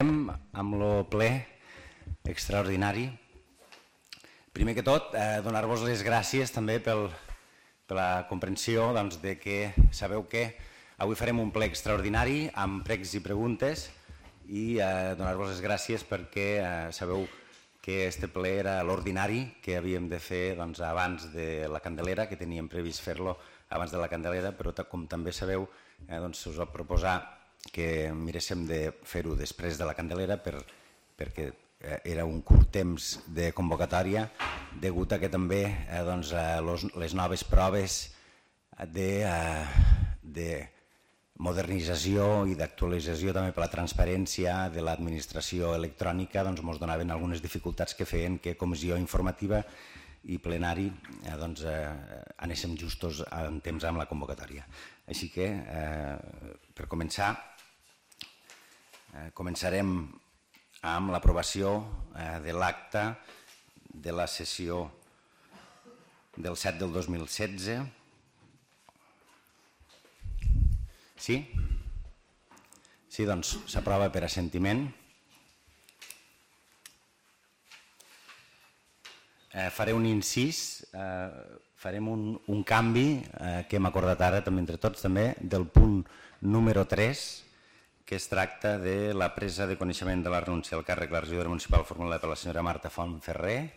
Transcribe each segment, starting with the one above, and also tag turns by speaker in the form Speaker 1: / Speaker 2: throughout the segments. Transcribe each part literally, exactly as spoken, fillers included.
Speaker 1: amb el ple extraordinari. Primer que tot, donar-vos les gràcies també per la comprensió de que sabeu que avui farem un ple extraordinari amb pregs i preguntes i donar-vos les gràcies perquè sabeu que este ple era l'ordinari que havíem de fer abans de la Candelera, que teníem previst fer-lo abans de la Candelera, però com també sabeu us va proposar que miréssim de fer-ho després de la Candelera perquè era un curt temps de convocatòria degut a que també les noves proves de modernització i d'actualització també per la transparència de l'administració electrònica ens donaven algunes dificultats que feien que comissió informativa i plenari anéssim justos en temps amb la convocatòria. Així que, per començar, començarem amb l'aprovació de l'acta de la sessió del set del dos mil setze. Sí? Sí, doncs s'aprova per assentiment. Faré un incís, farem un canvi que hem acordat ara també entre tots també del punt número tres, que es tracta de la presa de coneixement de la renúncia al càrrec de la regidora municipal formulada per la senyora Marta Fontferrer,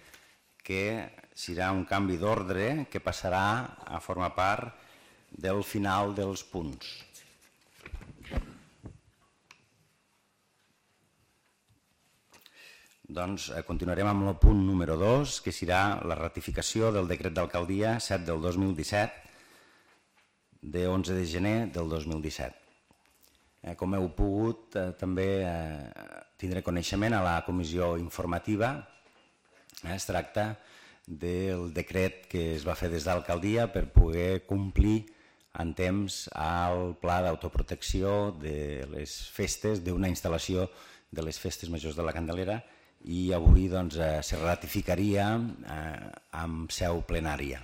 Speaker 1: que serà un canvi d'ordre que passarà a formar part del final dels punts. Doncs continuarem amb el punt número dos, que serà la ratificació del decret d'alcaldia set del dos mil disset, de onze de gener del dos mil disset. Com heu pogut també tindre coneixement a la comissió informativa, es tracta del decret que es va fer des d'alcaldia per poder complir en temps el pla d'autoprotecció de les festes, d'una instal·lació de les festes majors de la Candelera, i avui se ratificaria amb seu plenària.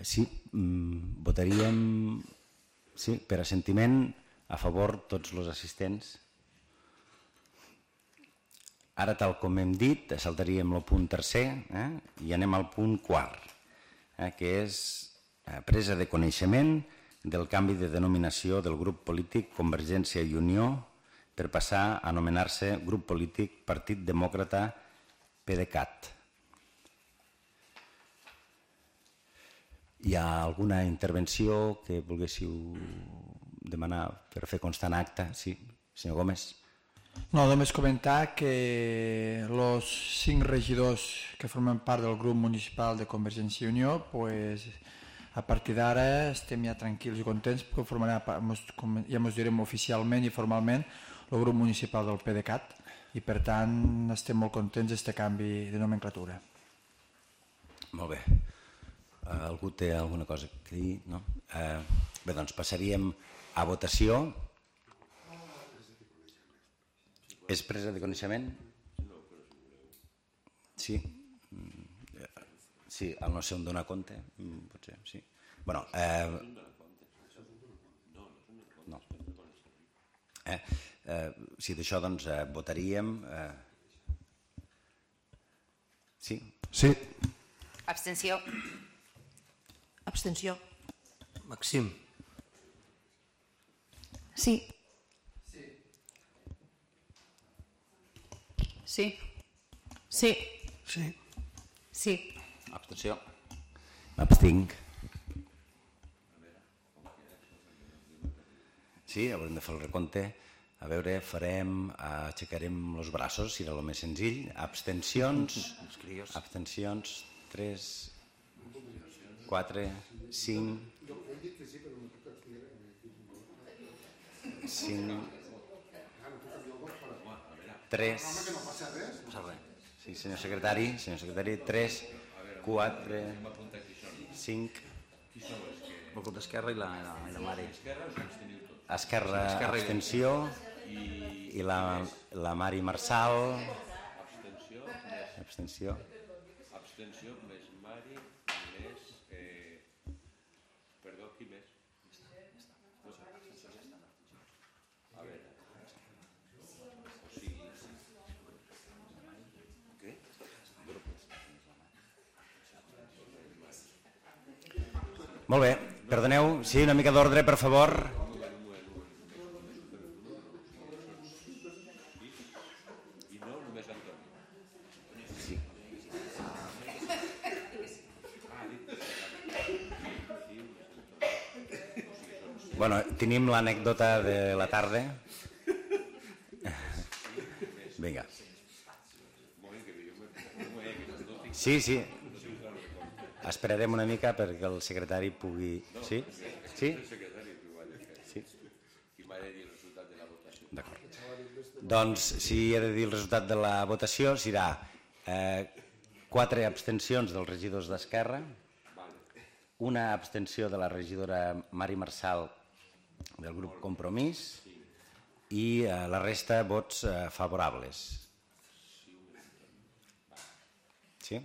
Speaker 1: Sí, votaríem per assentiment a favor tots els assistents. Ara, tal com hem dit, saltaríem el punt tercer i anem al punt quart, que és presa de coneixement del canvi de denominació del grup polític Convergència i Unió per passar a anomenar-se grup polític Partit Demòcrata PDeCAT. Hi ha alguna intervenció que volguéssiu demanar per fer constar en acte? Sí, senyor Gómez.
Speaker 2: No, només comentar que els cinc regidors que formen part del grup municipal de Convergència i Unió, a partir d'ara estem ja tranquils i contents perquè ja ens direm oficialment i formalment el grup municipal del PDeCAT i per tant estem molt contents d'aquest canvi de nomenclatura.
Speaker 1: Molt bé. Algú té alguna cosa a dir? No? Bé, doncs passaríem a votació. És presa de coneixement? Sí. Sí, al no sé on donar compte, potser, sí. Bueno, no. Si d'això doncs votaríem... Sí?
Speaker 3: Sí.
Speaker 4: Abstenció.
Speaker 3: Abstenció. Maxim.
Speaker 4: Sí. Sí. Sí.
Speaker 3: Sí.
Speaker 4: Sí.
Speaker 1: Abstenció. M'abstinc. Sí, haurem de fer el recompte. A veure, farem, aixecarem els braços, serà el més senzill. Abstencions. Abstencions. tres, quatre, cinc, cinc, tres, sí, senyor secretari, senyor secretari, tres, quatre, cinc, el grup d'Esquerra i la Mari. Esquerra, abstenció, i la Mari Marçal, abstenció.
Speaker 5: Abstenció més Mari més... Perdó, qui més? A veure...
Speaker 1: Molt bé, perdoneu, sí, una mica d'ordre, per favor. Bueno, tenim l'anècdota de la tarda. Vinga. Sí, sí. Esperarem una mica perquè el secretari pugui... Sí? Sí? Sí. D'acord. Doncs, si he de dir el resultat de la votació, serà eh, quatre abstencions dels regidors d'Esquerra, una abstenció de la regidora Mari Marçal del grup Compromís i eh, la resta vots eh, favorables. Sí?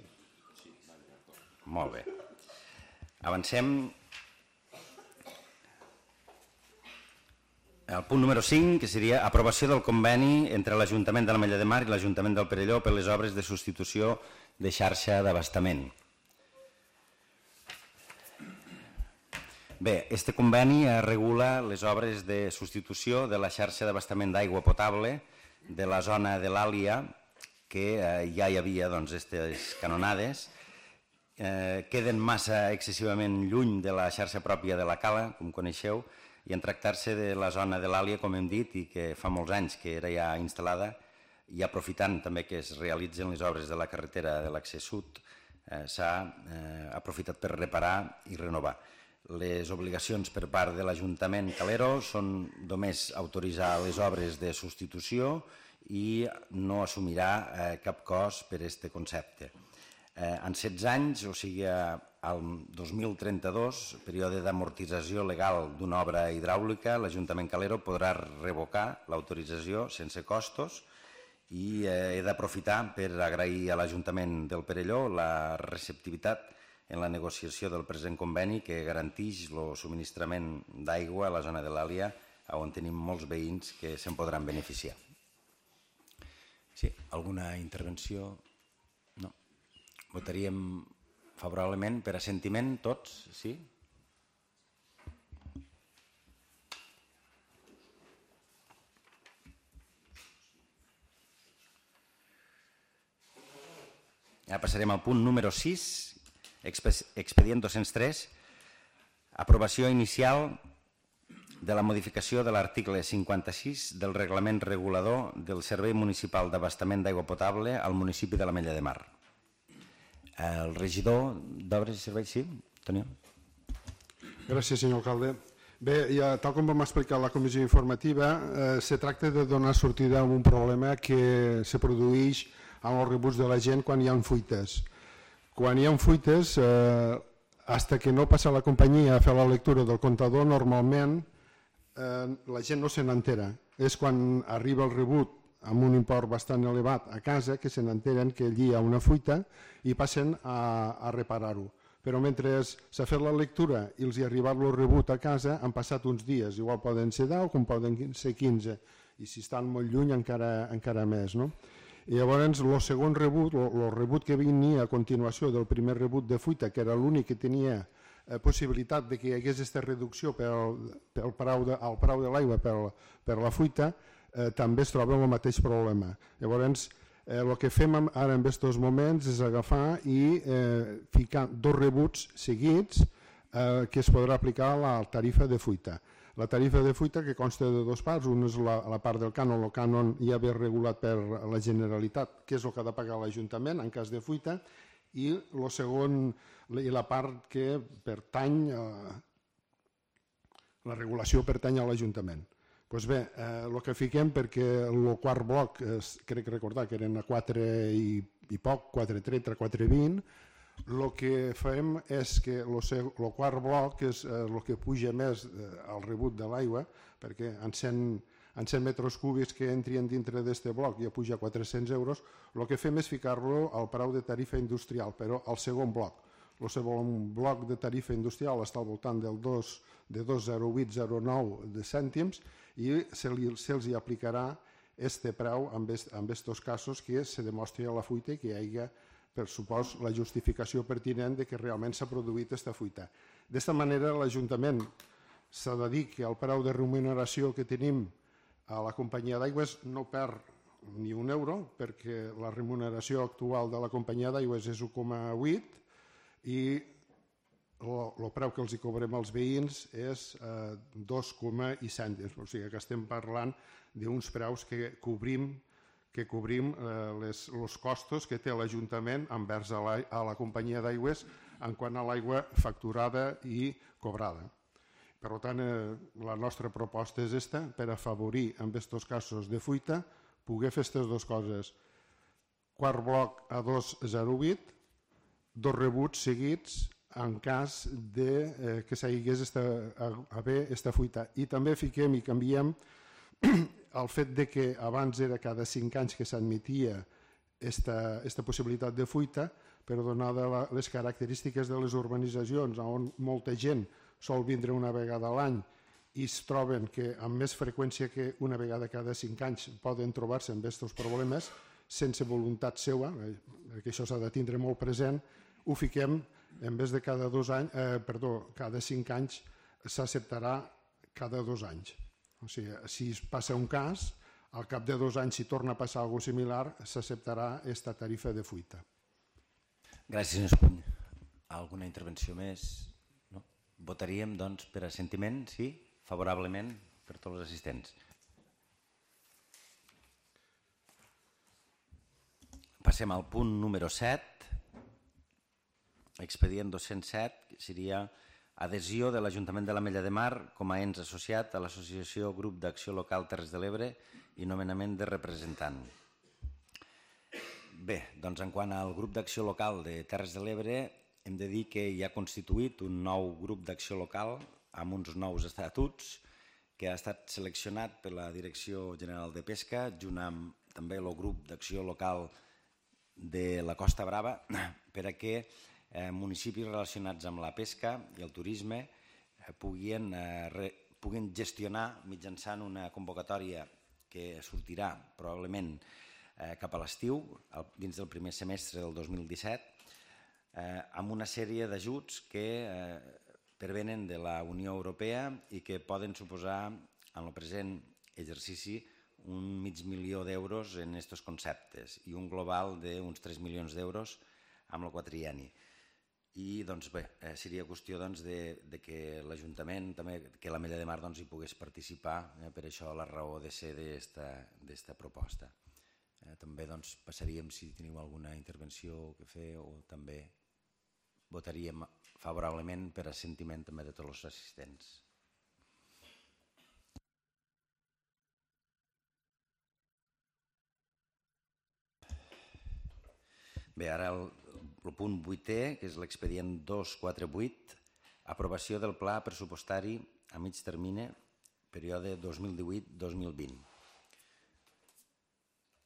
Speaker 1: Molt bé. Avancem al punt número cinc, que seria aprovació del conveni entre l'Ajuntament de l'Ametlla de Mar i l'Ajuntament del Perelló per les obres de substitució de xarxa d'abastament. Bé, este conveni regula les obres de substitució de la xarxa d'abastament d'aigua potable de la zona de l'Àlia, que eh, ja hi havia doncs, aquestes canonades, eh, queden massa excessivament lluny de la xarxa pròpia de la Cala, com coneixeu, i en tractar-se de la zona de l'Àlia, com hem dit, i que fa molts anys que era ja instal·lada, i aprofitant també que es realitzen les obres de la carretera de l'accés sud, eh, s'ha eh, aprofitat per reparar i renovar. Les obligacions per part de l'Ajuntament Calero són només autoritzar les obres de substitució i no assumirà eh, cap cost per aquest concepte. Eh, en setze anys, o sigui, al dos mil trenta-dos, període d'amortització legal d'una obra hidràulica, l'Ajuntament Calero podrà revocar l'autorització sense costos i eh, he d'aprofitar per agrair a l'Ajuntament del Perelló la receptivitat en la negociació del present conveni que garanteix el subministrament d'aigua a la zona de l'Àlia, on tenim molts veïns que se'n podran beneficiar. Sí, alguna intervenció? No. Votaríem favorablement per assentiment tots, sí? Ja passarem al punt número sis, expedient dos-cents tres, aprovació inicial de la modificació de l'article cinquanta-sis del reglament regulador del Servei Municipal d'Abastament d'Aigua Potable al municipi de l'Ametlla de Mar. El regidor d'Obres i Serveis, sí? Toni?
Speaker 6: Gràcies, senyor alcalde. Bé, ja, tal com vam explicar a la comissió informativa, eh, se tracta de donar sortida a un problema que se produeix amb els rebuts de la gent quan hi ha fuites. Quan hi ha fuites, eh, hasta que no passa la companyia a fer la lectura del comptador, normalment eh, la gent no se n'entera. És quan arriba el rebut amb un import bastant elevat a casa que se n'enteren que allí hi ha una fuita i passen a, a reparar-ho. Però mentre s'ha fet la lectura i els hi ha arribat el rebut a casa, han passat uns dies, igual poden ser deu com poden ser quinze, i si estan molt lluny encara, encara més, no? I llavors el segon rebut, el rebut que venia a continuació del primer rebut de fuita, que era l'únic que tenia eh, possibilitat de que hi hagués aquesta reducció pel, pel preu de, al preu de l'aigua per, per la fuita, eh, també es troba amb el mateix problema. Llavors, eh, el que fem ara en aquests moments és agafar i eh, ficar dos rebuts seguits eh, que es podrà aplicar a la tarifa de fuita. La tarifa de fuita que consta de dos parts, una és la, la part del cànon, el cànon ja ve regulat per la Generalitat, que és el que ha de pagar l'Ajuntament en cas de fuita, i, el segon, i la part que pertany, a, la regulació pertany a l'Ajuntament. Doncs bé, eh, el que fiquem, perquè el quart bloc, es, crec recordar que eren a quatre i, i poc, quatre coma trenta, quatre coma vint, el que fem és que el quart bloc és el que puja més al rebut de l'aigua, perquè en cent metres cúbics que entrien dintre d'aquest bloc ja puja quatre-cents euros, el que fem és ficar-lo al preu de tarifa industrial, però al segon bloc. El segon bloc de tarifa industrial està al voltant del dos de dos coma zero vuit zero nou de cèntims i se'ls hi aplicarà aquest preu en aquests casos que se demostri a la fuita i que hi hagi per supòs la justificació pertinent de que realment s'ha produït aquesta fuita. D'esta manera, l'Ajuntament s'ha de dir que el preu de remuneració que tenim a la companyia d'aigües no perd ni un euro, perquè la remuneració actual de la companyia d'aigües és u coma vuit i el preu que els hi cobrem als veïns és eh, dos coma cèntims. O sigui que estem parlant d'uns preus que cobrim que cobrim eh, les, els costos que té l'Ajuntament envers a la, a la companyia d'aigües en quant a l'aigua facturada i cobrada. Per tant, eh, la nostra proposta és esta, per afavorir en aquests casos de fuita, poder fer aquestes dues coses. Quart bloc a dos coma zero vuit, dos rebuts seguits en cas de, eh, que s'hagués esta, a, a haver aquesta fuita. I també fiquem i canviem el fet de que abans era cada cinc anys que s'admetia aquesta possibilitat de fuita, però donada la, les característiques de les urbanitzacions on molta gent sol vindre una vegada a l'any i es troben que amb més freqüència que una vegada cada cinc anys poden trobar-se amb aquests problemes sense voluntat seva, que això s'ha de tindre molt present, ho fiquem en vez de cada dos anys, eh, perdó, cada cinc anys s'acceptarà cada dos anys. O sigui, si es passa un cas, al cap de dos anys si torna a passar alguna cosa similar, s'acceptarà aquesta tarifa de fuita.
Speaker 1: Gràcies, senyor Espuny. Alguna intervenció més? No? Votaríem, doncs, per assentiment, sí? Favorablement per tots els assistents. Passem al punt número set, expedient dos-cents set, que seria adhesió de l'Ajuntament de l'Ametlla de Mar com a ens associat a l'Associació Grup d'Acció Local Terres de l'Ebre i nomenament de representant. Bé, doncs en quant al grup d'acció local de Terres de l'Ebre, hem de dir que hi ha constituït un nou grup d'acció local amb uns nous estatuts que ha estat seleccionat per la Direcció General de Pesca, junt amb també el grup d'acció local de la Costa Brava, per a que eh, municipis relacionats amb la pesca i el turisme eh, puguin, eh, re, puguin gestionar mitjançant una convocatòria que sortirà probablement eh, cap a l'estiu, dins del primer semestre del dos mil disset, eh, amb una sèrie d'ajuts que eh, pervenen de la Unió Europea i que poden suposar en el present exercici un mig milió d'euros en aquests conceptes i un global d'uns tres milions d'euros amb el quatrienni. I doncs bé, eh, seria qüestió doncs, de, de que l'Ajuntament, també que l'Ametlla de Mar doncs, hi pogués participar, eh, per això la raó de ser d'esta proposta. Eh, també doncs, passaríem si teniu alguna intervenció que fer o també votaríem favorablement per assentiment també de tots els assistents. Bé, ara el, el punt vuitè, que és l'expedient dos cents quaranta vuit, aprovació del pla pressupostari a mig termini, període dos mil divuit dos mil vint.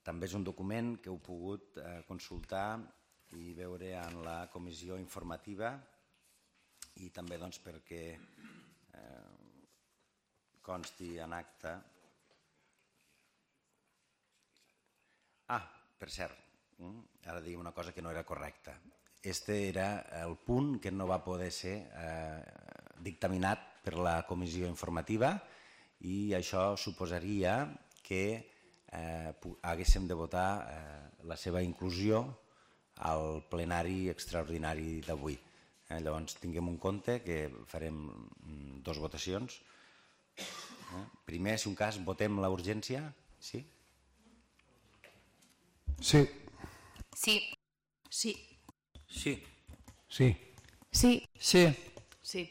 Speaker 1: També és un document que heu pogut eh, consultar i veure en la comissió informativa i també doncs, perquè eh, consti en acta. Ah, per cert, ara dic una cosa que no era correcta. Este era el punt que no va poder ser eh, dictaminat per la comissió informativa i això suposaria que eh, haguéssim de votar eh, la seva inclusió al plenari extraordinari d'avui. Eh, llavors tinguem en compte que farem dues votacions. Eh, primer, si un cas, votem la urgència. Sí?
Speaker 6: Sí.
Speaker 4: Sí.
Speaker 3: Sí. Sí.
Speaker 5: Sí.
Speaker 4: Sí.
Speaker 2: Sí.
Speaker 4: Sí.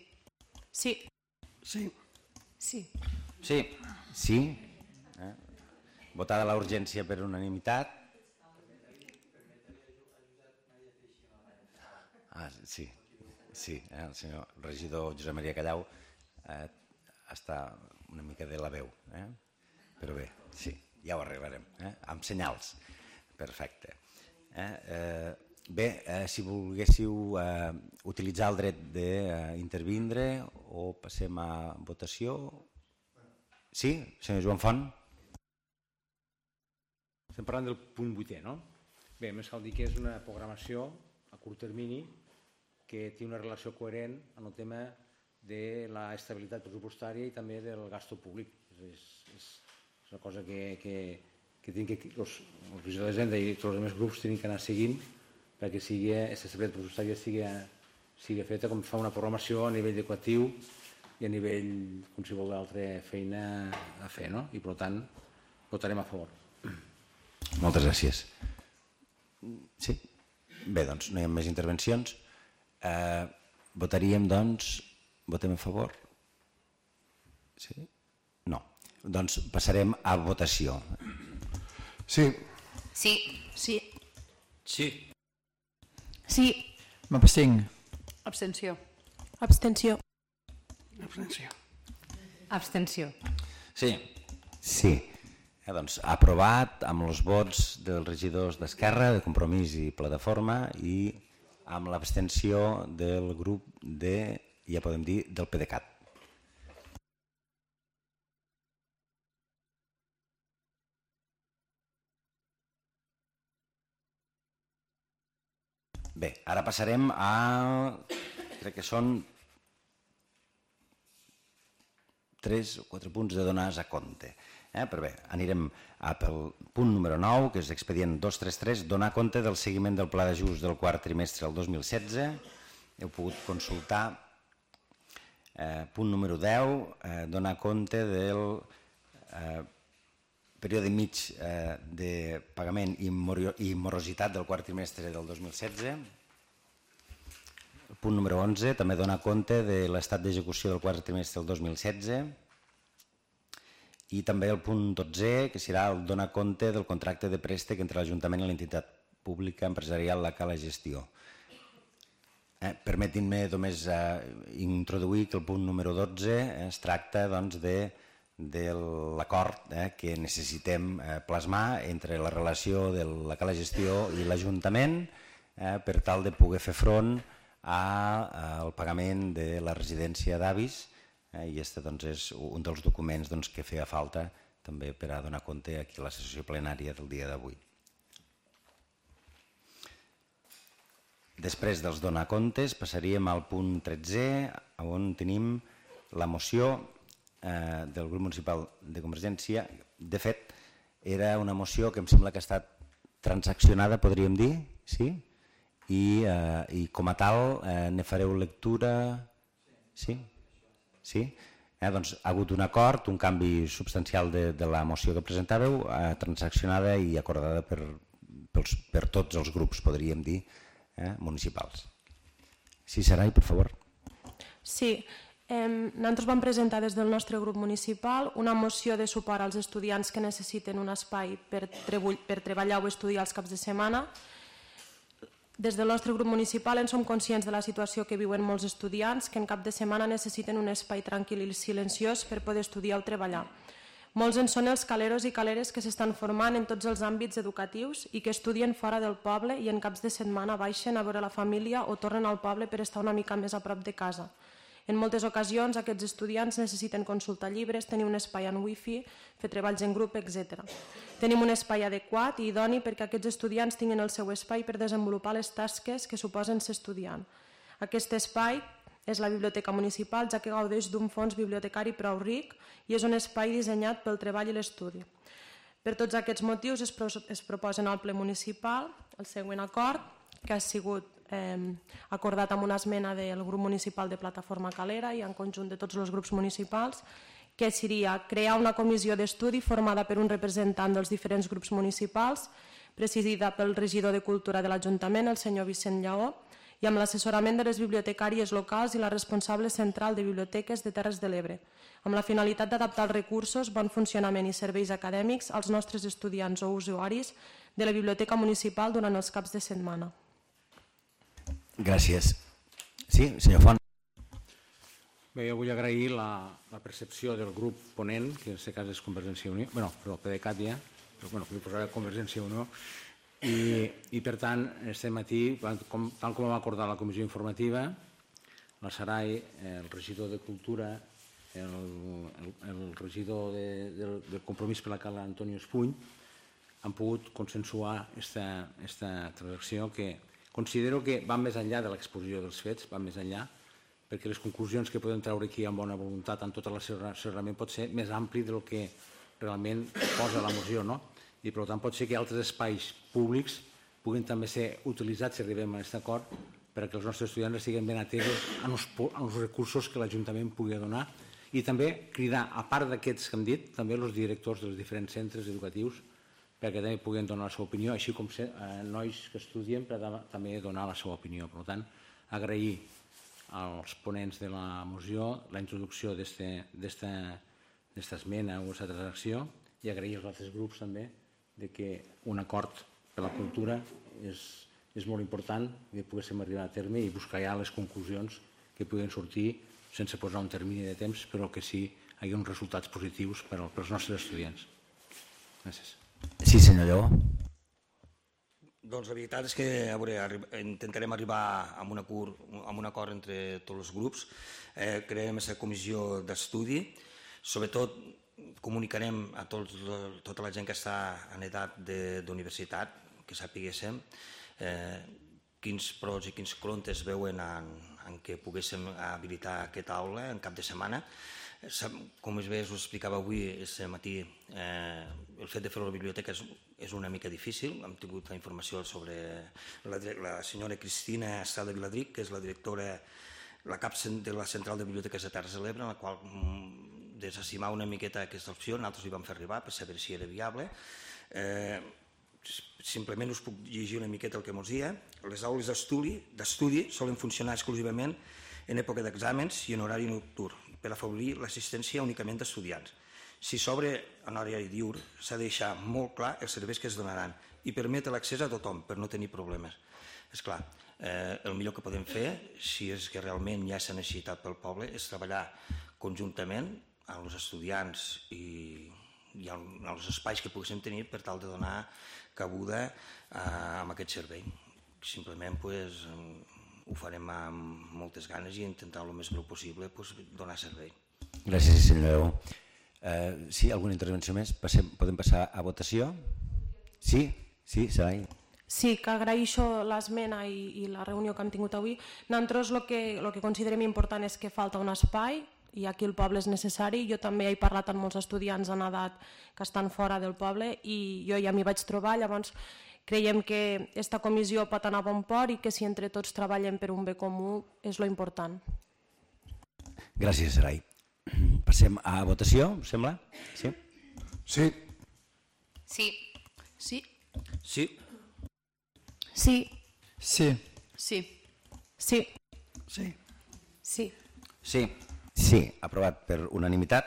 Speaker 4: Sí.
Speaker 3: Sí.
Speaker 4: Sí.
Speaker 1: Sí. Sí. Eh? Votada la urgència per unanimitat. Ah, sí. Sí, eh? El senyor regidor Josep Maria Callau eh, està una mica de la veu. Eh? Però bé, sí, ja ho arreglarem. Eh? Amb senyals. Perfecte. Eh, eh, bé, eh, si volguéssiu eh, utilitzar el dret d'intervindre o passem a votació. Sí, senyor Joan Font?
Speaker 5: Estem parlant del punt vuitè, no? Bé, més cal dir que és una programació a curt termini
Speaker 7: que té una relació coherent en el tema de l'estabilitat pressupostària i també del gasto públic. És, és, és una cosa que, que, que, que els, els regidors d'Hisenda i tots els altres grups tenen que anar seguint perquè sigui, aquesta estabilitat pressupostària sigui, sigui feta com fa una programació a nivell equatiu i a nivell qualsevol d'altra feina a fer, no? I per tant votarem a favor.
Speaker 1: Moltes gràcies. Sí? Bé, doncs no hi ha més intervencions. Eh, votaríem, doncs, votem a favor? Sí? No. Doncs passarem a votació.
Speaker 6: Sí.
Speaker 4: Sí.
Speaker 3: Sí.
Speaker 5: Sí.
Speaker 4: Sí.
Speaker 2: M'abstinc.
Speaker 3: Abstenció.
Speaker 4: Abstenció.
Speaker 3: Abstenció.
Speaker 4: Abstenció.
Speaker 1: Sí. Sí. Eh, doncs, aprovat amb els vots dels regidors d'Esquerra, de Compromís i Plataforma i amb l'abstenció del grup de, ja podem dir, del PDeCAT. Bé, ara passarem a... crec que són tres o quatre punts de donar a compte. Eh, però bé, anirem a pel punt número nou, que és expedient dos cents trenta-tres, donar compte del seguiment del pla d'ajust del quart trimestre del dos mil setze. Heu pogut consultar. Eh, punt número deu, eh, donar compte del eh, període mig eh, de pagament i, i morositat del quart trimestre del dos mil setze. El punt número onze, també donar compte de l'estat d'execució del quart trimestre del dos mil setze. I també el punt dotze, que serà el donar compte del contracte de préstec entre l'Ajuntament i l'entitat pública empresarial La Cala Gestió. Eh, Permetin-me només eh, introduir que el punt número dotze eh, es tracta doncs, de, de l'acord eh, que necessitem eh, plasmar entre la relació de La Cala Gestió i l'Ajuntament eh, per tal de poder fer front a, al pagament de la residència d'avis. I aquest doncs, és un dels documents doncs, que feia falta també per a donar compte aquí a la sessió plenària del dia d'avui. Després dels donar comptes passaríem al punt tretze, on tenim la moció eh, del grup municipal de Convergència. De fet, era una moció que em sembla que ha estat transaccionada, podríem dir, sí? I, eh, i com a tal eh, ne fareu lectura... Sí? Sí? Eh, doncs, ha hagut un acord, un canvi substancial de, de la moció que presentàveu, eh, transaccionada i acordada per, pels, per tots els grups, podríem dir, eh, municipals. Sí, Sarai, per favor.
Speaker 8: Sí, eh, nosaltres vam presentar des del nostre grup municipal una moció de suport als estudiants que necessiten un espai per, per treballar o estudiar els caps de setmana. Des del nostre grup municipal en som conscients de la situació que viuen molts estudiants que en cap de setmana necessiten un espai tranquil i silenciós per poder estudiar o treballar. Molts en són els caleros i caleres que s'estan formant en tots els àmbits educatius i que estudien fora del poble i en caps de setmana baixen a veure la família o tornen al poble per estar una mica més a prop de casa. En moltes ocasions aquests estudiants necessiten consultar llibres, tenir un espai en wifi, fer treballs en grup, etcètera. Tenim un espai adequat i idoni perquè aquests estudiants tinguin el seu espai per desenvolupar les tasques que suposen ser estudiant. Aquest espai és la biblioteca municipal, ja que gaudeix d'un fons bibliotecari prou ric i és un espai dissenyat pel treball i l'estudi. Per tots aquests motius es, pro es proposen al ple municipal el següent acord, que ha sigut eh, acordat amb una esmena del grup municipal de Plataforma Calera i en conjunt de tots els grups municipals, que seria crear una comissió d'estudi formada per un representant dels diferents grups municipals, presidida pel regidor de Cultura de l'Ajuntament, el senyor Vicent Lleó, i amb l'assessorament de les bibliotecàries locals i la responsable central de biblioteques de Terres de l'Ebre, amb la finalitat d'adaptar els recursos, bon funcionament i serveis acadèmics als nostres estudiants o usuaris de la biblioteca municipal durant els caps de setmana.
Speaker 1: Gràcies. Sí, senyor Font.
Speaker 7: Bé, jo vull agrair la, la percepció del grup ponent, que en aquest cas és Convergència i Unió, bé, no, però el PDeCAT ja, però bueno, vull posar Convergència i Unió, i, i per tant, este matí, com, tal com vam acordar la comissió informativa, la Sarai, el regidor de Cultura, el, el, el regidor de, de, del Compromís per la Cala, Antonio Espuny, han pogut consensuar esta, esta transacció que considero que van més enllà de l'exposició dels fets, van més enllà, perquè les conclusions que podem treure aquí amb bona voluntat, amb tot l'assessorament, pot ser més ampli del que realment posa la moció, no? I per tant pot ser que altres espais públics puguin també ser utilitzats, si arribem a aquest acord, perquè els nostres estudiants estiguin ben atesos als recursos que l'Ajuntament pugui donar i també cridar, a part d'aquests que hem dit, també els directors dels diferents centres educatius perquè també puguin donar la seva opinió, així com nois que estudien per també donar la seva opinió. Per tant, agrair als ponents de la moció la introducció d'esta esmena o aquesta transacció i agrair als altres grups també que un acord per la cultura és molt important que poguéssim arribar a terme i buscar ja les conclusions que puguin sortir sense posar un termini de temps, però que sí hi hagi uns resultats positius per als nostres estudiants. Gràcies.
Speaker 1: Sí, senyor Lleó.
Speaker 9: Doncs la veritat és que a veure, intentarem arribar a un acord, a un acord entre tots els grups. Eh, crearem aquesta comissió d'estudi. Sobretot comunicarem a tots, tota la gent que està en edat d'universitat, que sapiguéssim eh, quins pros i quins contres veuen en, en què poguéssim habilitar aquesta aula en cap de setmana. Com bé us explicava avui, aquest matí, eh, el fet de fer-ho a la biblioteca és, és una mica difícil. Hem tingut la informació sobre la, la senyora Cristina Estrada Viladric, que és la directora, la cap de la Central de Biblioteques de Terres de l'Ebre, en la qual desestimar una miqueta aquesta opció, nosaltres li vam fer arribar per saber si era viable. Eh, simplement us puc llegir una miqueta el que ens deia. Les aules d'estudi solen funcionar exclusivament en època d'exàmens i en horari nocturn, per afavorir l'assistència únicament d'estudiants. Si s'obre en horari diürn, s'ha de deixar molt clar els serveis que es donaran i permetre l'accés a tothom per no tenir problemes. És clar, eh, el millor que podem fer, si és que realment hi ha aquesta necessitat pel poble, és treballar conjuntament amb els estudiants i, i amb els espais que poguéssim tenir per tal de donar cabuda eh, amb aquest servei. Simplement pues, ho farem amb moltes ganes i intentar el més breu possible pues, donar servei.
Speaker 1: Gràcies, senyor Lleó. Eh, sí, alguna intervenció més? Passem, podem passar a votació? Sí? Sí, Sarai?
Speaker 8: Sí, que agraeixo l'esmena i, i la reunió que hem tingut avui. Nosaltres el que, el que considerem important és que falta un espai i aquí el poble és necessari. Jo també he parlat amb molts estudiants en edat que estan fora del poble i jo ja m'hi vaig trobar, llavors creiem que aquesta comissió pot anar a bon port i que si entre tots treballem per un bé comú és lo important.
Speaker 1: Gràcies, Sarai. Passem a votació, sembla? Sí?
Speaker 6: Sí.
Speaker 4: Sí.
Speaker 3: Sí.
Speaker 9: Sí.
Speaker 8: Sí.
Speaker 2: Sí.
Speaker 3: Sí.
Speaker 8: Sí.
Speaker 2: Sí.
Speaker 8: Sí.
Speaker 1: Sí. Sí, aprovat per unanimitat.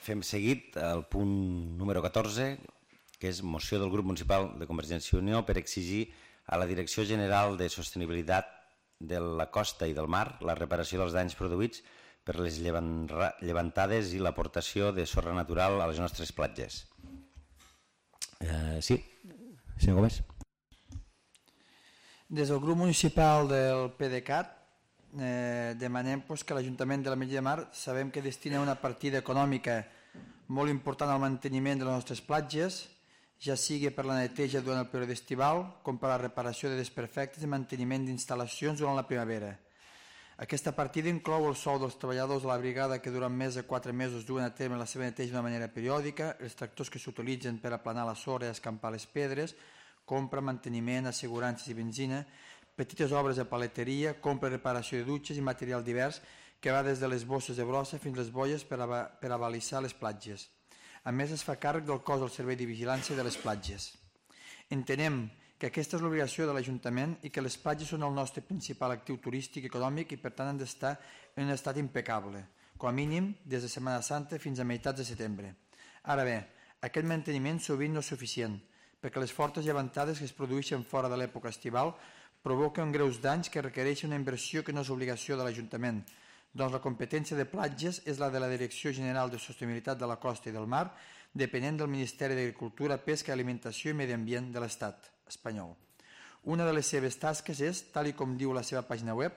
Speaker 1: Fem seguit el punt número catorze, que és moció del grup municipal de Convergència i Unió per exigir a la Direcció General de Sostenibilitat de la Costa i del Mar la reparació dels danys produïts per les llevantades i l'aportació de sorra natural a les nostres platges. Eh, sí, senyor Gómez.
Speaker 2: Des del grup municipal del PDeCAT eh, demanem pues, que l'Ajuntament de l'Ametlla de Mar sabem que destina una partida econòmica molt important al manteniment de les nostres platges, ja sigui per la neteja durant el període estival com per la reparació de desperfectes i manteniment d'instal·lacions durant la primavera. Aquesta partida inclou el sou dels treballadors de la brigada que durant més de quatre mesos duen a terme la seva neteja d'una manera periòdica, els tractors que s'utilitzen per aplanar la sorra i escampar les pedres, compra, manteniment, assegurances i benzina, petites obres de paleteria, compra i reparació de dutxes i material divers que va des de les bosses de brossa fins les boies per, a, per abalissar les platges. A més, es fa càrrec del cos del Servei de Vigilància de les Platges. Entenem que aquesta és l'obligació de l'Ajuntament i que les platges són el nostre principal actiu turístic i econòmic i per tant han d'estar en un estat impecable, com a mínim des de Setmana Santa fins a meitats de setembre. Ara bé, aquest manteniment sovint no és suficient, perquè les fortes llevantades que es produeixen fora de l'època estival provoquen greus danys que requereixen una inversió que no és obligació de l'Ajuntament, doncs la competència de platges és la de la Direcció General de Sostenibilitat de la Costa i del Mar, depenent del Ministeri d'Agricultura, Pesca, Alimentació i Medi Ambient de l'Estat espanyol. Una de les seves tasques és, tal i com diu la seva pàgina web,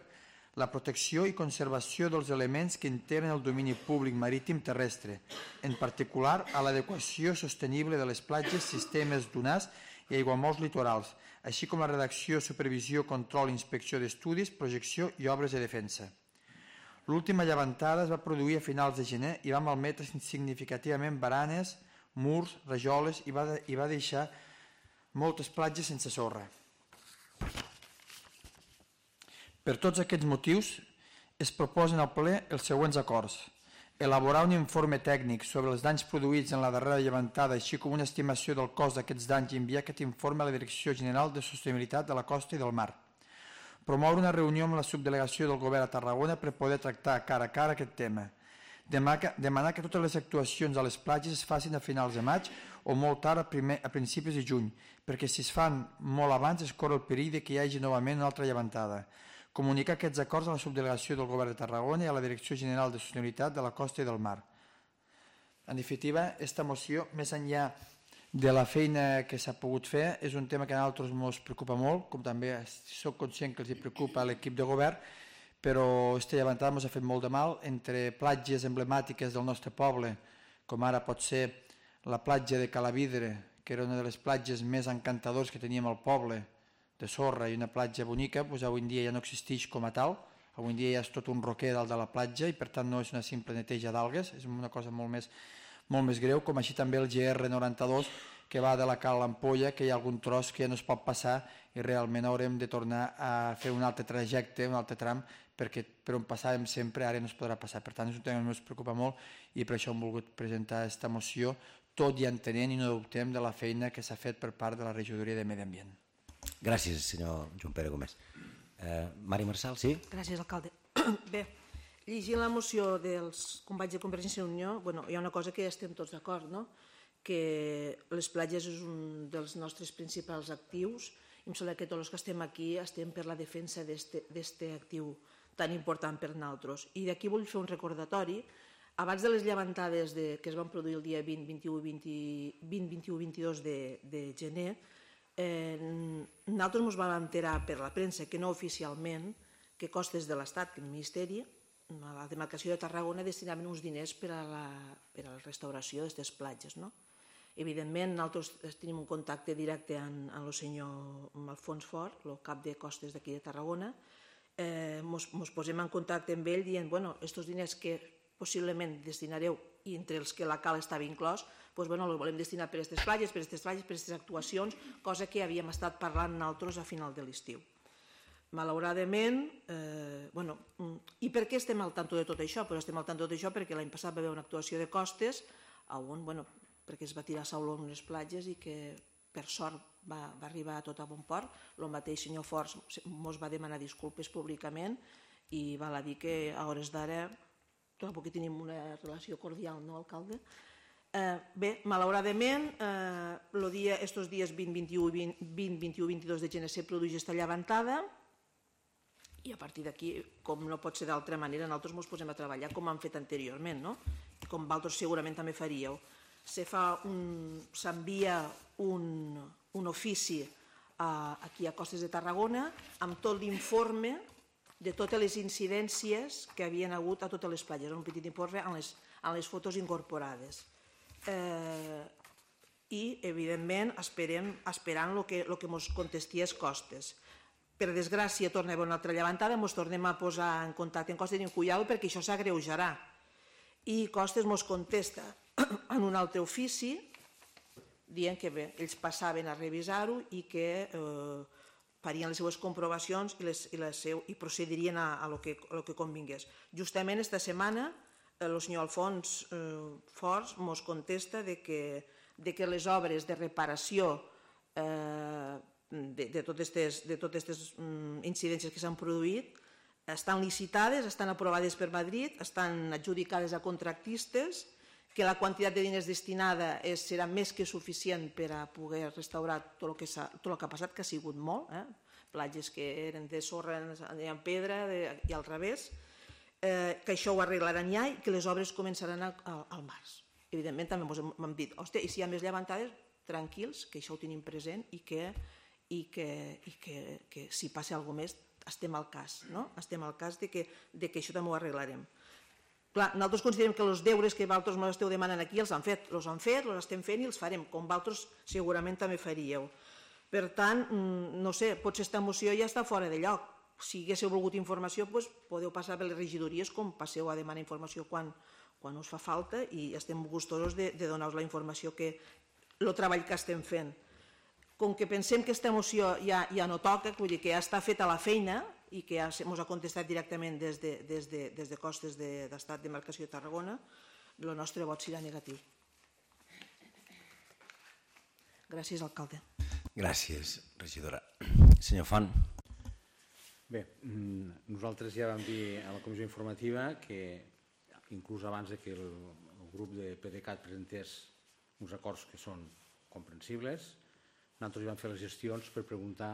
Speaker 2: la protecció i conservació dels elements que integren el domini públic marítim terrestre, en particular a l'adequació sostenible de les platges, sistemes dunars i aiguamolls litorals, així com la redacció, supervisió, control, inspecció d'estudis, projecció i obres de defensa. L'última llevantada es va produir a finals de gener i va malmetre significativament baranes, murs, rajoles i va, de, i va deixar moltes platges sense sorra. Per tots aquests motius, es proposen al ple els següents acords. Elaborar un informe tècnic sobre els danys produïts en la darrera llevantada, així com una estimació del cost d'aquests danys i enviar aquest informe a la Direcció General de Sostenibilitat de la Costa i del Mar. Promoure una reunió amb la subdelegació del Govern a Tarragona per poder tractar cara a cara aquest tema. Demanar que totes les actuacions a les platges es facin a finals de maig o molt tard a, primer, a principis de juny, perquè si es fan molt abans es corre el perill que hi hagi novament una altra llevantada. Comunicar aquests acords a la subdelegació del Govern de Tarragona i a la Direcció General de Sostenibilitat de la Costa i del Mar. En definitiva, aquesta moció, més enllà de la feina que s'ha pogut fer, és un tema que a nosaltres ens preocupa molt, com també soc conscient que els preocupa a l'equip de govern, però aquesta llevantada ens ha fet molt de mal entre platges emblemàtiques del nostre poble, com ara pot ser la platja de Calavidre, que era una de les platges més encantadores que teníem al poble, de sorra i una platja bonica, doncs avui en dia ja no existeix com a tal, avui en dia ja és tot un roquer dalt de la platja i per tant no és una simple neteja d'algues, és una cosa molt més, molt més greu, com així també el G R noranta-dos, que va de la Cal l'Ampolla, que hi ha algun tros que ja no es pot passar i realment haurem de tornar a fer un altre trajecte, un altre tram, perquè per on passàvem sempre ara no es podrà passar. Per tant, és un tema que ens preocupa molt i per això hem volgut presentar aquesta moció, tot i entenent i no dubtem de la feina que s'ha fet per part de la Regidoria de Medi Ambient.
Speaker 1: Gràcies, senyor Joan Pere Gómez. Eh, Mari Marçal, sí?
Speaker 3: Gràcies, alcalde. Bé, llegint la moció dels companys de Convergència i Unió, bueno, hi ha una cosa que estem tots d'acord, no? Que les platges és un dels nostres principals actius i em sembla que tots els que estem aquí estem per la defensa d'aquest actiu tan important per nosaltres. I d'aquí vull fer un recordatori. Abans de les llevantades de, que es van produir el dia vint, vint-i-u, vint-i-dos de, de gener, Eh, nosaltres ens vam enterar per la premsa, que no oficialment, que Costes de l'Estat, que el Ministeri, a la demarcació de Tarragona, destinaven uns diners per a la, per a la restauració d'aquestes platges. No? Evidentment, nosaltres tenim un contacte directe amb el senyor Alfons Fort, el cap de Costes d'aquí de Tarragona. Eh, ens posem en contacte amb ell dient, bueno, aquests diners que possiblement destinareu, i entre els que la Cal estava inclòs, doncs, bueno, els volem destinar per a aquestes platges, per a aquestes platges, per a aquestes actuacions, cosa que havíem estat parlant nosaltres a final de l'estiu. Malauradament, eh, bueno, i per què estem al tanto de tot això? Però estem al tanto de tot això perquè l'any passat va haver una actuació de Costes, on, bueno, perquè es va tirar sauló en unes platges i que per sort va, va arribar a tot a bon port. El mateix senyor Forts ens va demanar disculpes públicament i val a dir que a hores d'ara tampoc tenim una relació cordial, no, alcalde? Eh, bé, malauradament, eh, dia, estos dies vint, vint-i-u, vint-i-u, vint-i-dos de gener se produeix aquesta llevantada i a partir d'aquí, com no pot ser d'altra manera, nosaltres ens posem a treballar com hem fet anteriorment, no? Com vosaltres segurament també faríeu. S'envia un, un ofici a, aquí a Costes de Tarragona amb tot l'informe de totes les incidències que havien hagut a totes les platges, un petit informe amb les, amb les fotos incorporades. Eh, I, evidentment, esperem, esperant el que, el que ens contestés Costes. Per desgràcia, torna a haver una altra llevantada, ens tornem a posar en contacte amb Costes i en Cuyau perquè això s'agreujarà. I Costes ens contesta en un altre ofici dient que bé, ells passaven a revisar-ho i que eh, farien les seues comprovacions i, les, i, les seu, i procedirien a, a lo que, a lo que convingués. Justament esta setmana el senyor Alfons eh, Forts ens contesta de que, de que les obres de reparació eh, de, de totes aquestes mm, incidències que s'han produït estan licitades, estan aprovades per Madrid, estan adjudicades a contractistes, que la quantitat de diners destinada és, serà més que suficient per a poder restaurar tot el que, tot el que ha passat, que ha sigut molt, eh? Platges que eren de sorra en pedra de, i al revés, eh, que això ho arreglaran ja i que les obres començaran al, al març. Evidentment també ens hem dit, hòstia, i si hi ha més llevantades, tranquils, que això ho tenim present i que, i que, i que, que si passa alguna cosa més estem al cas, no? Estem al cas de que, de que això també ho arreglarem. Clar, nosaltres considerem que els deures que vosaltres ens esteu demanant aquí els han fet, els han fet, els estem fent i els farem, com vosaltres segurament també faríeu. Per tant, no sé, potser aquesta moció ja està fora de lloc. Si haguéssiu volgut informació, doncs podeu passar per les regidories com passeu a demanar informació quan, quan us fa falta i estem gustosos de, de donar-vos la informació que el treball que estem fent. Com que pensem que aquesta moció ja, ja no toca, vull dir que ja està feta la feina i que ja ens ha contestat directament des de, des de, des de Costes d'Estat de Demarcació de Tarragona, el nostre vot serà negatiu. Gràcies, alcalde.
Speaker 1: Gràcies, regidora. Senyor Font.
Speaker 7: Bé, nosaltres ja vam dir a la comissió informativa que inclús abans que el, el grup de PDeCAT presentés uns acords que són comprensibles, nosaltres vam fer les gestions per preguntar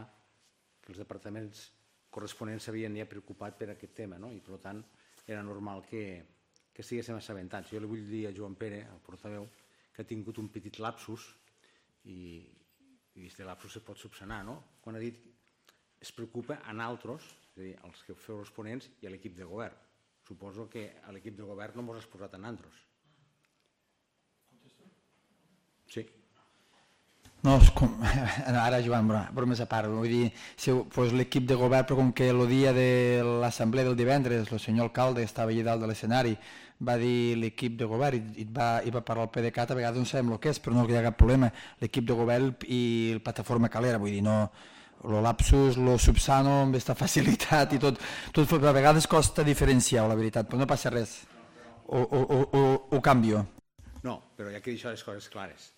Speaker 7: que els departaments corresponents s'havien ja preocupat per aquest tema, no? I per tant era normal que, que estiguéssim assabentats. Jo li vull dir a Joan Pere, el portaveu, que ha tingut un petit lapsus i, i aquest lapsus se pot subsanar, no? Quan ha dit es preocupa a nosaltres, és a dir, els que feu els ponents i a l'equip de govern. Suposo que a l'equip de govern no mos has posat a nosaltres. Sí.
Speaker 2: No, com, ara Joan, bromes a part, vull dir, si, pues, l'equip de govern, però com que el dia de l'assemblea del divendres el senyor alcalde estava allà dalt de l'escenari, va dir l'equip de govern i, i, va, i va parlar el PDeCAT, a vegades no sabem el que és, però no hi ha cap problema, l'equip de govern i la plataforma Calera, vull dir, no, el lapsus, lo subsano amb aquesta facilitat i tot, tot a vegades costa diferenciar, la veritat, però no passa res, ho, ho, ho, ho canvio.
Speaker 7: No, però ja que he dit les coses clares,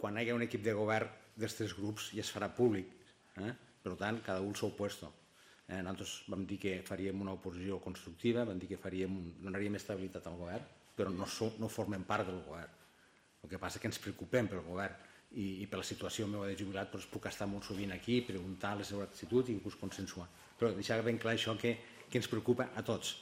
Speaker 7: quan hi ha un equip de govern dels tres grups ja es farà públic, eh? Per tant, cada un al seu puesto. Eh? Nosaltres vam dir que faríem una oposició constructiva, vam dir que faríem, donaríem estabilitat al govern, però no, so, no formem part del govern. El que passa és que ens preocupem pel govern i, i per la situació meva de jubilat doncs puc estar molt sovint aquí, preguntar la seva actitud i inclús consensuar. Però deixar ben clar això que, que ens preocupa a tots,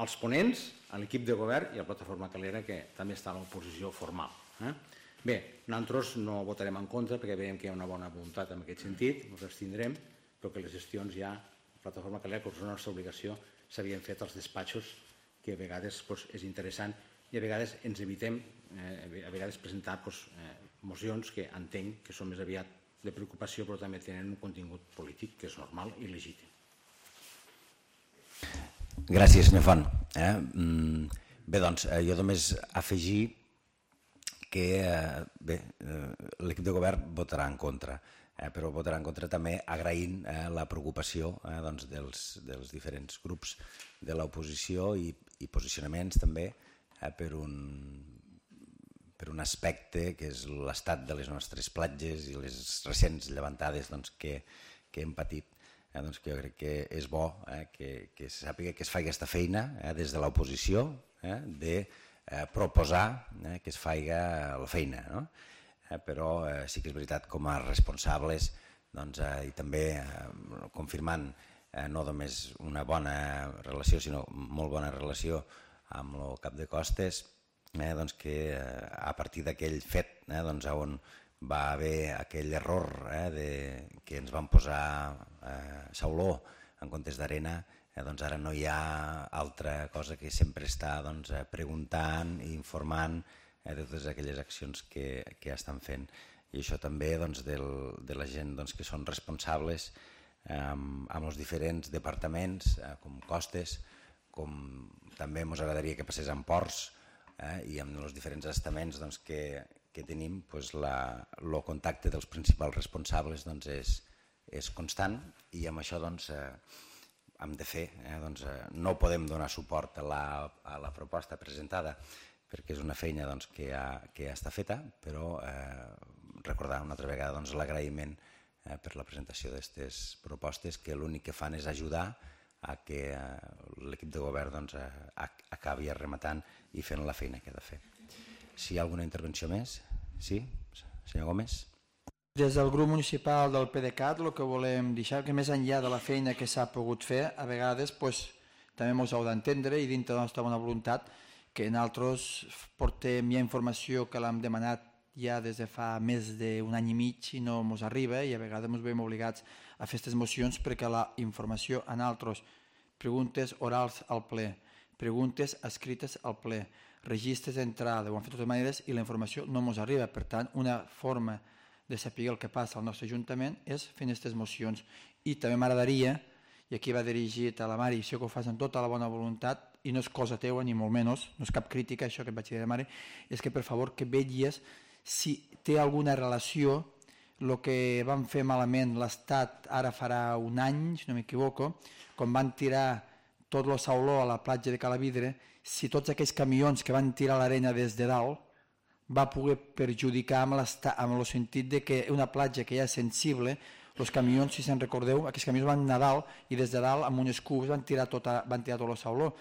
Speaker 7: als ponents, a l'equip de govern i a la plataforma Calera, que també està a l'oposició formal. Eh? Bé, nosaltres no votarem en contra perquè veiem que hi ha una bona voluntat en aquest sentit, ens abstindrem, però que les gestions ja, la plataforma Calera, que és la nostra obligació, s'havien fet als despatxos, que a vegades doncs, és interessant i a vegades ens evitem eh, a vegades presentar doncs, eh, mocions que entenc que són més aviat de preocupació però també tenen un contingut polític que és normal i legítim.
Speaker 1: Gràcies, senyor Font. Eh? Bé, doncs, jo només afegir que eh, bé, eh, l'equip de govern votarà en contra, eh, però votarà en contra també agraint eh, la preocupació eh, doncs, dels, dels diferents grups de l'oposició i, i posicionaments també eh, per, un, per un aspecte que és l'estat de les nostres platges i les recents llevantades doncs, que, que hem patit. Eh, doncs, que jo crec que és bo eh, que, que se sàpiga que es faci aquesta feina eh, des de l'oposició eh, de Eh, proposar eh, que es faci la feina, no? eh, però eh, sí que és veritat com a responsables doncs, eh, i també eh, confirmant eh, no només una bona relació sinó molt bona relació amb el cap de costes, eh, doncs que eh, a partir d'aquell fet eh, doncs, on va haver aquell error eh, de, que ens van posar eh, sauló en comptes d'arena, Eh, doncs ara no hi ha altra cosa que sempre està doncs, preguntant i informant eh, de totes aquelles accions que, que estan fent. I això també doncs, del, de la gent doncs, que són responsables eh, amb, amb els diferents departaments, eh, com Costes, com també ens agradaria que passés amb Ports eh, i amb els diferents estaments doncs, que, que tenim, doncs, el contacte dels principals responsables doncs, és, és constant i amb això doncs, eh, hem de fer, eh? doncs, eh, no podem donar suport a la, a la proposta presentada perquè és una feina doncs, que, ha, que ja està feta, però eh, recordar una altra vegada doncs, l'agraïment eh, per la presentació d'aquestes propostes que l'únic que fan és ajudar a que eh, l'equip de govern doncs, eh, acabi arrematant i fent la feina que ha de fer. Si hi ha alguna intervenció més? Sí? Senyor Gómez?
Speaker 2: Des del grup municipal del PDeCAT el que volem deixar que més enllà de la feina que s'ha pogut fer, a vegades pues, també ens heu d'entendre i dintre de la nostra bona voluntat que nosaltres portem ja informació que l'hem demanat ja des de fa més d'un any i mig i no ens arriba i a vegades ens veiem obligats a fer aquestes mocions perquè la informació en altres, preguntes orals al ple, preguntes escrites al ple, registres d'entrada, ho han fet de totes maneres i la informació no ens arriba. Per tant, una forma de saber el que passa al nostre Ajuntament és fent aquestes mocions. I també m'agradaria, i aquí va dirigit a la Mari, això que ho fas amb tota la bona voluntat, i no és cosa teua ni molt menys, no és cap crítica això que et vaig dir a la Mari, és que per favor que vetlles si té alguna relació el que van fer malament l'Estat ara farà un any, si no m'equivoco, quan van tirar tot el sauló a la platja de Calavidre, si tots aquells camions que van tirar l'arena des de dalt va poder perjudicar amb, amb el sentit de que una platja que ja és sensible, els camions, si se'n recordeu, aquests camions van anar a dalt i des de dalt amb unes cubes van tirar tot, van tirar tot el sauló.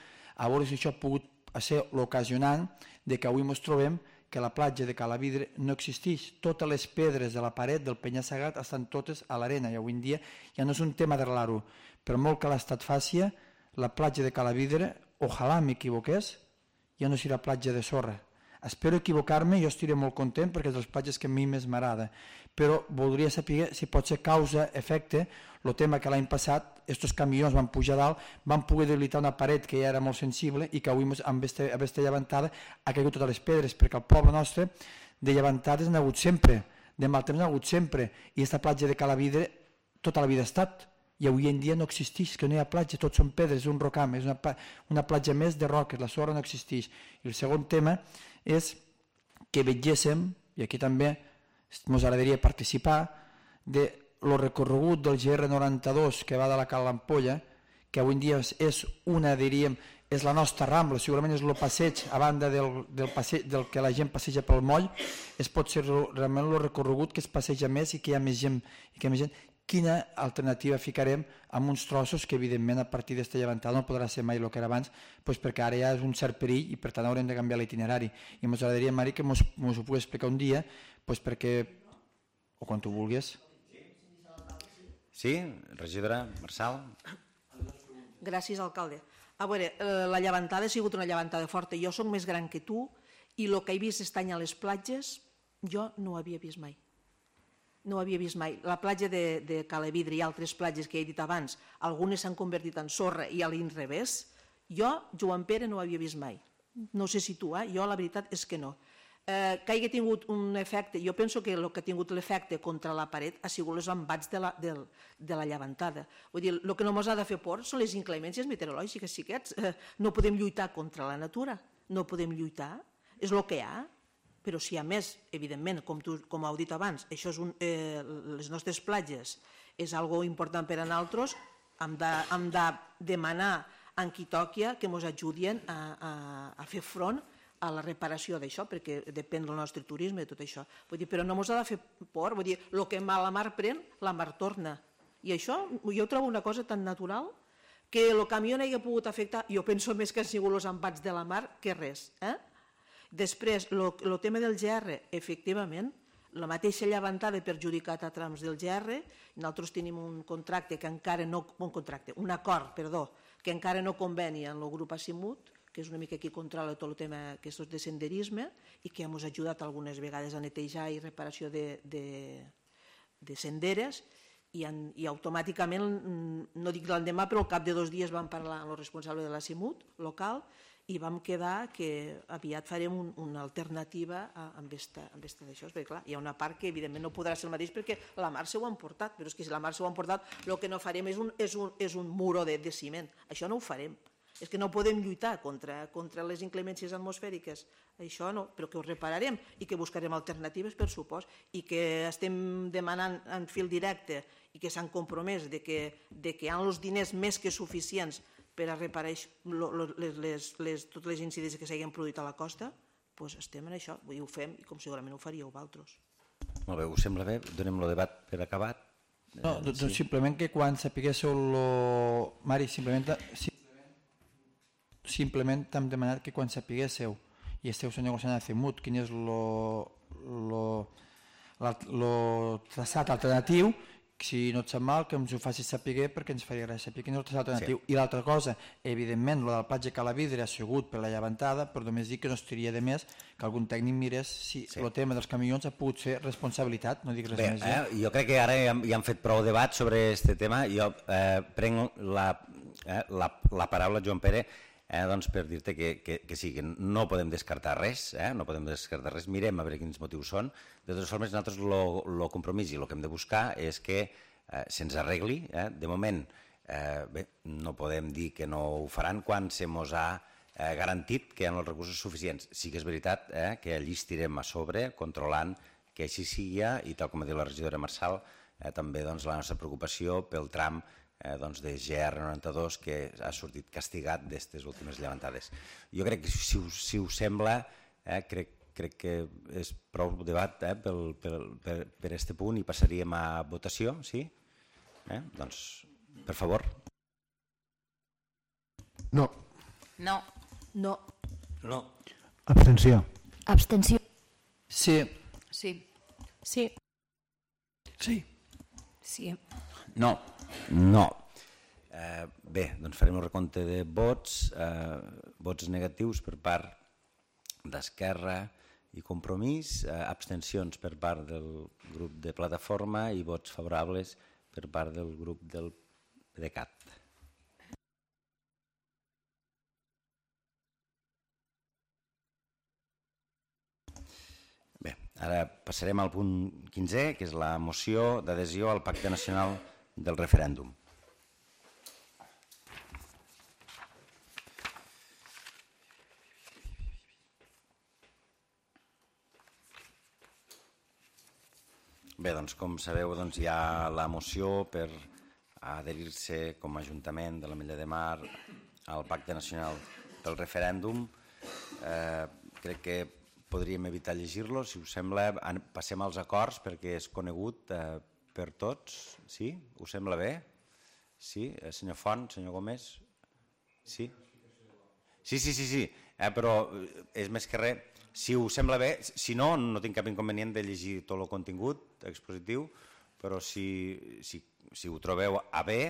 Speaker 2: A veure si això ha pogut ser l'ocasionant de que avui ens trobem que la platja de Calavidre no existeix. Totes les pedres de la paret del penya-segat estan totes a l'arena i avui en dia ja no és un tema d'arreglar-ho. Per molt que l'Estat faci, la platja de Calavidre, ojalà m'equivoqués, ja no serà platja de sorra. Espero equivocar-me, jo estiré molt content perquè és de les platges que a mi més m'agrada, però voldria saber si pot ser causa-efecte el tema que l'any passat aquests camions van pujar dalt, van poder debilitar una paret que ja era molt sensible i que avui amb aquesta llevantada ha caigut totes les pedres, perquè el poble nostre de llevantades n'ha hagut sempre, de mal temps n'ha hagut sempre, i aquesta platja de Calavidre tota la vida ha estat, i avui en dia no existeix, que no hi ha platja, tot són pedres, un rocam, és una, una platja més de roques, la sorra no existeix. I el segon tema és que vegéssim, i aquí també ens agradaria participar, de el recorregut del G R noranta-dos que va de la Cal l'Ampolla, que avui en dia és una, diríem, és la nostra Rambla, segurament és el passeig, a banda del, del, passeig, del que la gent passeja pel moll, es pot ser realment el recorregut que es passeja més i que hi ha més gent. I que hi ha més gent. Quina alternativa ficarem amb uns trossos que evidentment a partir d'esta llevantada no podrà ser mai el que era abans, doncs perquè ara ja és un cert perill i per tant haurem de canviar l'itinerari. I ens agradaria, Mari, que ens ho pugui explicar un dia, doncs perquè, o quan tu vulguis.
Speaker 1: Sí, regidora Marçal.
Speaker 3: Gràcies, alcalde. A veure, la llevantada ha sigut una llevantada forta. Jo soc més gran que tu i el que he vist aquest any a les platges jo no ho havia vist mai. No ho havia vist mai. La platja de, de Calavidre i altres platges que he dit abans, algunes s'han convertit en sorra i a l'inrevés. Jo, Joan Pere, no ho havia vist mai. No sé si tu, eh? Jo la veritat és que no. Eh, que hagi tingut un efecte, jo penso que el que ha tingut l'efecte contra la paret ha sigut els embats de la, de, de la llevantada. Vull dir, el que no ens ha de fer por són les inclemències meteorològiques, xiquets. Eh, no podem lluitar contra la natura, no podem lluitar, és el que hi ha. Però si a més, evidentment, com, tu, com heu dit abans, això és un, eh, les nostres platges és algo important per a nosaltres, hem de, hem de demanar a qui toqui que ens ajudin a, a, a fer front a la reparació d'això, perquè depèn del nostre turisme i tot això. Vull dir, però no ens ha de fer por, vull dir, el que la mar pren, la mar torna. I això jo trobo una cosa tan natural que el camió no hi ha pogut afectar, jo penso més que han sigut els embats de la mar que res, eh? Després, el tema del G R, efectivament, la mateixa llevantada ha perjudicat a trams del G R, nosaltres tenim un contracte que encara no, un contracte, un acord, perdó, que encara no convenia en el grup Asimut, que és una mica qui controla tot el tema que és de senderisme i que ens ha ajudat algunes vegades a netejar i reparació de, de, de senderes i, en, i automàticament, no dic l'endemà, però al cap de dos dies vam parlar amb el responsable de l'Asimut local i vam quedar que aviat farem un, una alternativa a, amb esta, amb esta d'això, perquè clar, hi ha una part que evidentment no podrà ser el mateix perquè la mar s'ho ha emportat, però és que si la mar s'ho ha emportat el que no farem és un, és un, és un muro de, de ciment, això no ho farem, és que no podem lluitar contra, contra les inclemències atmosfèriques, això no, però que ho repararem i que buscarem alternatives per supost i que estem demanant en fil directe i que s'han compromès de que, de que hi ha els diners més que suficients per a reparar les, les, les, totes les incidències que s'hagin produït a la costa, doncs estem en això, i ho fem, i com segurament ho faríeu vosaltres.
Speaker 1: Molt bé, us sembla bé? Donem el debat per acabat?
Speaker 2: No, doncs sí. Simplement que quan sapiguéssiu lo... Mari, simplement, simplement t'hem demanat que quan sapiguéssiu i esteu negociant a Asimut quin és lo, lo, lo traçat alternatiu, si no et sap mal, que ens ho facis saber perquè ens faria gràcia saber quin és l'alternatiu.
Speaker 1: Sí.
Speaker 2: I l'altra cosa, evidentment, lo del platja Calavidre ha sigut per la llevantada, però només dic que no estaria de més que algun tècnic mirés si el sí. tema dels camions ha pogut ser responsabilitat, no dic res
Speaker 1: Bé,
Speaker 2: més.
Speaker 1: Eh, jo crec que ara ja, ja han fet prou debat sobre aquest tema. Jo eh, prenc la, eh, la, la paraula, Joan Pere, eh, doncs per dir-te que, que, que sí, que no podem descartar res, eh, no podem descartar res, mirem a veure quins motius són. De totes formes, nosaltres el compromís i el que hem de buscar és que eh, se'ns arregli. Eh? De moment, eh, bé, no podem dir que no ho faran quan se mos ha eh, garantit que hi ha els recursos suficients. Sí que és veritat eh, que allí estirem a sobre, controlant que així sigui, i tal com ha dit la regidora Marçal, eh, també doncs, la nostra preocupació pel tram Eh, doncs de G R noranta-dos que ha sortit castigat d'aquestes últimes llevantades. Jo crec que si us, si us sembla, eh, crec, crec que és prou debat eh, pel, pel, per, per este punt i passaríem a votació, sí? Eh? Doncs, per favor.
Speaker 6: No.
Speaker 4: No.
Speaker 3: No.
Speaker 9: No.
Speaker 10: Abstenció.
Speaker 4: Abstenció.
Speaker 2: Sí.
Speaker 4: Sí.
Speaker 8: Sí.
Speaker 10: Sí.
Speaker 4: Sí.
Speaker 1: No. No. Eh, bé, doncs farem un recompte de vots, eh, vots negatius per part d'Esquerra i Compromís, eh, abstencions per part del grup de Plataforma i vots favorables per part del grup del PDeCAT. Bé, ara passarem al punt quinzè, que és la moció d'adhesió al Pacte Nacional del referèndum. Bé, doncs com sabeu, doncs, hi ha la moció per adherir-se com a Ajuntament de l'Ametlla de Mar al Pacte Nacional pel referèndum. Eh, crec que podríem evitar llegir-lo, si us sembla, passem als acords perquè és conegut eh, per tots, sí? Us sembla bé? Sí? Eh, senyor Font, senyor Gómez? Sí? Sí, sí, sí, sí. Eh, però és més que res, si us sembla bé, si no, no tinc cap inconvenient de llegir tot el contingut expositiu, però si, si, si ho trobeu a bé,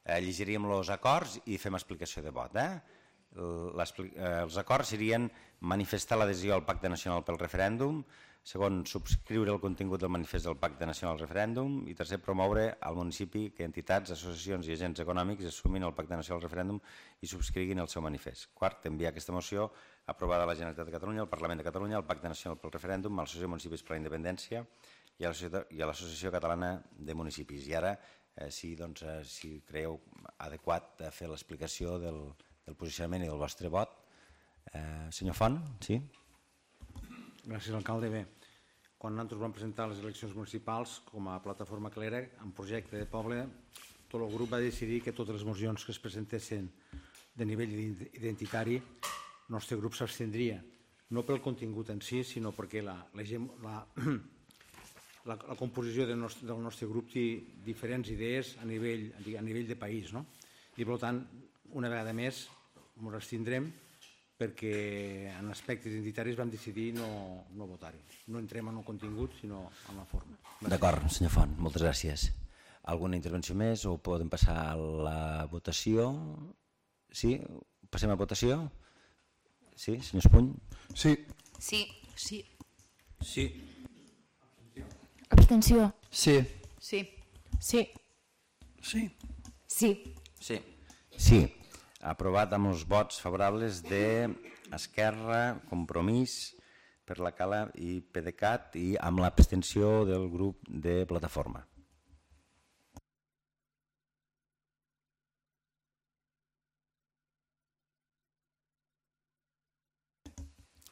Speaker 1: eh, llegiríem els acords i fem explicació de vot. Eh? Els acords serien manifestar l'adhesió al Pacte Nacional pel referèndum, segon, subscriure el contingut del manifest del Pacte Nacional al referèndum i tercer, promoure al municipi que entitats, associacions i agents econòmics assumin el Pacte Nacional al referèndum i subscriguin el seu manifest. Quart, enviar aquesta moció aprovada a la Generalitat de Catalunya, al Parlament de Catalunya, al Pacte Nacional pel referèndum, a l'Associació de Municipis per la Independència i a l'Associació Catalana de Municipis. I ara, eh, si, doncs, eh, si creieu adequat eh, fer l'explicació del, del posicionament i del vostre vot. Eh, senyor Font, sí?
Speaker 7: Gràcies, alcalde. Bé, quan nosaltres vam presentar les eleccions municipals com a plataforma Clera, en projecte de poble, tot el grup va decidir que totes les mocions que es presentessin de nivell identitari, el nostre grup s'abstindria, no pel contingut en si, sinó perquè la, la, la, la, la composició del nostre, del nostre grup té diferents idees a nivell, a nivell de país, no? I per tant, una vegada més, ens abstindrem perquè en aspectes identitaris vam decidir no, no votar-hi. No entrem en el contingut, sinó en la forma.
Speaker 1: D'acord, senyor Font, moltes gràcies. Alguna intervenció més o podem passar a la votació? Sí? Passem a votació? Sí, senyor Espuny?
Speaker 6: Sí.
Speaker 4: Sí. Sí.
Speaker 9: Sí.
Speaker 4: Abstenció.
Speaker 2: Sí.
Speaker 8: Sí. Sí.
Speaker 10: Sí.
Speaker 4: Sí.
Speaker 1: Sí. Sí. Aprovat amb els vots favorables d'Esquerra, Compromís, per la Cala i PDeCAT i amb l'abstenció del grup de Plataforma.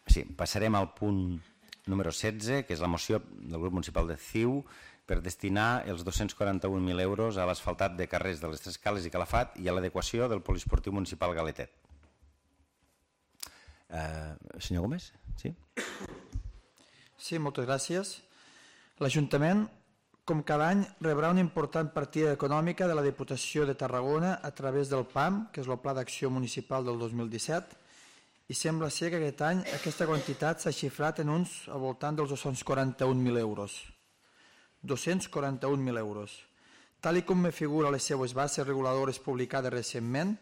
Speaker 1: Sí, passarem al punt número setze, que és la moció del grup municipal de C I U per destinar els dos-cents quaranta-un mil euros a l'asfaltat de carrers de les Tres Cales i Calafat i a l'adequació del poliesportiu municipal Galetet. Eh, senyor Gómez? Sí?
Speaker 2: Sí, moltes gràcies. L'Ajuntament, com cada any, rebrà una important partida econòmica de la Diputació de Tarragona a través del P A M, que és el Pla d'Acció Municipal del dos mil disset, i sembla ser que aquest any aquesta quantitat s'ha xifrat en uns al voltant dels dos-cents quaranta-un mil euros. dos-cents quaranta-un mil euros. Tal i com me figura les seues bases reguladores publicades recentment,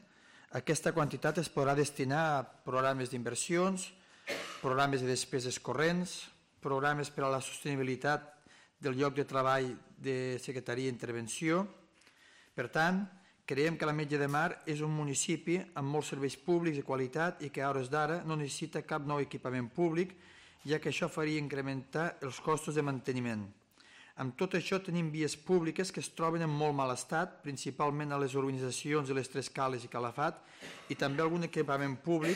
Speaker 2: aquesta quantitat es podrà destinar a programes d'inversions, programes de despeses corrents, programes per a la sostenibilitat del lloc de treball de Secretaria d'Intervenció. Per tant, creiem que l'Ametlla de Mar és un municipi amb molts serveis públics de qualitat i que a hores d'ara no necessita cap nou equipament públic, ja que això faria incrementar els costos de manteniment. Amb tot això tenim vies públiques que es troben en molt mal estat, principalment a les urbanitzacions de les Tres Cales i Calafat, i també algun equipament públic,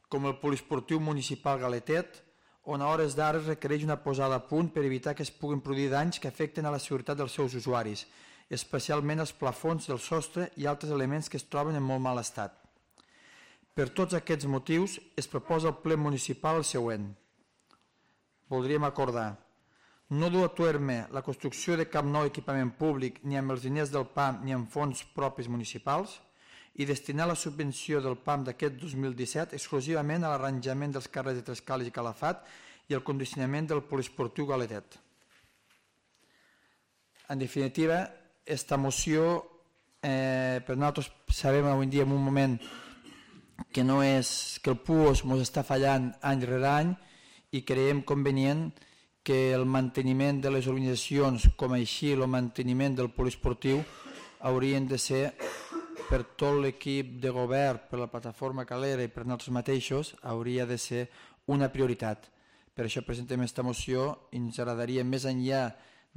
Speaker 2: com el poliesportiu municipal Galetet, on a hores d'ara es requereix una posada a punt per evitar que es puguin produir danys que afecten a la seguretat dels seus usuaris, especialment els plafons del sostre i altres elements que es troben en molt mal estat. Per tots aquests motius, es proposa al ple municipal el següent. Voldríem acordar no dur a terme la construcció de cap nou equipament públic ni amb els diners del P A M ni amb fons propis municipals i destinar la subvenció del P A M d'aquest dos mil disset exclusivament a l'arranjament dels carrers de Tres Cales i Calafat i el condicionament del poliesportiu Galetet. En definitiva, aquesta moció, eh, per nosaltres sabem avui en dia en un moment que, no és, que el P U O S ens està fallant any rere any i creiem convenient que el manteniment de les organitzacions, com així el manteniment del poliesportiu, haurien de ser per tot l'equip de govern, per la plataforma Calera i per nosaltres mateixos, hauria de ser una prioritat. Per això presentem aquesta moció i ens agradaria, més enllà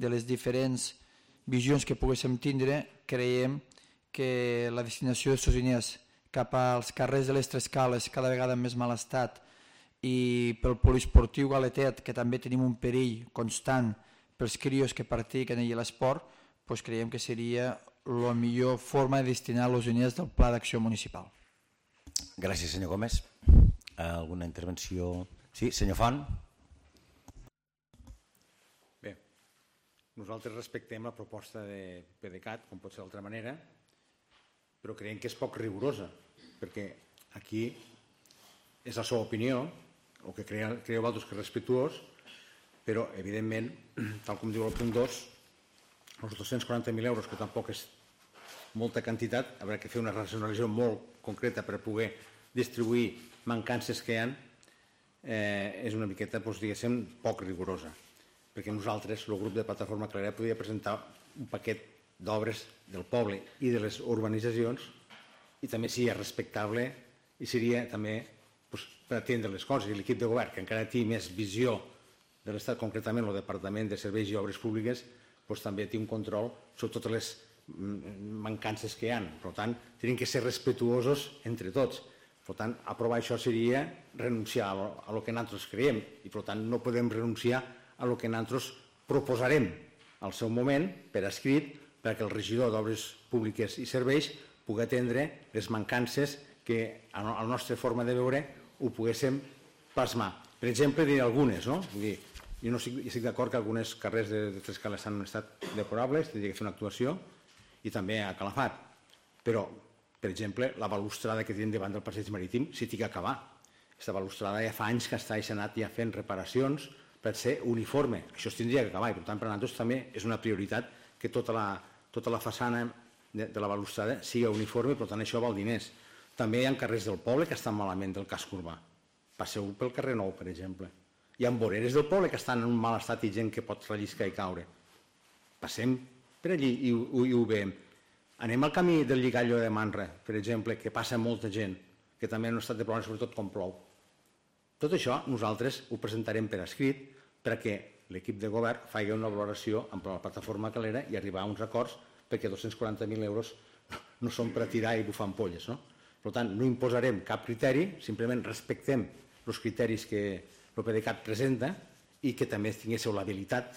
Speaker 2: de les diferents visions que poguéssim tindre, creiem que la destinació dels diners cap als carrers de les Tres Cales, cada vegada en més mal estat, i pel poliesportiu Galetet, que també tenim un perill constant pels crios que practiquen allà l'esport, doncs creiem que seria la millor forma de destinar els diners del Pla d'Acció Municipal.
Speaker 1: Gràcies, senyor Gómez. Alguna intervenció? Sí, senyor Font.
Speaker 7: Bé, nosaltres respectem la proposta de PDeCAT, com pot ser d'altra manera, però creiem que és poc rigorosa, perquè aquí és la seva opinió, o que creieu vosaltres que és respectuós, però, evidentment, tal com diu el punt dos, els dos-cents quaranta mil euros, que tampoc és molta quantitat, haurà que fer una racionalització molt concreta per poder distribuir mancances que hi ha, eh, és una miqueta, doncs, diguéssim, poc rigorosa. Perquè nosaltres, el grup de Plataforma Calera, podria presentar un paquet d'obres del poble i de les urbanitzacions i també seria respectable i seria també doncs, per atendre les coses. I l'equip de govern, que encara té més visió de l'Estat, concretament el Departament de Serveis i Obres Públiques, doncs, també té un control sobre totes les mancances que hi ha. Per tant, tenim que ser respectuosos entre tots. Per tant, aprovar això seria renunciar a lo que nosaltres creiem i, per tant, no podem renunciar a lo que nosaltres proposarem al seu moment per escrit perquè el regidor d'Obres Públiques i Serveis pugui atendre les mancances que a la nostra forma de veure ho poguéssim plasmar. Per exemple, diré algunes, no? Vull dir, jo no estic, estic d'acord que algunes carrers de, de Tres Cales han estat deplorables, tindria que fer una actuació, i també a Calafat. Però, per exemple, la balustrada que tenim davant del passeig marítim s'hi té que acabar. Aquesta balustrada ja fa anys que està anat ja fent reparacions per ser uniforme. Això es tindria que acabar i, per tant, per a nosaltres també és una prioritat que tota la, tota la façana de, de la balustrada sigui uniforme, per tant, això val diners. També hi ha carrers del poble que estan malament del casc urbà. Passeu pel carrer Nou, per exemple. Hi ha voreres del poble que estan en un mal estat i gent que pot relliscar i caure. Passem per allí i, i, i ho veiem. Anem al camí del Lligallo de Manre, per exemple, que passa molta gent, que també en un estat de problema, sobretot com plou. Tot això nosaltres ho presentarem per escrit perquè l'equip de govern faci una valoració amb la plataforma Calera i arribar a uns acords perquè dos-cents quaranta mil euros no són per a tirar i bufar ampolles, no? Per tant, no imposarem cap criteri, simplement respectem els criteris que el PDeCAT presenta i que també tinguéssiu l'habilitat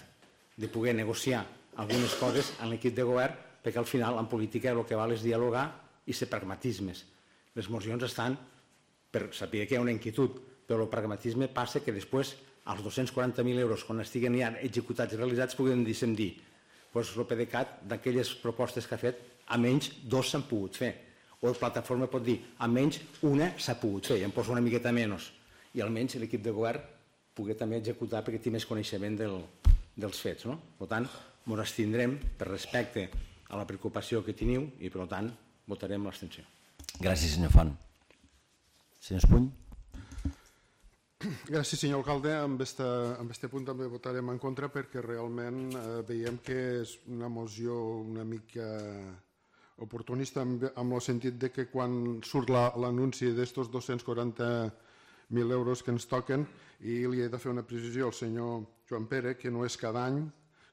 Speaker 7: de poder negociar algunes coses en l'equip de govern, perquè al final en política el que val és dialogar i ser pragmatismes. Les mocions estan per saber que hi ha una inquietud, però el pragmatisme passa que després els dos-cents quaranta mil euros, quan estiguen ja executats i realitzats, puguem dir, doncs el PDeCAT, d'aquelles propostes que ha fet, almenys dos s'han pogut fer. O la plataforma pot dir, almenys una s'ha pogut fer, i em posa una miqueta menys. I almenys l'equip de govern pugui també executar perquè té més coneixement del, dels fets. No? Per tant, ens abstindrem per respecte a la preocupació que teniu i, per tant, votarem l'abstenció.
Speaker 1: Gràcies, senyor Font. Senyor Espuny.
Speaker 6: Gràcies, senyor alcalde. Amb aquest punt també votarem en contra perquè realment veiem que és una moció una mica oportunista en el sentit de que quan surt l'anunci d'estos dos-cents quaranta mil euros que ens toquen, i li he de fer una precisió al senyor Joan Pere, que no és cada any,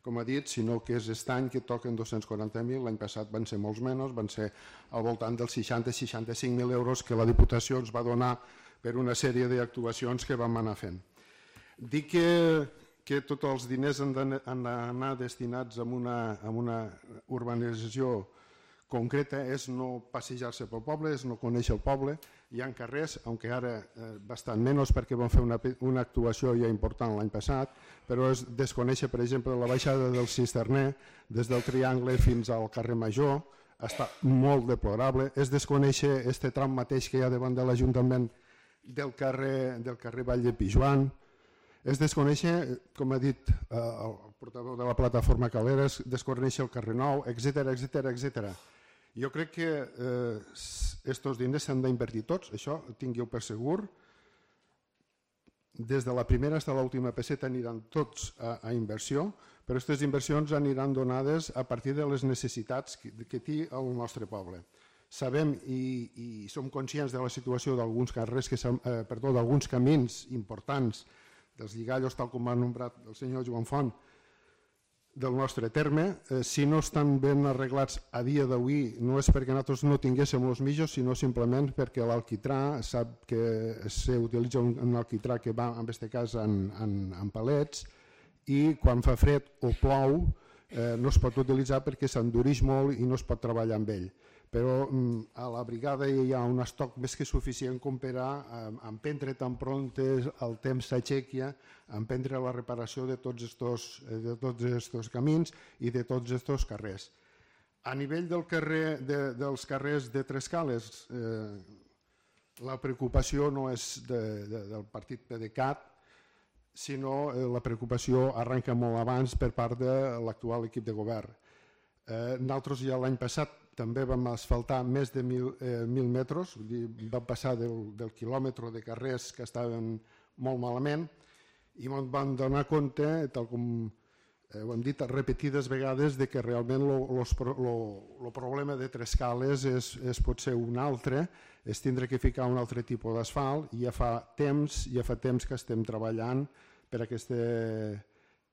Speaker 6: com ha dit, sinó que és aquest any que toquen dos-cents quaranta mil, l'any passat van ser molts menys, van ser al voltant dels seixanta a seixanta-cinc mil euros que la Diputació ens va donar per una sèrie d'actuacions que vam anar fent. Dic que, que tots els diners han d'anar destinats a una, a una urbanització concreta, és no passejar-se pel poble, és no conèixer el poble. Hi ha carrers, aunque ara eh, bastant menys perquè vam fer una, una actuació ja important l'any passat, però és desconèixer, per exemple, la baixada del Cisterner des del Triangle fins al carrer Major, està molt deplorable. És desconèixer este tram mateix que hi ha davant de l'Ajuntament del carrer, del carrer Vall de Pijuan. És desconèixer, com ha dit eh, el portaveu de la plataforma Caleres, desconèixer el carrer Nou, etcètera, etcètera, etcètera. Jo crec que aquests eh, diners s'han d'invertir tots, això tingueu per segur. Des de la primera fins a l'última peseta aniran tots a, a inversió, però aquestes inversions aniran donades a partir de les necessitats que, que té el nostre poble. Sabem i, i som conscients de la situació d'alguns carrers, que, eh, perdó, d'alguns camins importants, dels lligallos, tal com ha nombrat el senyor Joan Font, del nostre terme. Eh, si no estan ben arreglats a dia d'avui, no és perquè nosaltres no tinguéssim els mitjos, sinó simplement perquè l'alquitrà sap que s'utilitza un, un alquitrà que va, en aquest cas, en, en, en palets, i quan fa fred o plou eh, no es pot utilitzar perquè s'endureix molt i no es pot treballar amb ell. Però mm, a la brigada hi ha un estoc més que suficient com per a eh, emprendre tan pront el temps s'aixequia, emprendre la reparació de tots estos, de tots estos camins i de tots estos carrers. A nivell del carrer, de, dels carrers de Trescales, eh, la preocupació no és de, de, del partit PDeCAT, sinó eh, la preocupació arrenca molt abans per part de l'actual equip de govern. Eh, nosaltres ja l'any passat també vam asfaltar més de mil, eh, mil metres, vull dir, vam passar del, del quilòmetre de carrers que estaven molt malament i ens vam donar compte, tal com eh, ho hem dit repetides vegades, de que realment el problema de Trescales és, és potser un altre, és tindre que ficar un altre tipus d'asfalt, i ja fa temps, ja fa temps que estem treballant per a aquesta...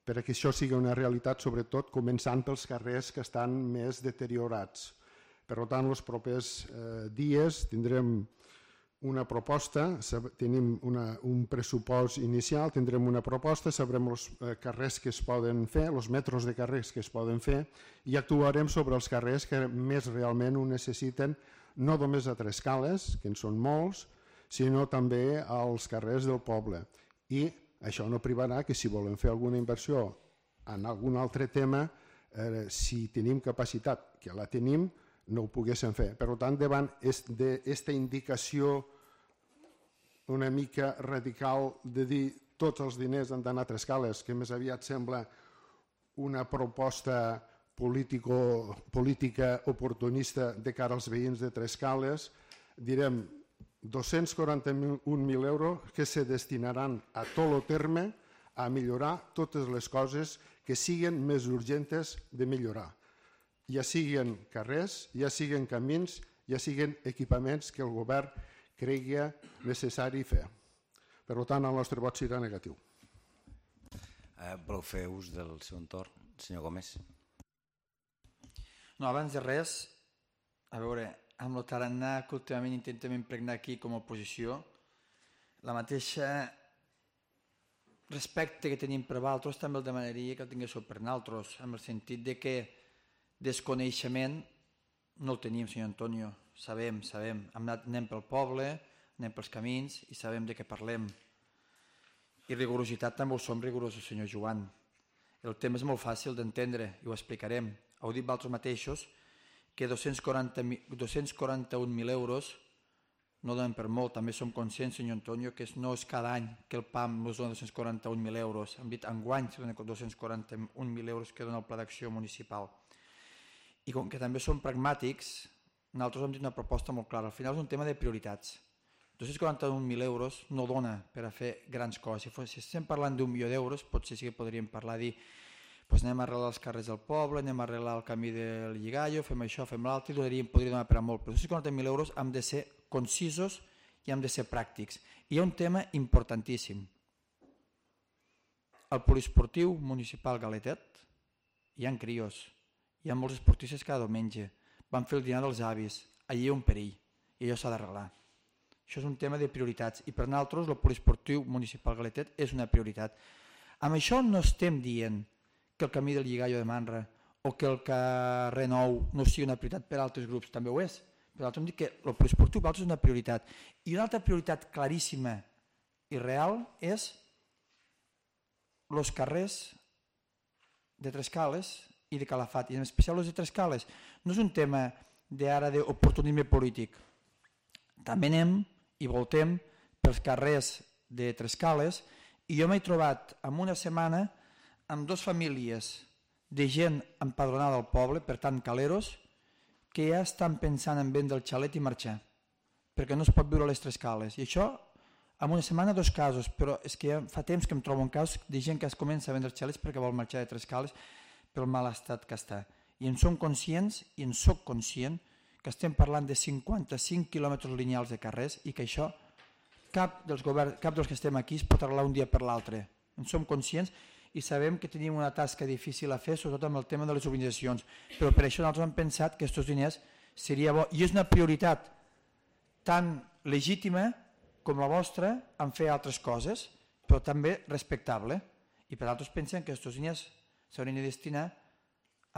Speaker 6: per a que això sigui una realitat, sobretot començant pels carrers que estan més deteriorats. Per tant, els propers eh, dies tindrem una proposta, tenim una, un pressupost inicial, tindrem una proposta, sabrem els eh, carrers que es poden fer, els metres de carrers que es poden fer, i actuarem sobre els carrers que més realment ho necessiten, no només a Trescales, que en són molts, sinó també als carrers del poble. I això no privarà que si volem fer alguna inversió en algun altre tema, eh, si tenim capacitat, que la tenim, no ho poguéssim fer. Per tant, davant d'aquesta indicació una mica radical de dir tots els diners han d'anar a Trescales, que més aviat sembla una proposta político, política oportunista de cara als veïns de Trescales, direm dos-cents quaranta-un mil euros que se destinaran a tot el terme a millorar totes les coses que siguin més urgentes de millorar. Ja siguin carrers, ja siguin camins, ja siguin equipaments que el govern cregui necessari fer. Per tant, el nostre vot serà negatiu.
Speaker 1: Eh, voleu fer ús del seu entorn, senyor Gómez?
Speaker 2: No, abans de res, a veure, amb el tarannà que últimament intentem impregnar aquí com a oposició, la mateixa respecte que tenim per altres també el demanaria que el tinguéssiu per nosaltres, en el sentit de que desconeixement no el tenim, senyor Antonio, sabem, sabem, anem pel poble, anem pels camins i sabem de què parlem. I rigorositat també ho som rigorosos, senyor Joan. El tema és molt fàcil d'entendre i ho explicarem. Heu dit vosaltres mateixos que dos-cents quaranta-un mil euros no donen per molt, també som conscients, senyor Antonio, que no és cada any que el P A M ens dona dos-cents quaranta-un mil euros, hem dit enguany que donen dos-cents quaranta-un mil euros que dona el Pla d'Acció Municipal. I com que també som pragmàtics, nosaltres hem dit una proposta molt clara, al final és un tema de prioritats. dos-cents quaranta-un mil euros no dona per a fer grans coses, si, fos, si estem parlant d'un milió d'euros, potser sí que podríem parlar, dir, doncs anem a arreglar els carrers del poble, anem a arreglar el camí del Lligallo, fem això, fem l'altre, i donaríem, podria donar per a molt, però dos-cents quaranta mil euros hem de ser concisos i hem de ser pràctics. I hi ha un tema importantíssim. Al poliesportiu municipal Galetet hi ha crios, hi ha molts esportistes cada diumenge, van fer el dinar dels avis, allí hi ha un perill i allò s'ha d'arreglar. Això és un tema de prioritats i per nosaltres el poliesportiu municipal Galetet és una prioritat. Amb això no estem dient que el camí del Lligallo de Manra o que el carrer Nou no sigui una prioritat per a altres grups, també ho és. Per l'altre hem dit que el poliesportiu per altres és una prioritat. I una altra prioritat claríssima i real és els carrers de Trescales i de Calafat, i en especial els de Trescales. No és un tema d'ara d'oportunisme polític. També anem i voltem pels carrers de Trescales i jo m'he trobat en una setmana amb dues famílies de gent empadronada al poble, per tant caleros, que ja estan pensant en vendre el xalet i marxar, perquè no es pot viure a les Trescales. I això, en una setmana, dos casos, però és que ja fa temps que em trobo un cas de gent que es comença a vendre xalets perquè vol marxar de Trescales pel mal estat que està. I en som conscients, i en soc conscient, que estem parlant de cinquanta-cinc quilòmetres lineals de carrers i que això cap dels, govern, cap dels que estem aquí es pot arreglar un dia per l'altre. En som conscients i sabem que tenim una tasca difícil a fer, sobretot amb el tema de les urbanitzacions, però per això nosaltres hem pensat que aquests diners seria bo, i és una prioritat tan legítima com la vostra en fer altres coses, però també respectable, i per altres pensem que aquests diners s'haurien de destinar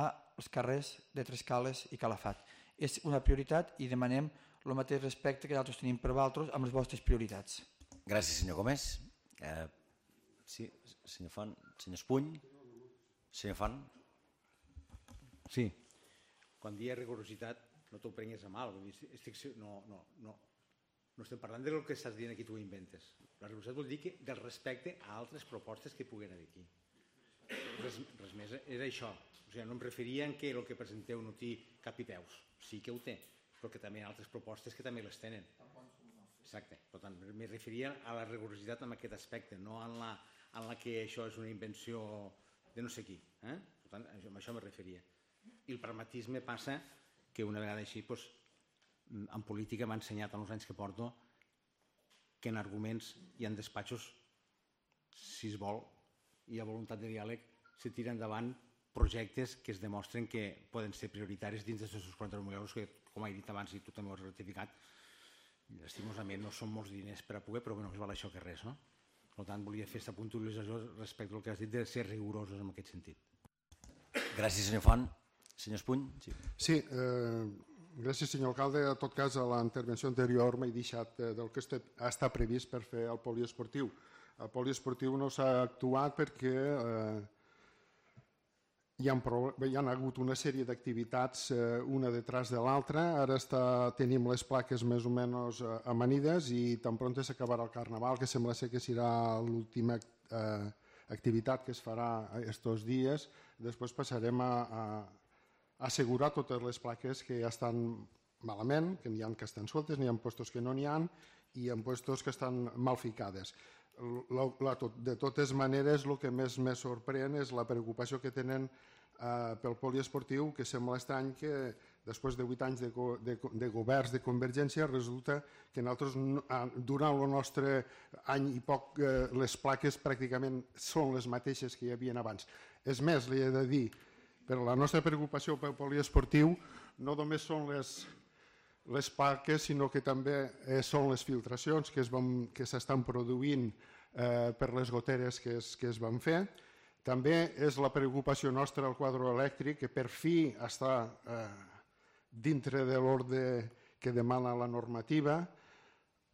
Speaker 2: als carrers de Trescales i Calafat. És una prioritat i demanem el mateix respecte que nosaltres tenim per vosaltres amb les vostres prioritats.
Speaker 1: Gràcies, senyor Gómez. Eh, sí, senyor Font, senyor Espuny, senyor Font.
Speaker 7: Sí, quan dia rigorositat no t'ho prengues a mal, vull dir, estic, no, no, no, no estem parlant del que estàs dient aquí, tu ho inventes. La rigorositat vol dir que del respecte a altres propostes que puguen haver aquí. Res, res més, és això. O sigui, no em referia en que el que presenteu no té cap i peus, sí que ho té, però que també hi ha altres propostes que també les tenen. Exacte, per tant, me referia a la rigorositat en aquest aspecte, no en la, en la que això és una invenció de no sé qui. Eh? Per tant, amb això me referia. I el pragmatisme passa que una vegada així, doncs, en política m'ha ensenyat en els anys que porto que en arguments i en despatxos, si es vol, hi ha voluntat de diàleg, se tira endavant projectes que es demostren que poden ser prioritaris dins d'aquests quaranta mil euros que, com he dit abans i tu també ho has ratificat, lastimosament no són molts diners per a poder, però que no es val això que res, no? Per tant, volia fer aquesta puntualització respecte al que has dit de ser rigorosos en aquest sentit.
Speaker 1: Gràcies, senyor Font. Senyor Espuny. Sí,
Speaker 6: sí eh, gràcies, senyor alcalde. En tot cas, a la intervenció anterior m'he deixat eh, del que està previst per fer el poliesportiu. El poliesportiu no s'ha actuat perquè eh, hi ha, hi ha hagut una sèrie d'activitats eh, una detrás de l'altra. Ara està, tenim les plaques més o menys eh, amanides i tan pront s'acabarà el Carnaval, que sembla ser que serà l'última eh, activitat que es farà aquests dies. Després passarem a, a, a assegurar totes les plaques que ja estan malament, que n'hi ha que estan sueltes, n'hi ha puestos que no n'hi ha i en puestos que estan mal ficades. La, la, de totes maneres, el que més me sorprèn és la preocupació que tenen eh, pel poliesportiu, que sembla estrany que després de vuit anys de, de, de governs de Convergència resulta que nosaltres, durant el nostre any i poc, eh, les plaques pràcticament són les mateixes que hi havia abans. És més, li he de dir, per la nostra preocupació pel poliesportiu no només són les les plaques, sinó que també eh, són les filtracions que, es van, que s'estan produint eh, per les goteres que es, que es van fer. També és la preocupació nostra al quadre elèctric, que per fi està eh, dintre de l'ordre que demana la normativa.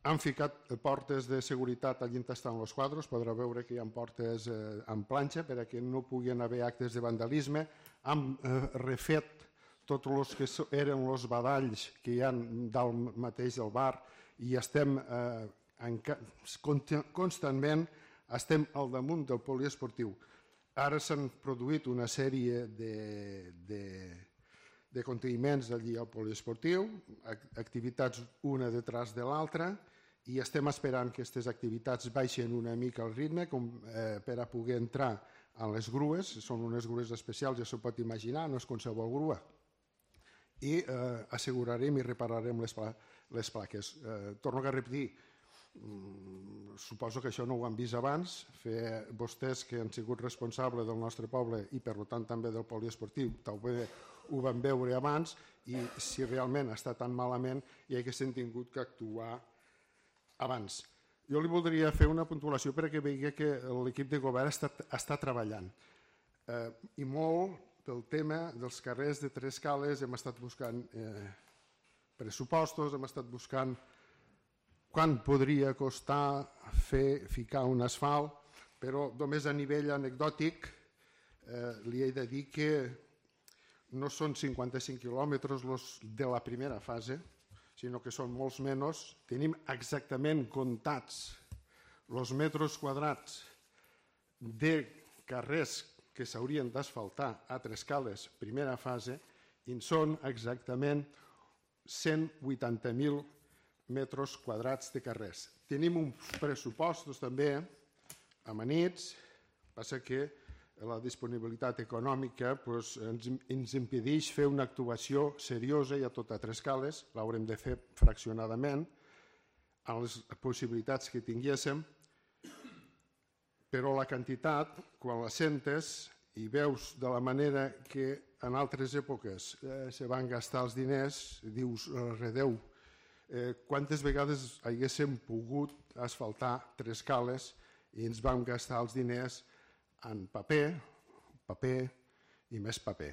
Speaker 6: Han ficat portes de seguretat allà on estan els quadres, podrà veure que hi ha portes eh, en planxa perquè no puguin haver actes de vandalisme. Han eh, refet tots els que eren els badalls que hi ha dalt mateix del bar i estem eh, constantment estem al damunt del poliesportiu. Ara s'han produït una sèrie de, de, de conteniments allí al poliesportiu, activitats una detrás de l'altra, i estem esperant que aquestes activitats baixen una mica el ritme com, eh, per a poder entrar a les grues. Són unes grues especials, ja s'ho pot imaginar, no és qualsevol grua. I eh, assegurarem i repararem les, pla les plaques. Eh, torno a repetir, mm, suposo que això no ho han vist abans, fer vostès que han sigut responsables del nostre poble i per tant també del poliesportiu, també ho van veure abans, i si realment està tan malament hi haguessin tingut que actuar abans. Jo li voldria fer una puntuació perquè vegi que l'equip de govern està, està treballant. Eh, I molt del tema dels carrers de Tres Cales hem estat buscant eh, pressupostos, hem estat buscant quant podria costar fer, ficar un asfalt, però només a nivell anecdòtic eh, li he de dir que no són cinquanta-cinc quilòmetres los de la primera fase, sinó que són molts menys. Tenim exactament comptats els metres quadrats de carrers que s'haurien d'asfaltar a Tres Cales, primera fase, i són exactament cent vuitanta mil metres quadrats de carrers. Tenim uns pressupostos també amanits, passa que la disponibilitat econòmica pues, ens, ens impedeix fer una actuació seriosa i a tota Tres Cales, l'haurem de fer fraccionadament, amb les possibilitats que tinguéssim, però la quantitat, quan la sentes i veus de la manera que en altres èpoques eh, se van gastar els diners, dius, redeu, eh, quantes vegades haguéssim pogut asfaltar Tres Cales i ens vam gastar els diners en paper, paper i més paper.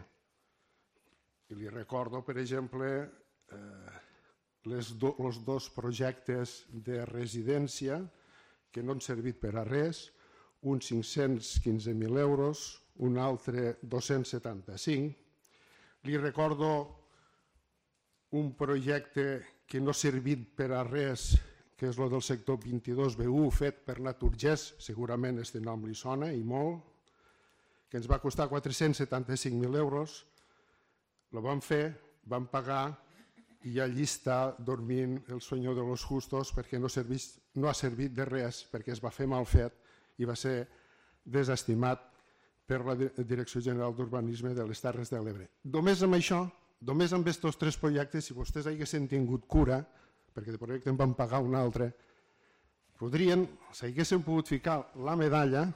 Speaker 6: I li recordo, per exemple, eh, les do, els dos projectes de residència que no han servit per a res, un cinc-cents quinze mil euros, un altre dos-cents setanta-cinc. Li recordo un projecte que no ha servit per a res, que és el del sector vint-i-dos B u, fet per Naturgés, segurament este nom li sona i molt, que ens va costar quatre-cents setanta-cinc mil euros. Lo vam fer, vam pagar i allí està dormint el senyor de los justos perquè no, servís, no ha servit de res, perquè es va fer mal fet i va ser desestimat per la Direcció General d'Urbanisme de les Terres de l'Ebre. Només amb això, només amb aquests tres projectes, si vostès haguessin tingut cura, perquè de projecte en van pagar un altre, podrien, s'haguessin pogut ficar la medalla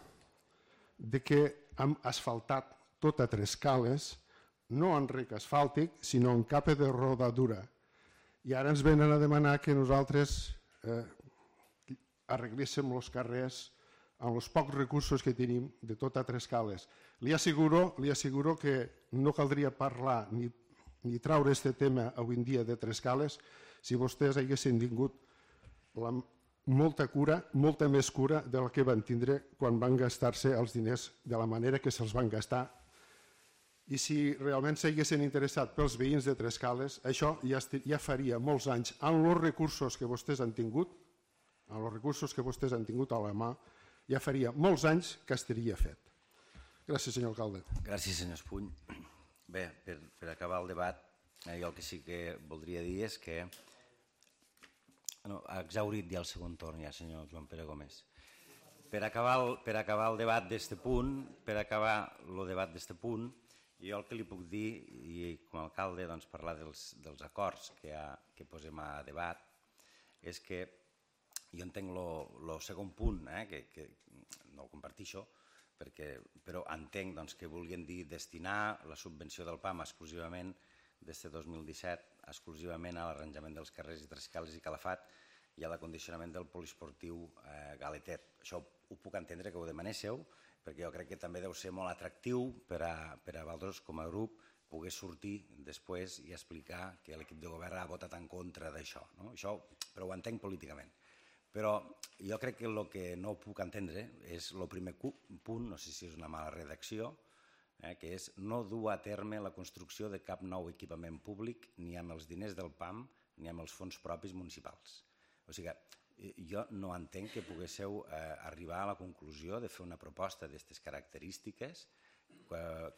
Speaker 6: de que hem asfaltat tota Tres Cales, no en rec asfàltic, sinó en capa de rodadura. I ara ens venen a demanar que nosaltres eh, arregléssim els carrers amb els pocs recursos que tenim de tota Tres Cales. Li asseguro, li asseguro que no caldria parlar ni, ni traure aquest tema avui en dia de Tres Cales si vostès haguessin tingut la, molta cura, molta més cura de la que van tindre quan van gastar-se els diners de la manera que se'ls van gastar. I si realment s'haguessin interessat pels veïns de Tres Cales, això ja, ja faria molts anys, amb els recursos que vostès han tingut, amb els recursos que vostès han tingut a la mà, ja faria molts anys que estaria fet. Gràcies, senyor alcalde.
Speaker 1: Gràcies, senyor Espuny. Bé, per, per acabar el debat, eh, jo el que sí que voldria dir és que no, ha exhaurit ja el segon torn, ja, senyor Joan Pere Gómez. Per acabar el, per acabar el debat d'este punt, per acabar el debat d'este punt, jo el que li puc dir, i com a alcalde doncs, parlar dels, dels acords que, ha, que posem a debat, és que jo entenc el segon punt, eh, que, que no el compartixo, perquè, però entenc doncs, que vulguin dir destinar la subvenció del P A M exclusivament d'este dos mil disset exclusivament a l'arranjament dels carrers i Tres Cales i Calafat i a l'acondicionament del poliesportiu eh, Galetet. Això ho puc entendre que ho demanéssiu, perquè jo crec que també deu ser molt atractiu per a, per a vosaltres com a grup poder sortir després i explicar que l'equip de govern ha votat en contra d'això. No? Això, però ho entenc políticament. Però jo crec que el que no puc entendre és el primer punt, no sé si és una mala redacció, eh, que és no dur a terme la construcció de cap nou equipament públic ni amb els diners del P A M ni amb els fons propis municipals. O sigui, jo no entenc que poguéssiu arribar a la conclusió de fer una proposta d'aquestes característiques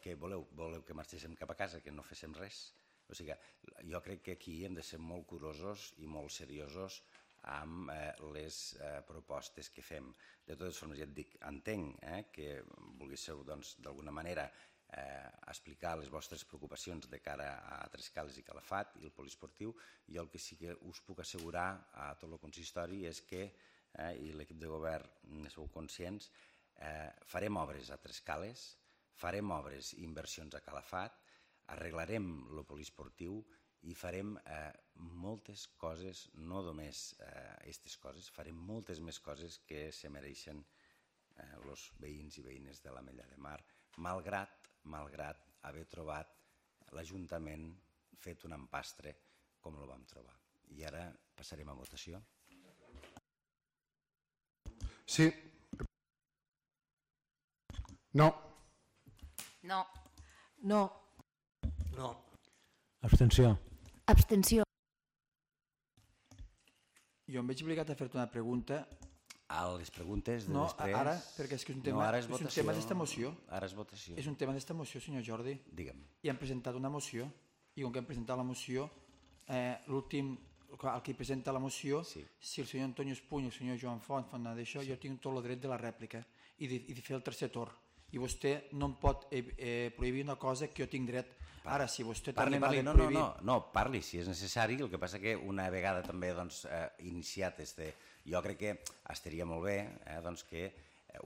Speaker 1: que voleu, voleu que marxéssim cap a casa, que no féssim res. O sigui, jo crec que aquí hem de ser molt curosos i molt seriosos amb les propostes que fem. De totes formes, ja et dic, entenc que volguéssiu d'alguna manera explicar les vostres preocupacions de cara a Trescales i Calafat i el poliesportiu. Jo el que sí que us puc assegurar a tot el consistori és que, i l'equip de govern ne sou conscients, farem obres a Trescales, farem obres i inversions a Calafat, arreglarem el poliesportiu i farem moltes coses, no només aquestes coses, farem moltes més coses que se mereixen els veïns i veïnes de l'Ametlla de Mar, malgrat, malgrat haver trobat l'Ajuntament fet un empastre com el vam trobar. I ara passarem a votació.
Speaker 6: Sí. No.
Speaker 4: No.
Speaker 3: No.
Speaker 9: No.
Speaker 10: Abstenció.
Speaker 4: Abstenció.
Speaker 2: Jo em veig obligat a fer-te una pregunta.
Speaker 1: A les preguntes de
Speaker 2: no,
Speaker 1: després...
Speaker 2: ara, perquè és que és un tema,
Speaker 1: no, és
Speaker 2: és un tema d'esta moció.
Speaker 1: Ara és votació.
Speaker 2: És un tema d'esta moció, senyor Jordi.
Speaker 1: Digue'm.
Speaker 2: I hem presentat una moció, i com que hem presentat la moció, eh, l'últim, el que presenta la moció, sí. Si el senyor Antonio Espuny i el senyor Joan Font fan d'això, sí. Jo tinc tot el dret de la rèplica i de, i de fer el tercer torn. I vostè no em pot eh, eh, prohibir una cosa que jo tinc dret. Ara, si vostè
Speaker 1: parli,
Speaker 2: també m'ha
Speaker 1: parli,
Speaker 2: de
Speaker 1: no,
Speaker 2: prohibir...
Speaker 1: No, no, no, parli si és necessari, el que passa que una vegada també doncs, eh, iniciat este... Jo crec que estaria molt bé eh, doncs, que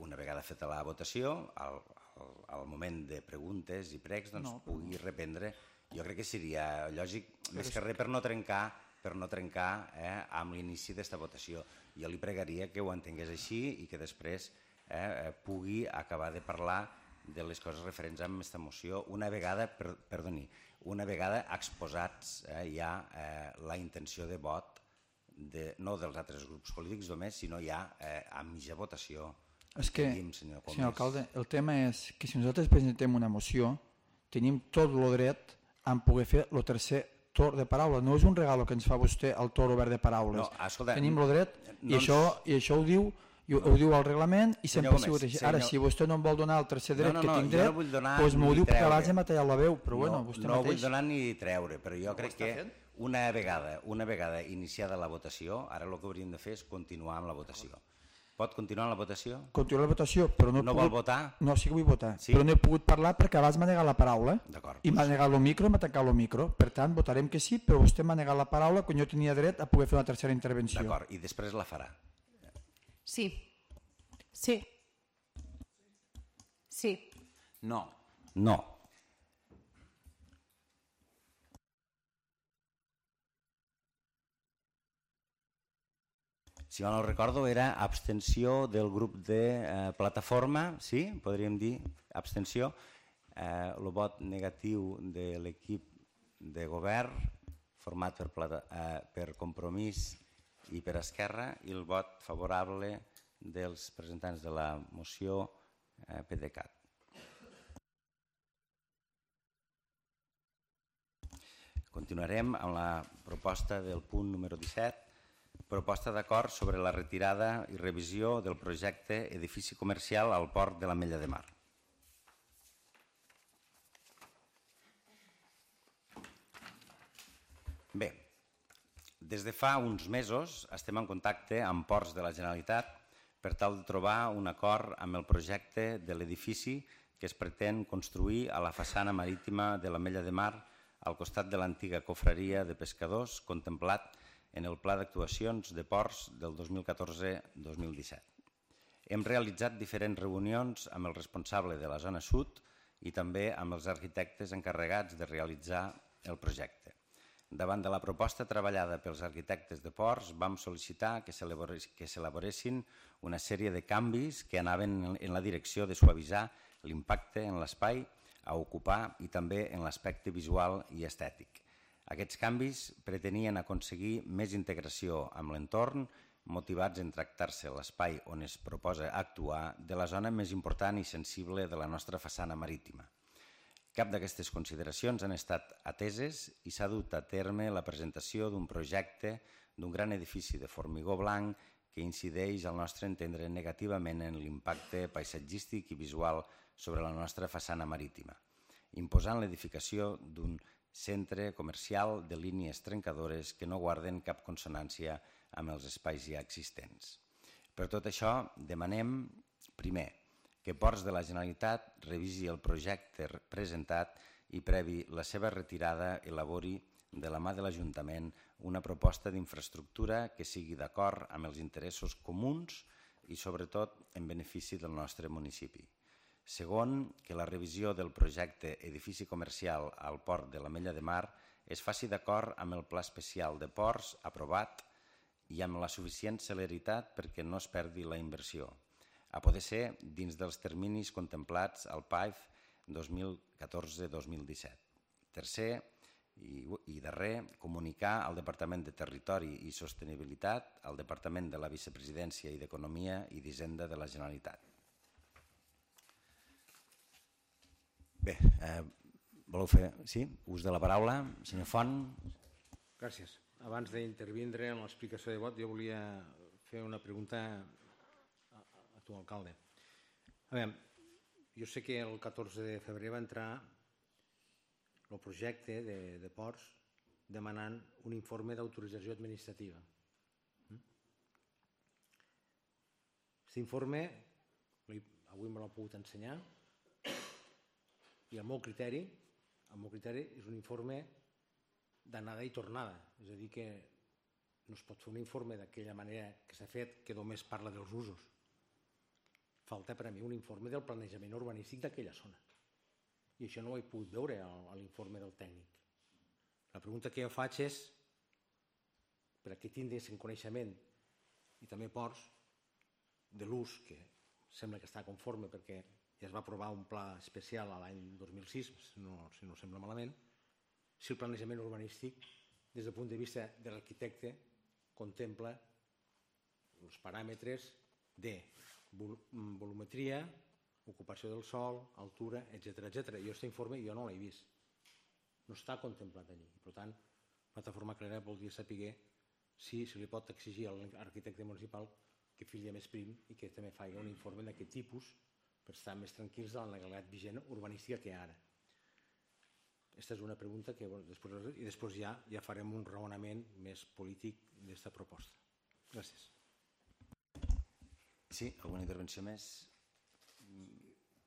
Speaker 1: una vegada feta la votació, al, al, al moment de preguntes i pregs, doncs, no, pugui no. reprendre. Jo crec que seria lògic, però més que res per no trencar, per no trencar eh, amb l'inici d'esta votació. Jo li pregaria que ho entengués així i que després eh, pugui acabar de parlar de les coses referents amb aquesta moció una vegada, per, perdoni, una vegada exposats eh, ja eh, la intenció de vot de, no dels altres grups polítics només, sinó ja eh, a mitja votació.
Speaker 2: És que,
Speaker 1: tenim, senyor,
Speaker 2: senyor alcalde, el tema és que si nosaltres presentem una moció, tenim tot el dret a poder fer el tercer torn de paraula. No és un regal que ens fa vostè el torn obert de paraules. No, escolta, tenim el dret i, no això, i això ho diu i ho, ho diu el reglament i sempre ha sigut així. Ara, si vostè no em vol donar el tercer dret no, no, no, que tinc dret, doncs no m'ho diu perquè abans hem tallat la veu, però bueno, vostè
Speaker 1: no
Speaker 2: mateix...
Speaker 1: No vull donar ni treure, però jo crec que una vegada, una vegada iniciada la votació, ara el que hauríem de fer és continuar amb la votació. Pot continuar amb la votació?
Speaker 2: Continuar la votació, però no he
Speaker 1: no
Speaker 2: pogut...
Speaker 1: vol votar?
Speaker 2: No, sí que vull votar,
Speaker 1: sí?
Speaker 2: Però no he pogut parlar perquè abans m'ha negat la paraula
Speaker 1: D'acord.
Speaker 2: I m'ha negat el micro i m'ha tancat el micro. Per tant, votarem que sí, però vostè m'ha negat la paraula quan jo tenia dret a poder fer una tercera intervenció.
Speaker 1: D'acord, i després la farà?
Speaker 4: Sí. Sí. Sí.
Speaker 1: No. No. Si mal no recordo, era abstenció del grup de eh, plataforma, sí? Podríem dir abstenció. Eh, el vot negatiu de l'equip de govern, format per, plata, eh, per Compromís i per Esquerra, i el vot favorable dels presentants de la moció eh, PDeCAT. Continuarem amb la proposta del punt número disset, proposta d'acord sobre la retirada i revisió del projecte edifici comercial al port de l'Ametlla de Mar. Bé, des de fa uns mesos estem en contacte amb ports de la Generalitat per tal de trobar un acord amb el projecte de l'edifici que es pretén construir a la façana marítima de l'Ametlla de Mar al costat de l'antiga cofreria de pescadors contemplat en el Pla d'Actuacions de Ports del dos mil catorze dos mil disset. Hem realitzat diferents reunions amb el responsable de la zona sud i també amb els arquitectes encarregats de realitzar el projecte. Davant de la proposta treballada pels arquitectes de ports, vam sol·licitar que s'elaboressin una sèrie de canvis que anaven en la direcció de suavitzar l'impacte en l'espai a ocupar i també en l'aspecte visual i estètic. Aquests canvis pretenien aconseguir més integració amb l'entorn, motivats en tractar-se l'espai on es proposa actuar de la zona més important i sensible de la nostra façana marítima. Cap d'aquestes consideracions han estat ateses i s'ha dut a terme la presentació d'un projecte d'un gran edifici de formigó blanc que incideix, al nostre entendre, negativament en l'impacte paisatgístic i visual sobre la nostra façana marítima, imposant l'edificació d'un centre comercial de línies trencadores que no guarden cap consonància amb els espais ja existents. Per tot això, demanem, primer, que Ports de la Generalitat revisi el projecte presentat i, previ la seva retirada, elabori de la mà de l'Ajuntament una proposta d'infraestructura que sigui d'acord amb els interessos comuns i, sobretot, en benefici del nostre municipi. Segon, que la revisió del projecte edifici comercial al port de l'Ametlla de Mar es faci d'acord amb el Pla Especial de Ports aprovat i amb la suficient celeritat perquè no es perdi la inversió, a poder ser dins dels terminis contemplats al P A I F dos mil catorze dos mil disset. Tercer i, i darrer, comunicar al Departament de Territori i Sostenibilitat, al Departament de la Vicepresidència i d'Economia i d'Hisenda de la Generalitat. Bé, eh, voleu fer sí? ús de la paraula? Senyor Font.
Speaker 7: Gràcies. Abans d'intervindre en l'explicació de vot, jo volia fer una pregunta a, a tu, alcalde. A veure, jo sé que el catorze de febrer va entrar el projecte de, de Ports demanant un informe d'autorització administrativa. Aquest informe, avui me l'ha pogut ensenyar, i el meu criteri, el meu criteri és un informe d'anada i tornada, és a dir que no es pot fer un informe d'aquella manera que s'ha fet que només parla dels usos. Falta per a mi un informe del planejament urbanístic d'aquella zona i això no ho he pogut veure a l'informe del tècnic. La pregunta que jo faig és per a què tindres en coneixement i també Ports de l'ús, que sembla que està conforme perquè ja es va aprovar un pla especial l'any dos mil sis, si no, si no sembla malament, si el planejament urbanístic, des del punt de vista de l'arquitecte, contempla els paràmetres de volumetria, ocupació del sòl, altura, etcètera, etcètera. Jo aquest informe jo no l'he vist. No està contemplat allí. Per tant, Plataforma Clara voldria saber si se li pot exigir a l'arquitecte municipal que fili més prim i que també faci un informe d'aquest tipus per estar més tranquils de la legalitat vigent urbanística que hi ha ara. Aquesta és una pregunta que després, i després ja, ja farem un raonament més polític d'aquesta proposta. Gràcies.
Speaker 1: Sí, alguna intervenció més?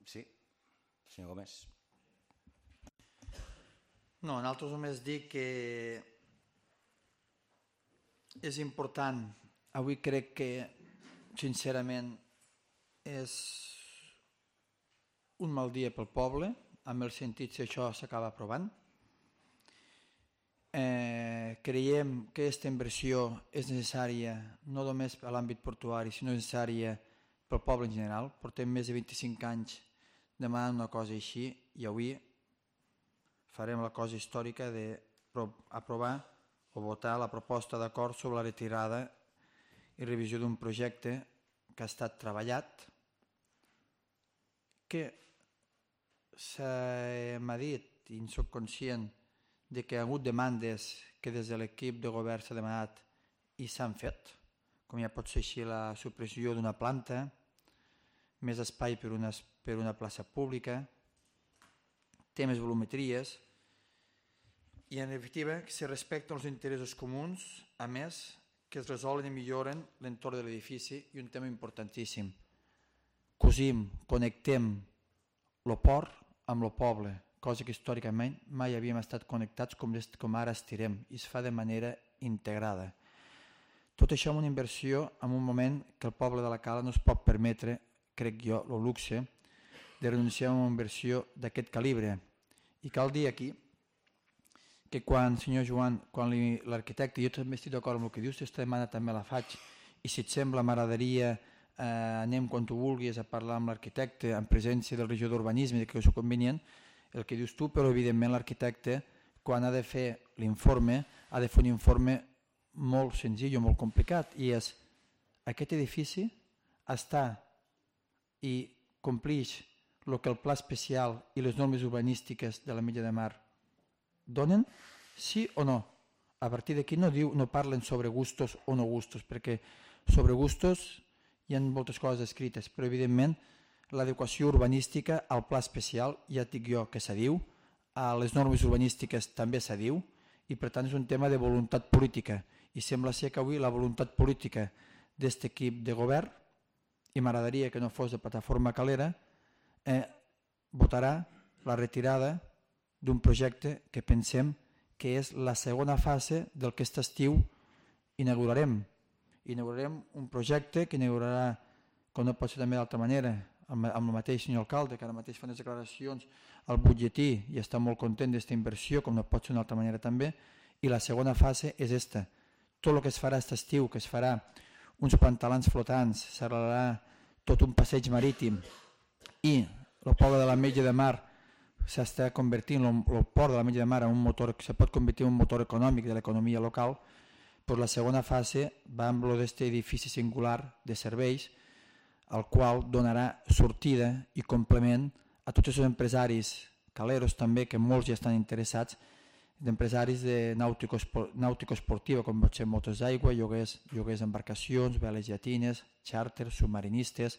Speaker 1: Sí, senyor Gómez.
Speaker 2: No, nosaltres només dic que és important. Avui crec que, sincerament, és un mal dia pel poble, amb el sentit si això s'acaba aprovant. Eh, creiem que aquesta inversió és necessària no només a l'àmbit portuari, sinó necessària pel poble en general. Portem més de vint-i-cinc anys demanant una cosa així i avui farem la cosa històrica d'aprovar o votar la proposta d'acord sobre la retirada i revisió d'un projecte que ha estat treballat, que m'ha dit i en soc conscient de que hi ha hagut demandes que des de l'equip de govern s'ha demanat i s'han fet, com ja pot ser així la supressió d'una planta, més espai per una, per una plaça pública, temes volumetries, i en definitiva que se respecten els interessos comuns, a més que es resolen i milloren l'entorn de l'edifici i un tema importantíssim. Cosim, connectem el port amb el poble, cosa que històricament mai havíem estat connectats com, com ara estirem i es fa de manera integrada. Tot això amb una inversió en un moment que el poble de la Cala no es pot permetre, crec jo, el luxe de renunciar a una inversió d'aquest calibre. I cal dir aquí que quan, senyor Joan, quan l'arquitecte, jo també estic d'acord amb el que dius, aquesta demanda també la faig, i si et sembla m'agradaria eh, anem quan tu vulguis a parlar amb l'arquitecte en presència del regidor d'urbanisme, que és convenient, el que dius tu, però evidentment l'arquitecte, quan ha de fer l'informe, ha de fer un informe molt senzill o molt complicat, i és aquest edifici està i complix el que el pla especial i les normes urbanístiques de l'Ametlla de Mar donen, sí o no? a partir d'aquí no, diu, no parlen sobre gustos o no gustos, perquè sobre gustos hi ha moltes coses escrites, però evidentment l'adequació urbanística al pla especial, ja et dic jo que se diu, a les normes urbanístiques també se diu, i per tant és un tema de voluntat política, i sembla ser que avui la voluntat política d'aquest equip de govern, i m'agradaria que no fos de Plataforma Calera, eh, votarà la retirada d'un projecte que pensem que és la segona fase del que aquest estiu inaugurarem. Inaugurarem un projecte que inaugurarà, com no pot ser també d'altra manera, amb, amb el mateix senyor alcalde, que ara mateix fa unes declaracions al butlletí i està molt content d'aquesta inversió, com no pot ser d'una altra manera també, i la segona fase és esta. Tot el que es farà aquest estiu, que es farà uns pantalans flotants, s'arreglarà tot un passeig marítim i el poble de l'Ametlla de Mar s'està convertint, el port de l'Ametlla de Mar en un motor, se pot convertir en un motor econòmic de l'economia local, doncs la segona fase va amb aquest edifici singular de serveis, al qual donarà sortida i complement a tots els empresaris caleros també, que molts ja estan interessats, d'empresaris de nàutico-esportiva, com pot ser motos d'aigua, lloguers, lloguers d'embarcacions, veles llatines, xàrters, submarinistes,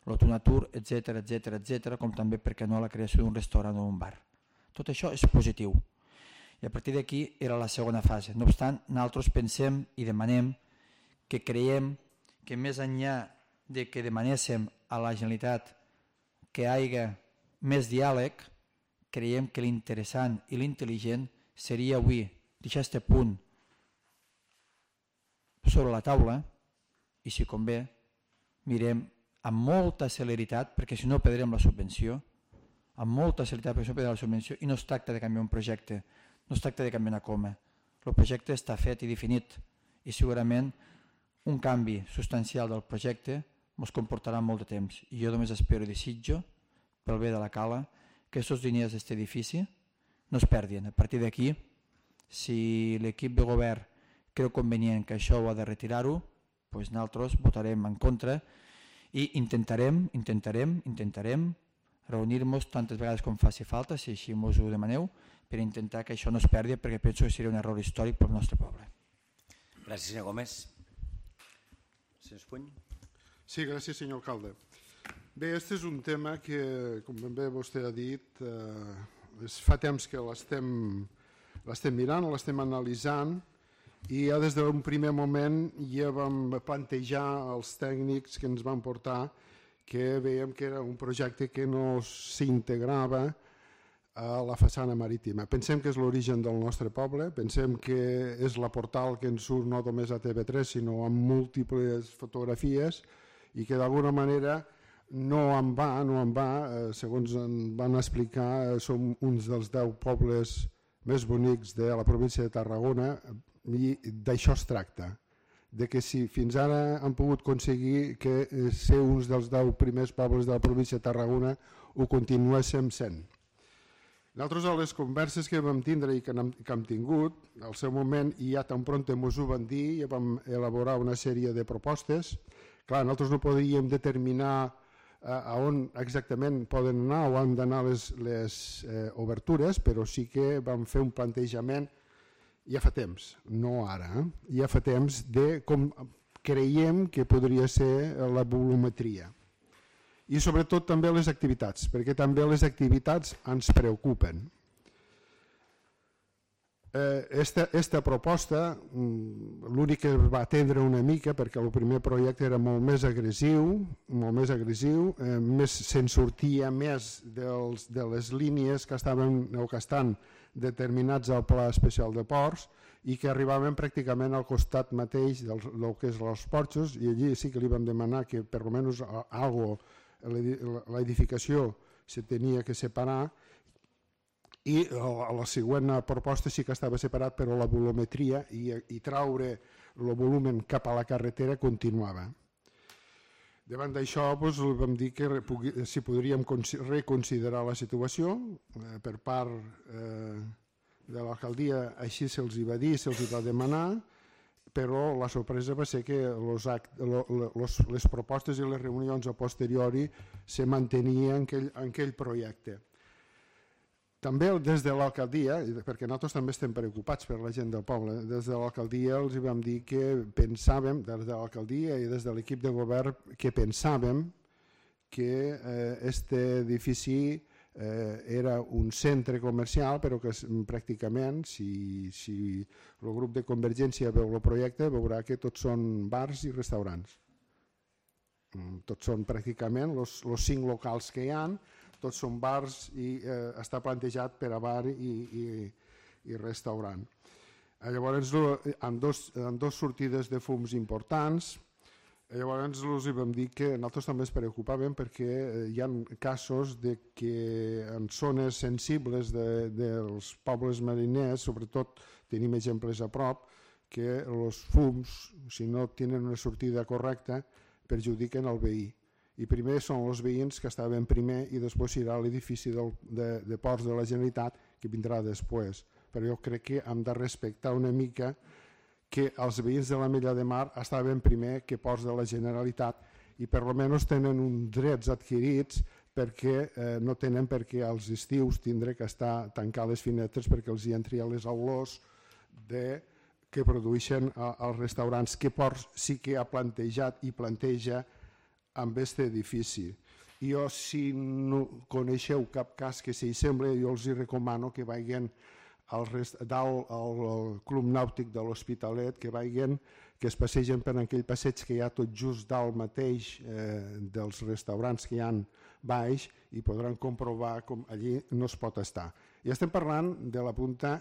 Speaker 2: l'autonatur, etcètera, etcètera, etcètera, com també, per què no, la creació d'un restaurant o un bar. Tot això és positiu. I a partir d'aquí era la segona fase. No obstant, nosaltres pensem i demanem que creiem que més enllà de que demanéssim a la Generalitat que hi hagi més diàleg, creiem que l'interessant i l'intel·ligent seria avui deixar aquest punt sobre la taula i, si convé, mirem amb molta celeritat, perquè si no perdrem la subvenció, amb molta celeritat perquè si no perdrem la subvenció, i no es tracta de canviar un projecte, no es tracta de canviar una coma. El projecte està fet i definit i segurament un canvi substancial del projecte ens comportarà molt de temps. I jo només espero i desitjo, pel bé de la cala, que aquests diners d'aquest edifici no es perdin. A partir d'aquí, si l'equip de govern creu convenient que això ho ha de retirar-ho, doncs nosaltres votarem en contra i intentarem, intentarem, intentarem reunir-nos tantes vegades com faci falta, si així ens ho demaneu, per intentar que això no es perdi, perquè penso que seria un error històric pel nostre poble.
Speaker 1: Gràcies, senyor Gómez. Senyor Espuny.
Speaker 6: Sí, gràcies, senyor alcalde. Bé, aquest és un tema que, com ben bé vostè ha dit, eh, fa temps que l'estem mirant, l'estem analitzant, i ja des d'un primer moment ja vam plantejar als tècnics que ens van portar que veiem que era un projecte que no s'integrava a la façana marítima. Pensem que és l'origen del nostre poble, pensem que és la portal que ens surt no només a T V tres sinó amb múltiples fotografies i que d'alguna manera no en va, no en va, segons en van explicar, som uns dels deu pobles més bonics de la província de Tarragona i d'això es tracta, de que si fins ara han pogut aconseguir que ser uns dels deu primers pobles de la província de Tarragona ho continuéssim sent. Nosaltres a les converses que vam tindre i que hem tingut, al seu moment i ja tan pront ens ho van dir, ja vam elaborar una sèrie de propostes. Clar, nosaltres no podríem determinar a on exactament poden anar o han d'anar les, les eh, obertures, però sí que vam fer un plantejament ja fa temps, no ara, eh? ja fa temps de com creiem que podria ser la volumetria. I sobretot també les activitats, perquè també les activitats ens preocupen. Esta, esta proposta, l'únic que va atendre una mica, perquè el primer projecte era molt més agressiu, molt més agressiu, eh, més se'n sortia més dels, de les línies que estaven o que estan determinats al Pla Especial de Ports i que arribaven pràcticament al costat mateix del, del que és els porxos, i allí sí que li vam demanar que per almenys algo, l'edificació se tenia que separar, i la següent proposta sí que estava separat, però la volumetria i, i traure el volum cap a la carretera continuava. Davant d'això doncs, vam dir que si podríem reconsiderar la situació eh, per part eh, de l'alcaldia, així se'ls va dir, se'ls va demanar, però la sorpresa va ser que los act, lo, los, les propostes i les reunions a posteriori se mantenien en aquell, en aquell projecte. També des de l'alcaldia, perquè nosaltres també estem preocupats per la gent del poble, des de l'alcaldia els vam dir que pensàvem, des de l'alcaldia i des de l'equip de govern, que pensàvem que aquest edifici era un centre comercial, però que pràcticament, si el grup de Convergència veu el projecte, veurà que tots són bars i restaurants. Tots són pràcticament els cinc locals que hi ha, tots són bars i està plantejat per a bar i restaurant. Llavors, amb dos sortides de fums importants, llavors els vam dir que nosaltres també ens preocupàvem perquè hi ha casos que en zones sensibles dels pobles mariners, sobretot tenim exemples a prop, que els fums, si no tenen una sortida correcta, perjudiquen el veí. I primer són els veïns que estaven primer i després serà l'edifici de Ports de la Generalitat que vindrà després. Però jo crec que hem de respectar una mica que els veïns de la Mella de Mar estaven primer que Ports de la Generalitat i per almenys tenen uns drets adquirits perquè no tenen per què als estius tindre que estar tancant les finestres perquè els hi entri a les olors que produeixen els restaurants que Ports sí que ha plantejat i planteja amb aquest edifici. Jo, si no coneixeu cap cas que s'hi sembla, jo els recomano que vagin dalt al Club Nàutic de l'Hospitalet, que vagin, que es passegen per aquell passeig que hi ha tot just dalt mateix dels restaurants que hi ha baix i podran comprovar com allí no es pot estar. I estem parlant de la punta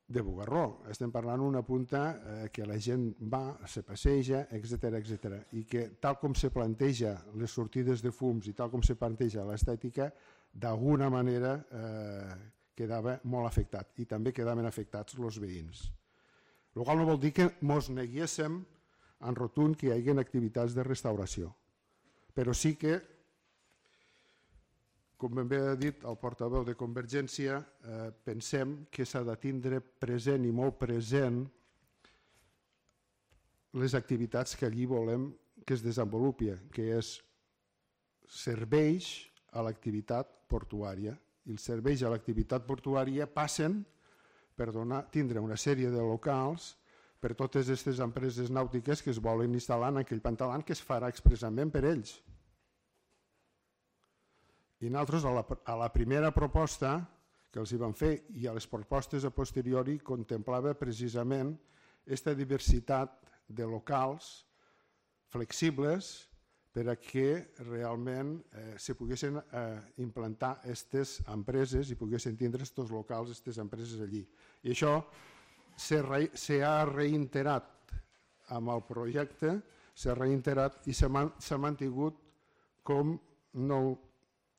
Speaker 6: de Bugarró, estem parlant d'una punta que la gent va, se passeja, etcètera, etcètera, i que tal com se planteja les sortides de fums i tal com se planteja l'estètica, d'alguna manera quedava molt afectat i també quedaven afectats els veïns. El qual no vol dir que ens neguéssim en rotund que hi hagi activitats de restauració, però sí que, com ben bé ha dit el portaveu de Convergència, pensem que s'ha de tindre present i molt present les activitats que allí volem que es desenvolupi, que és serveis a l'activitat portuària. I els serveis a l'activitat portuària passen per tindre una sèrie de locals per totes aquestes empreses nàutiques que es volen instal·lar en aquell pantalant que es farà expressament per ells. I nosaltres a la primera proposta que els hi vam fer i a les propostes a posteriori contemplava precisament aquesta diversitat de locals flexibles per a que realment se poguessin implantar aquestes empreses i poguessin tindre aquests locals, aquestes empreses allí. I això s'ha reiterat amb el projecte, s'ha reiterat i s'ha mantingut com no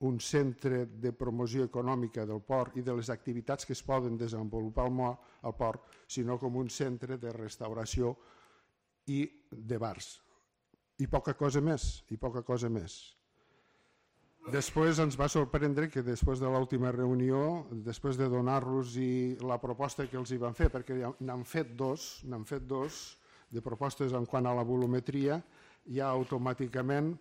Speaker 6: un centre de promoció econòmica del port i de les activitats que es poden desenvolupar al port, sinó com un centre de restauració i de bars. I poca cosa més, i poca cosa més. Després ens va sorprendre que després de l'última reunió, després de donar-los la proposta que els hi van fer, perquè n'han fet dos, n'han fet dos de propostes en quant a la volumetria, ja automàticament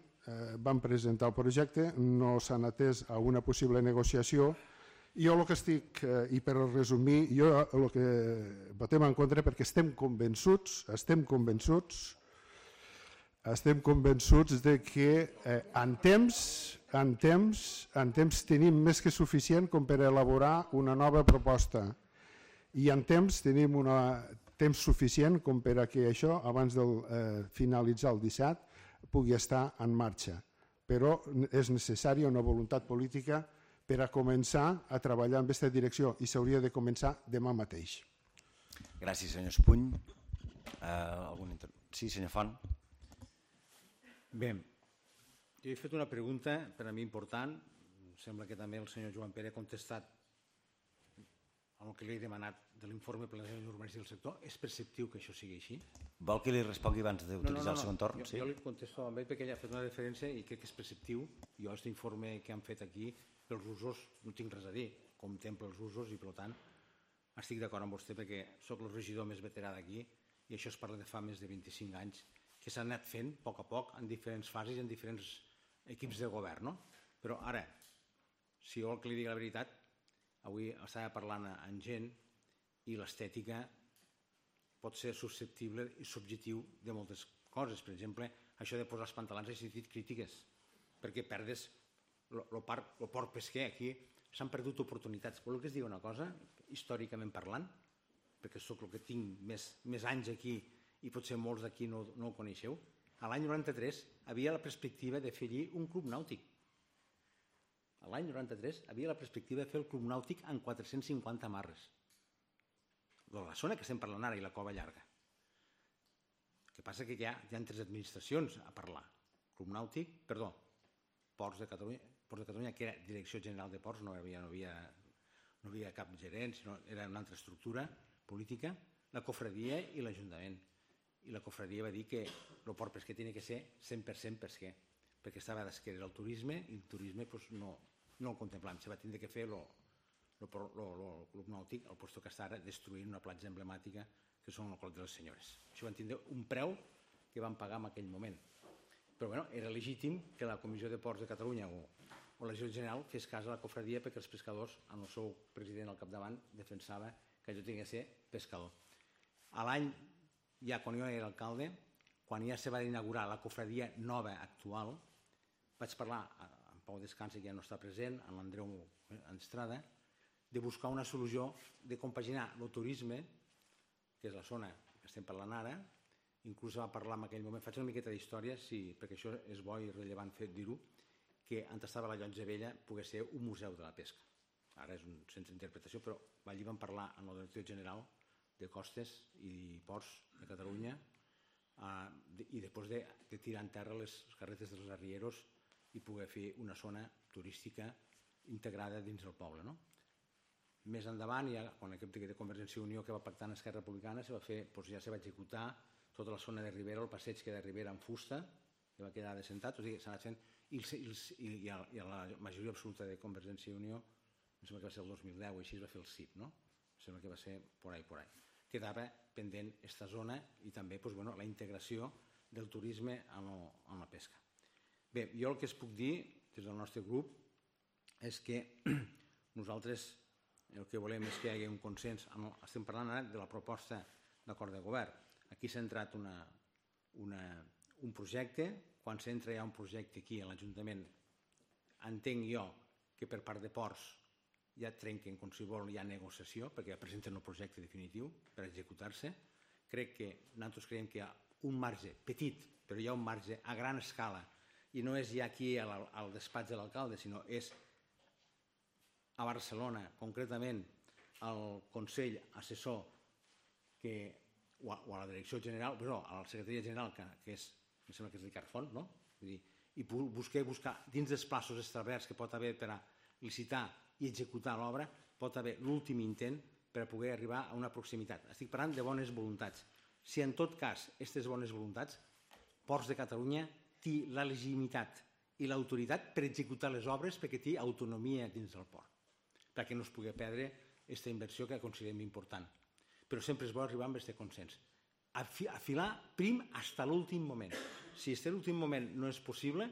Speaker 6: van presentar el projecte, no s'han atès a una possible negociació. Jo el que estic, i per resumir, jo el que votem en contra perquè estem convençuts, estem convençuts, estem convençuts de que en temps, en temps, en temps tenim més que suficient com per elaborar una nova proposta i en temps tenim un temps suficient com per a que això, abans de finalitzar el disset, pugui estar en marxa, però és necessària una voluntat política per a començar a treballar en aquesta direcció i s'hauria de començar demà mateix.
Speaker 1: Gràcies, senyor Espuny. Sí, senyor Font.
Speaker 7: Bé, jo he fet una pregunta per a mi important, sembla que també el senyor Joan Pere ha contestat amb el que li he demanat de l'informe planejament urbanístic del sector. És perceptiu que això sigui així?
Speaker 1: Vol que li respongui abans d'utilitzar el segon torn?
Speaker 7: Jo li contesto amb ell perquè ell ha fet una referència i crec que és perceptiu. Jo aquest informe que han fet aquí pels usos no tinc res a dir, contempla els usos i per tant estic d'acord amb vostè perquè soc el regidor més veterà d'aquí i això es parla de fa més de vint-i-cinc anys que s'ha anat fent a poc a poc en diferents fases i en diferents equips de govern. Però ara, si jo vol que li digui la veritat, avui estava parlant amb gent i l'estètica pot ser susceptible i subjectiu de moltes coses. Per exemple, això de posar els pantalons ha sentit crítiques perquè perdes el port pesquer. Aquí s'han perdut oportunitats. Voleu que es digui una cosa, històricament parlant, perquè sóc el que tinc més anys aquí i potser molts d'aquí no ho coneixeu. A l'any noranta-tres havia la perspectiva de fer allí un club nàutic. A l'any noranta-tres havia la perspectiva de fer el club nàutic amb quatre-cents cinquanta amarres. De la zona que estem parlant ara i la Cova Llarga. El que passa que hi ha tres administracions a parlar. Club nàutic, perdó, Ports de Catalunya, Ports de Catalunya, que era Direcció General de Ports, no havia, no havia, no havia cap gerent, sinó era una altra estructura política, la cofradia i l'Ajuntament. I la cofradia va dir que el port pesquer tenia que ser cent per cent pesquer, perquè estava d'esquerra el turisme i el turisme no el contemplàvem. Se va tindre que fer el club nàutic al lloc que està ara destruint una platja emblemàtica que són el Clot de les Senyores. Això van tindre un preu que van pagar en aquell moment. Però bueno, era legítim que la Comissió de Ports de Catalunya o la Direcció General fes cas a la cofradia perquè els pescadors, amb el seu president al capdavant, defensava que allò tenia que ser pescador. A l'any, ja quan jo era alcalde, quan ja se va inaugurar la cofradia nova actual, vaig parlar amb Pau Descansa, que ja no està present, amb l'Andreu Estrada, de buscar una solució de compaginar el turisme, que és la zona que estem parlant ara, inclús va parlar en aquell moment, faig una miqueta d'història, perquè això és bo i rellevant dir-ho, que on estava la Llotja Vella pogués ser un museu de la pesca. Ara és un centre d'interpretació, però allí vam parlar amb el director general de Costes i Ports de Catalunya i després de tirar en terra les carretes dels arrieros i poder fer una zona turística integrada dins del poble. Més endavant, quan aquest de Convergència i Unió que va pactar amb Esquerra Republicana, ja se va executar tota la zona de Ribera, el passeig que de Ribera en fusta, que va quedar descentat, i a la majoria absoluta de Convergència i Unió, em sembla que va ser el dos mil deu, així es va fer el C I P, no? Em sembla que va ser por ahí, por ahí. Quedava pendent aquesta zona i també la integració del turisme en la pesca. Bé, jo el que es puc dir des del nostre grup és que nosaltres el que volem és que hi hagi un consens. Estem parlant ara de la proposta d'acord de govern. Aquí s'ha entrat un projecte. Quan s'entra ja un projecte aquí a l'Ajuntament, entenc jo que per part de Ports ja trenquen com si vol, hi ha negociació, perquè ja presenten el projecte definitiu per executar-se. Crec que nosaltres creiem que hi ha un marge petit, però hi ha un marge a gran escala, i no és ja aquí al despatx de l'alcalde, sinó és a Barcelona, concretament al Consell Assessor o a la Direcció General, però a la Secretaria General, que és, em sembla que és l'Icart Font, no? I buscar dins dels plaços establerts que pot haver per a licitar i executar l'obra, pot haver l'últim intent per a poder arribar a una proximitat. Estic parlant de bones voluntats. Si en tot cas aquestes bones voluntats, Ports de Catalunya té la legitimitat i l'autoritat per executar les obres perquè té autonomia dins del port, perquè no es pugui perdre aquesta inversió que considerem important. Però sempre és bo arribar amb aquest consens. Afilar prim fins a l'últim moment. Si fins a l'últim moment no és possible,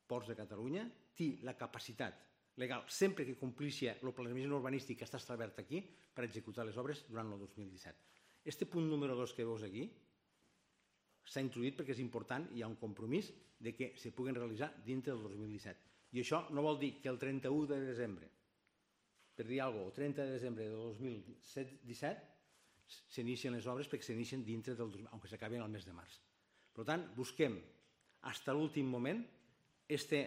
Speaker 7: Ports de Catalunya té la capacitat legal, sempre que complixi el planejament urbanístic que està establert aquí, per executar les obres durant el dos mil disset. Este punt número dos que veus aquí s'ha introduït perquè és important i hi ha un compromís de que se puguin realitzar dintre del dos mil disset. I això no vol dir que el trenta-u de desembre, per dir alguna cosa, el trenta de desembre del dos mil disset, s'inicien les obres perquè s'inicien dintre del dos mil, aunque s'acabin al mes de març. Per tant, busquem fins a l'últim moment aquest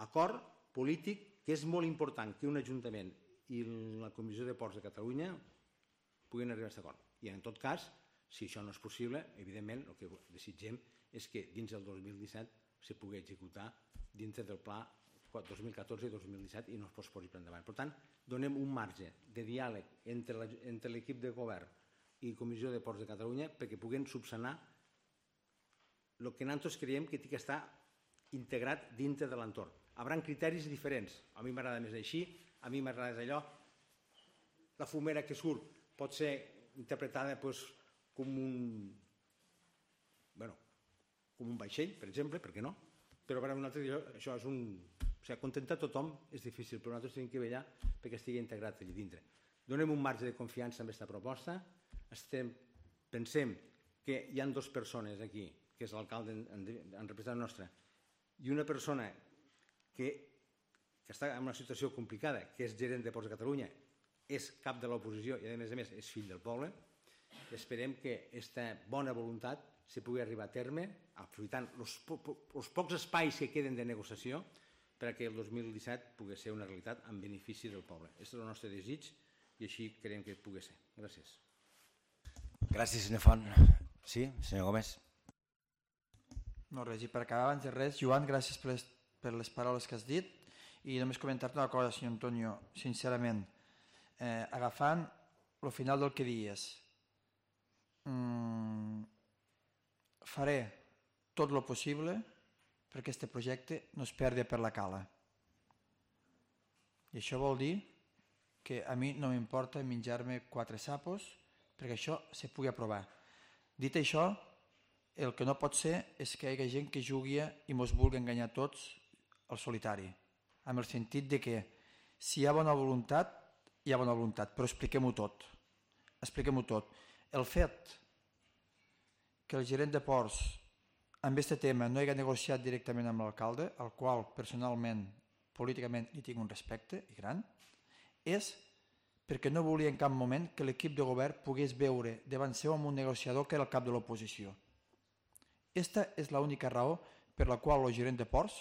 Speaker 7: acord polític que és molt important que un Ajuntament i la Comissió de Ports de Catalunya puguin arribar a aquest acord. I en tot cas, si això no és possible, evidentment el que desitgem és que dins del dos mil disset se pugui executar dintre del pla dos mil catorze i dos mil disset i no es posposi per endavant. Per tant, donem un marge de diàleg entre l'equip de govern i Comissió de Ports de Catalunya perquè puguin subsanar el que nosaltres creiem que té que estar integrat dintre de l'entorn. Hi haurà criteris diferents. A mi m'agrada més així, a mi m'agrada allò. La fumera que surt pot ser interpretada com un com un vaixell, per exemple, per què no? Però per a nosaltres això és un O sigui, contentar tothom és difícil, però nosaltres tenim que vetllar perquè estigui integrat allà dintre. Donem un marge de confiança amb aquesta proposta. Estem, pensem que hi ha dues persones aquí, que és l'alcalde en, en representant nostre, i una persona que, que està en una situació complicada, que és gerent de Ports de Catalunya, és cap de l'oposició i a més a més és fill del poble. Esperem que aquesta bona voluntat se pugui arribar a terme, aprofitant els po pocs espais que queden de negociació perquè el dos mil disset pugui ser una realitat en benefici del poble. Aquest és el nostre desig i així creiem que pugui ser. Gràcies.
Speaker 1: Gràcies, senyor Font. Sí, senyor Gómez.
Speaker 2: No, res, i per acabar abans de res, Joan, gràcies per les, per les paraules que has dit i només comentar-te una cosa, senyor Antonio, sincerament, eh, agafant el final del que dies, mm, faré tot el possible perquè aquest projecte no es perdi per la cala. I això vol dir que a mi no m'importa menjar-me quatre sapos perquè això se pugui aprovar. Dit això, el que no pot ser és que hi hagi gent que jugui i mos vulgui enganyar tots al solitari, amb el sentit de que si hi ha bona voluntat, hi ha bona voluntat, però expliquem-ho tot. Expliquem-ho tot. El fet que el gerent de ports amb aquest tema no hagi negociat directament amb l'alcalde, al qual personalment, políticament, li tinc un respecte i gran, és perquè no volia en cap moment que l'equip de govern pogués veure davant seu amb un negociador que era el cap de l'oposició. Aquesta és l'única raó per la qual el gerent de ports,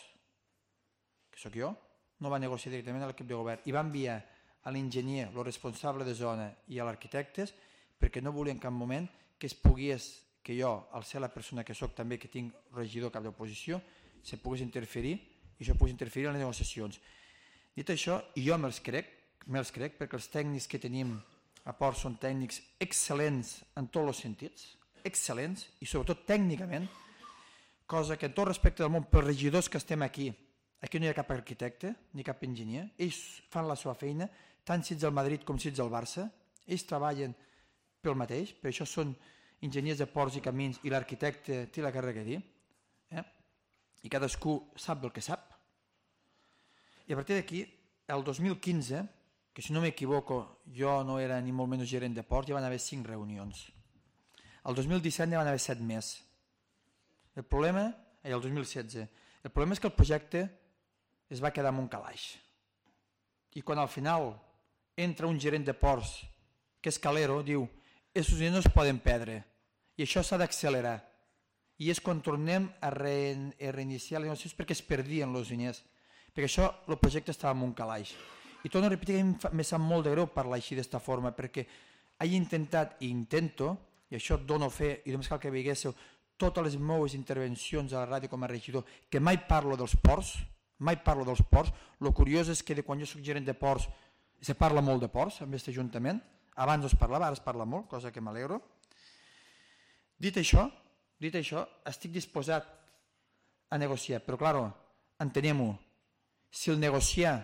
Speaker 2: que sóc jo, no va negociar directament amb l'equip de govern i va enviar a l'enginyer, el responsable de zona i a l'arquitectes perquè no volia en cap moment que es pogués, que jo, al ser la persona que sóc també, que tinc regidor cap d'oposició, se pogués interferir i això pogués interferir en les negociacions. Dit això, i jo me'ls crec, me'ls crec perquè els tècnics que tenim a Ports són tècnics excel·lents en tots els sentits, excel·lents i sobretot tècnicament, cosa que en tot respecte del món, pels regidors que estem aquí, aquí no hi ha cap arquitecte ni cap enginyer, ells fan la seva feina, tant si ets del Madrid com si ets del Barça, ells treballen pel mateix, per això són enginyers de ports i camins i l'arquitecte té la càrrega a dir, eh? I cadascú sap el que sap. I a partir d'aquí, el dos mil quinze, que si no m'equivoco jo no era ni molt menys gerent de ports, ja van haver cinc reunions. El dos mil disset ja van haver set més. El problema, eh, el dos mil setze, el problema és que el projecte es va quedar en un calaix. I quan al final entra un gerent de ports, que és Calero, diu aquests diners no es poden perdre i això s'ha d'accelerar. I és quan tornem a, re, a reiniciar les negociacions perquè es perdien els diners, perquè això, el projecte estava en un calaix. I torno a repetir que em sap molt de greu parlar així d'esta forma, perquè he intentat i intento, i això et dono fe, i només cal que veiéssiu totes les meves intervencions a la ràdio com a regidor, que mai parlo dels ports, mai parlo dels ports. El curiós és que de quan jo soc gerent de ports se parla molt de ports amb aquest ajuntament. Abans no es parlava, ara es parla molt, cosa que m'alegro. Dit això, dit això, estic disposat a negociar, però clar, entenem-ho, si el negociar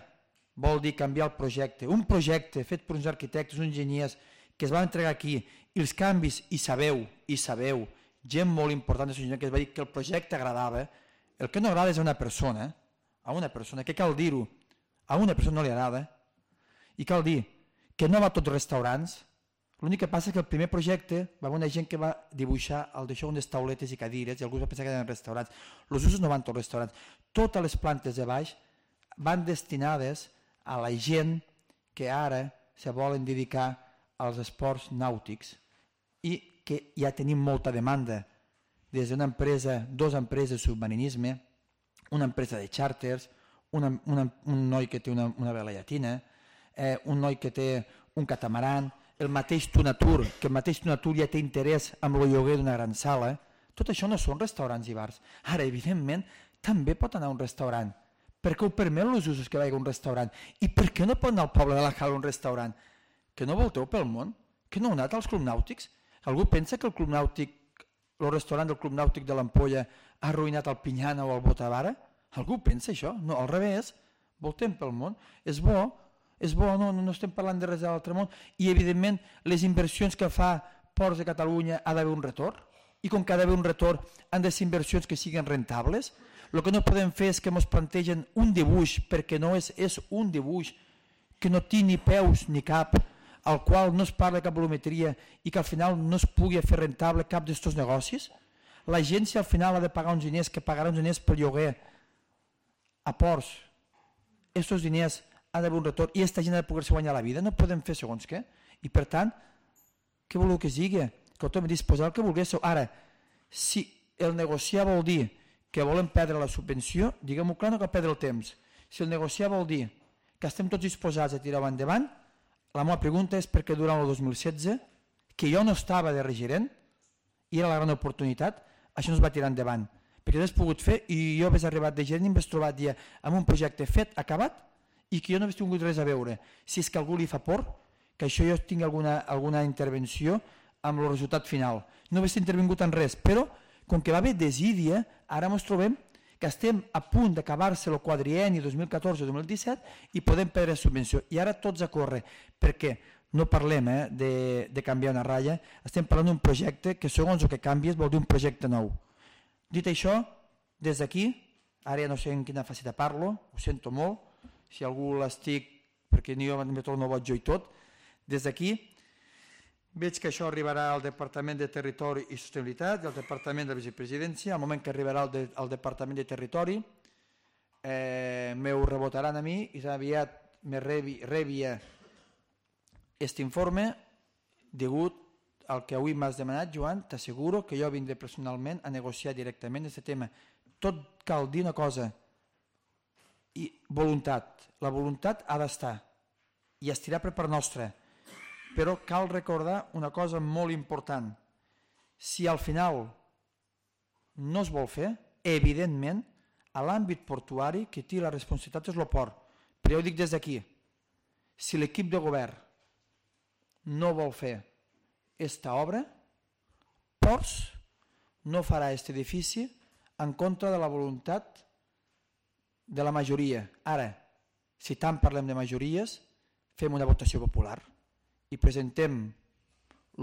Speaker 2: vol dir canviar el projecte, un projecte fet per uns arquitectes, uns enginyers que es van entregar aquí, i els canvis, i sabeu, i sabeu, gent molt important de que es va dir que el projecte agradava, el que no agrada és a una persona, a una persona, que cal dir-ho, a una persona no li agrada, i cal dir que no va a tots els restaurants, l'únic que passa és que el primer projecte va haver una gent que va dibuixar el d'això unes tauletes i cadires i algú va pensar que eren restaurants. Els usos no van tots els restaurants. Totes les plantes de baix van destinades a la gent que ara se volen dedicar als esports nàutics i que ja tenim molta demanda des d'una empresa, dues empreses de submarinisme, una empresa de xàrters, una, una, un noi que té una, una vela llatina, eh, un noi que té un catamaran, el mateix Tunatur, que el mateix Tunatur ja té interès amb el lloguer d'una gran sala. Tot això no són restaurants i bars. Ara, evidentment, també pot anar a un restaurant. Per què ho permet els usos que vagi a un restaurant? I per què no pot anar al poble de la Cala a un restaurant? Que no volteu pel món? Que no heu anat als clubs nàutics? Algú pensa que el club nàutic, el restaurant del club nàutic de l'Ampolla ha arruïnat el Pinyana o el Botavara? Algú pensa això? No, al revés. Voltem pel món. És bo, és bo, no, no estem parlant de res de l'altre món. I, evidentment, les inversions que fa Ports de Catalunya ha d'haver un retorn. I com que ha d'haver un retorn, han de ser inversions que siguin rentables. El que no podem fer és que ens plantegen un dibuix, perquè no és, és un dibuix que no té ni peus ni cap, al qual no es parla cap volumetria i que al final no es pugui fer rentable cap d'estos negocis. La gent, si al final ha de pagar uns diners, que pagarà uns diners per lloguer a ports, estos diners han d'haver un retorn i aquesta gent ha de poder-se guanyar la vida. No podem fer segons què. I per tant, què voleu que sigui? Que tothom disposar el que volguéssiu. Ara, si el negociar vol dir que volem perdre la subvenció, diguem-ho clar, no cal perdre el temps. Si el negociar vol dir que estem tots disposats a tirar-ho endavant, la meva pregunta és perquè durant el dos mil setze, que jo no estava de regirent, i era la gran oportunitat, això no es va tirar endavant. Perquè l'has pogut fer i jo hauria arribat de gerent i m'has trobat ja amb un projecte fet, acabat, i que jo no hauria tingut res a veure. Si és que algú li fa por, que això jo tingui alguna, alguna intervenció amb el resultat final. No hauria intervingut en res, però com que va haver desídia, ara ens trobem que estem a punt d'acabar-se el quadrienni dos mil catorze dos mil disset i podem perdre subvenció. I ara tots a córrer, perquè no parlem eh, de, de canviar una ratlla, estem parlant d'un projecte que segons el que canvies vol dir un projecte nou. Dit això, des d'aquí, ara ja no sé en quina faceta parlo, ho sento molt, si algú l'estic, perquè ni jo me torno boig jo i tot, des d'aquí veig que això arribarà al Departament de Territori i Sostenibilitat i al Departament de Vicepresidència. Al moment que arribarà al, de, al Departament de Territori, eh, m'ho rebotaran a mi i aviat me rebi, rebia aquest informe degut al que avui m'has demanat, Joan. T'asseguro que jo vindré personalment a negociar directament aquest tema. Tot cal dir una cosa, i voluntat. La voluntat ha d'estar i estirà per part nostra. Però cal recordar una cosa molt important. Si al final no es vol fer, evidentment, a l'àmbit portuari qui té la responsabilitat és el port. Però jo ho dic des d'aquí. Si l'equip de govern no vol fer aquesta obra, Ports no farà aquest edifici en contra de la voluntat de la majoria. Ara, si tant parlem de majories, fem una votació popular i presentem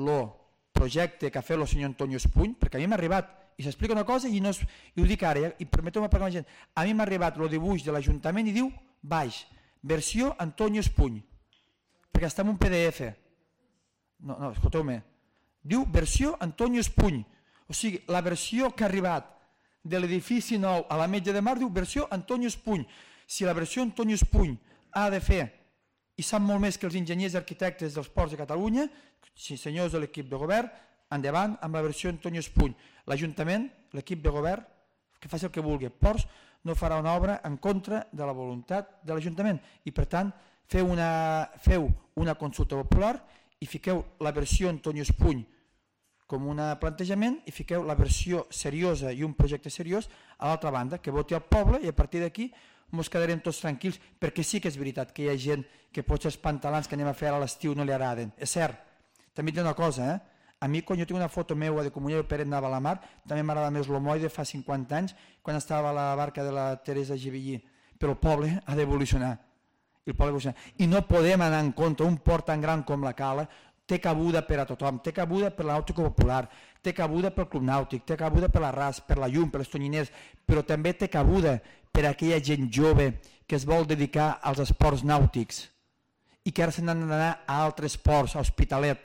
Speaker 2: el projecte que ha fet el senyor Antonio Espuny, perquè a mi m'ha arribat, i s'explica una cosa i, no és, i ho dic ara, i permeteu-me parlar amb la gent, a mi m'ha arribat el dibuix de l'Ajuntament i diu, baix, versió Antonio Espuny, perquè està en un P D F. No, no, escolteu-me, diu versió Antonio Espuny, o sigui, la versió que ha arribat de l'edifici nou a la Metge de Mar diu versió Antonio Espuny. Si la versió Antonio Espuny ha de fer i sap molt més que els enginyers i arquitectes dels ports de Catalunya, si senyors de l'equip de govern, endavant amb la versió Antonio Espuny. L'Ajuntament, l'equip de govern, que faci el que vulgui. Ports no farà una obra en contra de la voluntat de l'Ajuntament i, per tant, feu una, feu una consulta popular i fiqueu la versió Antonio Espuny com un plantejament i fiqueu la versió seriosa i un projecte seriós a l'altra banda, que voti el poble i a partir d'aquí ens quedarem tots tranquils, perquè sí que és veritat que hi ha gent que potser els pantalons que anem a fer a l'estiu no li agraden. És cert. També et dic una cosa, eh? A mi quan jo tinc una foto meva de Comunió de Peret anava a la mar, també m'agrada més l'Omoi de fa cinquanta anys, quan estava a la barca de la Teresa Givillí. Però el poble ha d'evolucionar. El poble evolucionar. I no podem anar en contra. Un port tan gran com la Cala té cabuda per a tothom, té cabuda per la nàutica popular, té cabuda pel club nàutic, té cabuda per la R A S, per la llum, per les tonyiners, però també té cabuda per a aquella gent jove que es vol dedicar als esports nàutics i que ara se n'han d'anar a altres ports, a Hospitalet.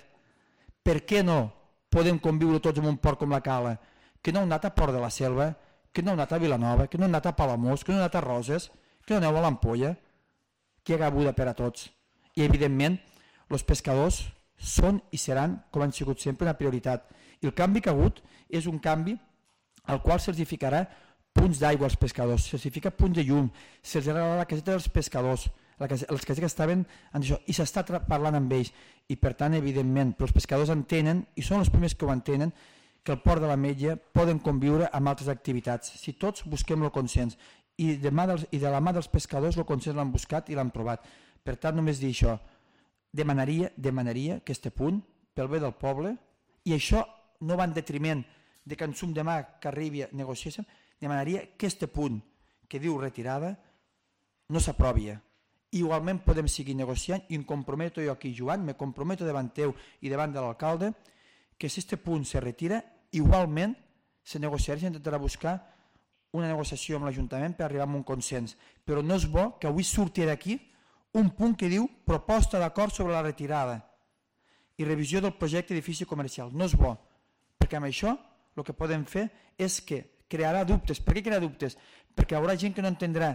Speaker 2: Per què no podem conviure tots en un port com la Cala? Que no heu anat a Port de la Selva, que no heu anat a Vilanova, que no heu anat a Palamós, que no heu anat a Roses, que no aneu a l'Ampolla, que hi ha cabuda per a tots. I evidentment els pescadors són i seran, com han sigut sempre, una prioritat. I el canvi que ha hagut és un canvi al qual se'ls ficarà punts d'aigua als pescadors, se'ls fica punts de llum, se'ls agrada la caseta dels pescadors, les casetes que estaven en això, i s'està parlant amb ells. I per tant, evidentment, però els pescadors entenen, i són els primers que ho entenen, que el port de la Metge poden conviure amb altres activitats. Si tots busquem el consens, i de, mà dels, i de la mà dels pescadors el consens l'han buscat i l'han trobat. Per tant, només dir això, demanaria, demanaria que este punt, pel bé del poble, i això no va en detriment de que en sum demà que arribi a negociar, demanaria que este punt que diu retirada no s'aprovi. Igualment podem seguir negociant i em comprometo jo aquí, Joan, me comprometo davant teu i davant de l'alcalde que si este punt se retira, igualment se negociarà i s'intentarà buscar una negociació amb l'Ajuntament per arribar a un consens, però no és bo que avui surti d'aquí un punt que diu proposta d'acord sobre la retirada i revisió del projecte d'edifici comercial. No és bo, perquè amb això el que podem fer és que crearà dubtes. Per què crearà dubtes? Perquè hi haurà gent que no entendrà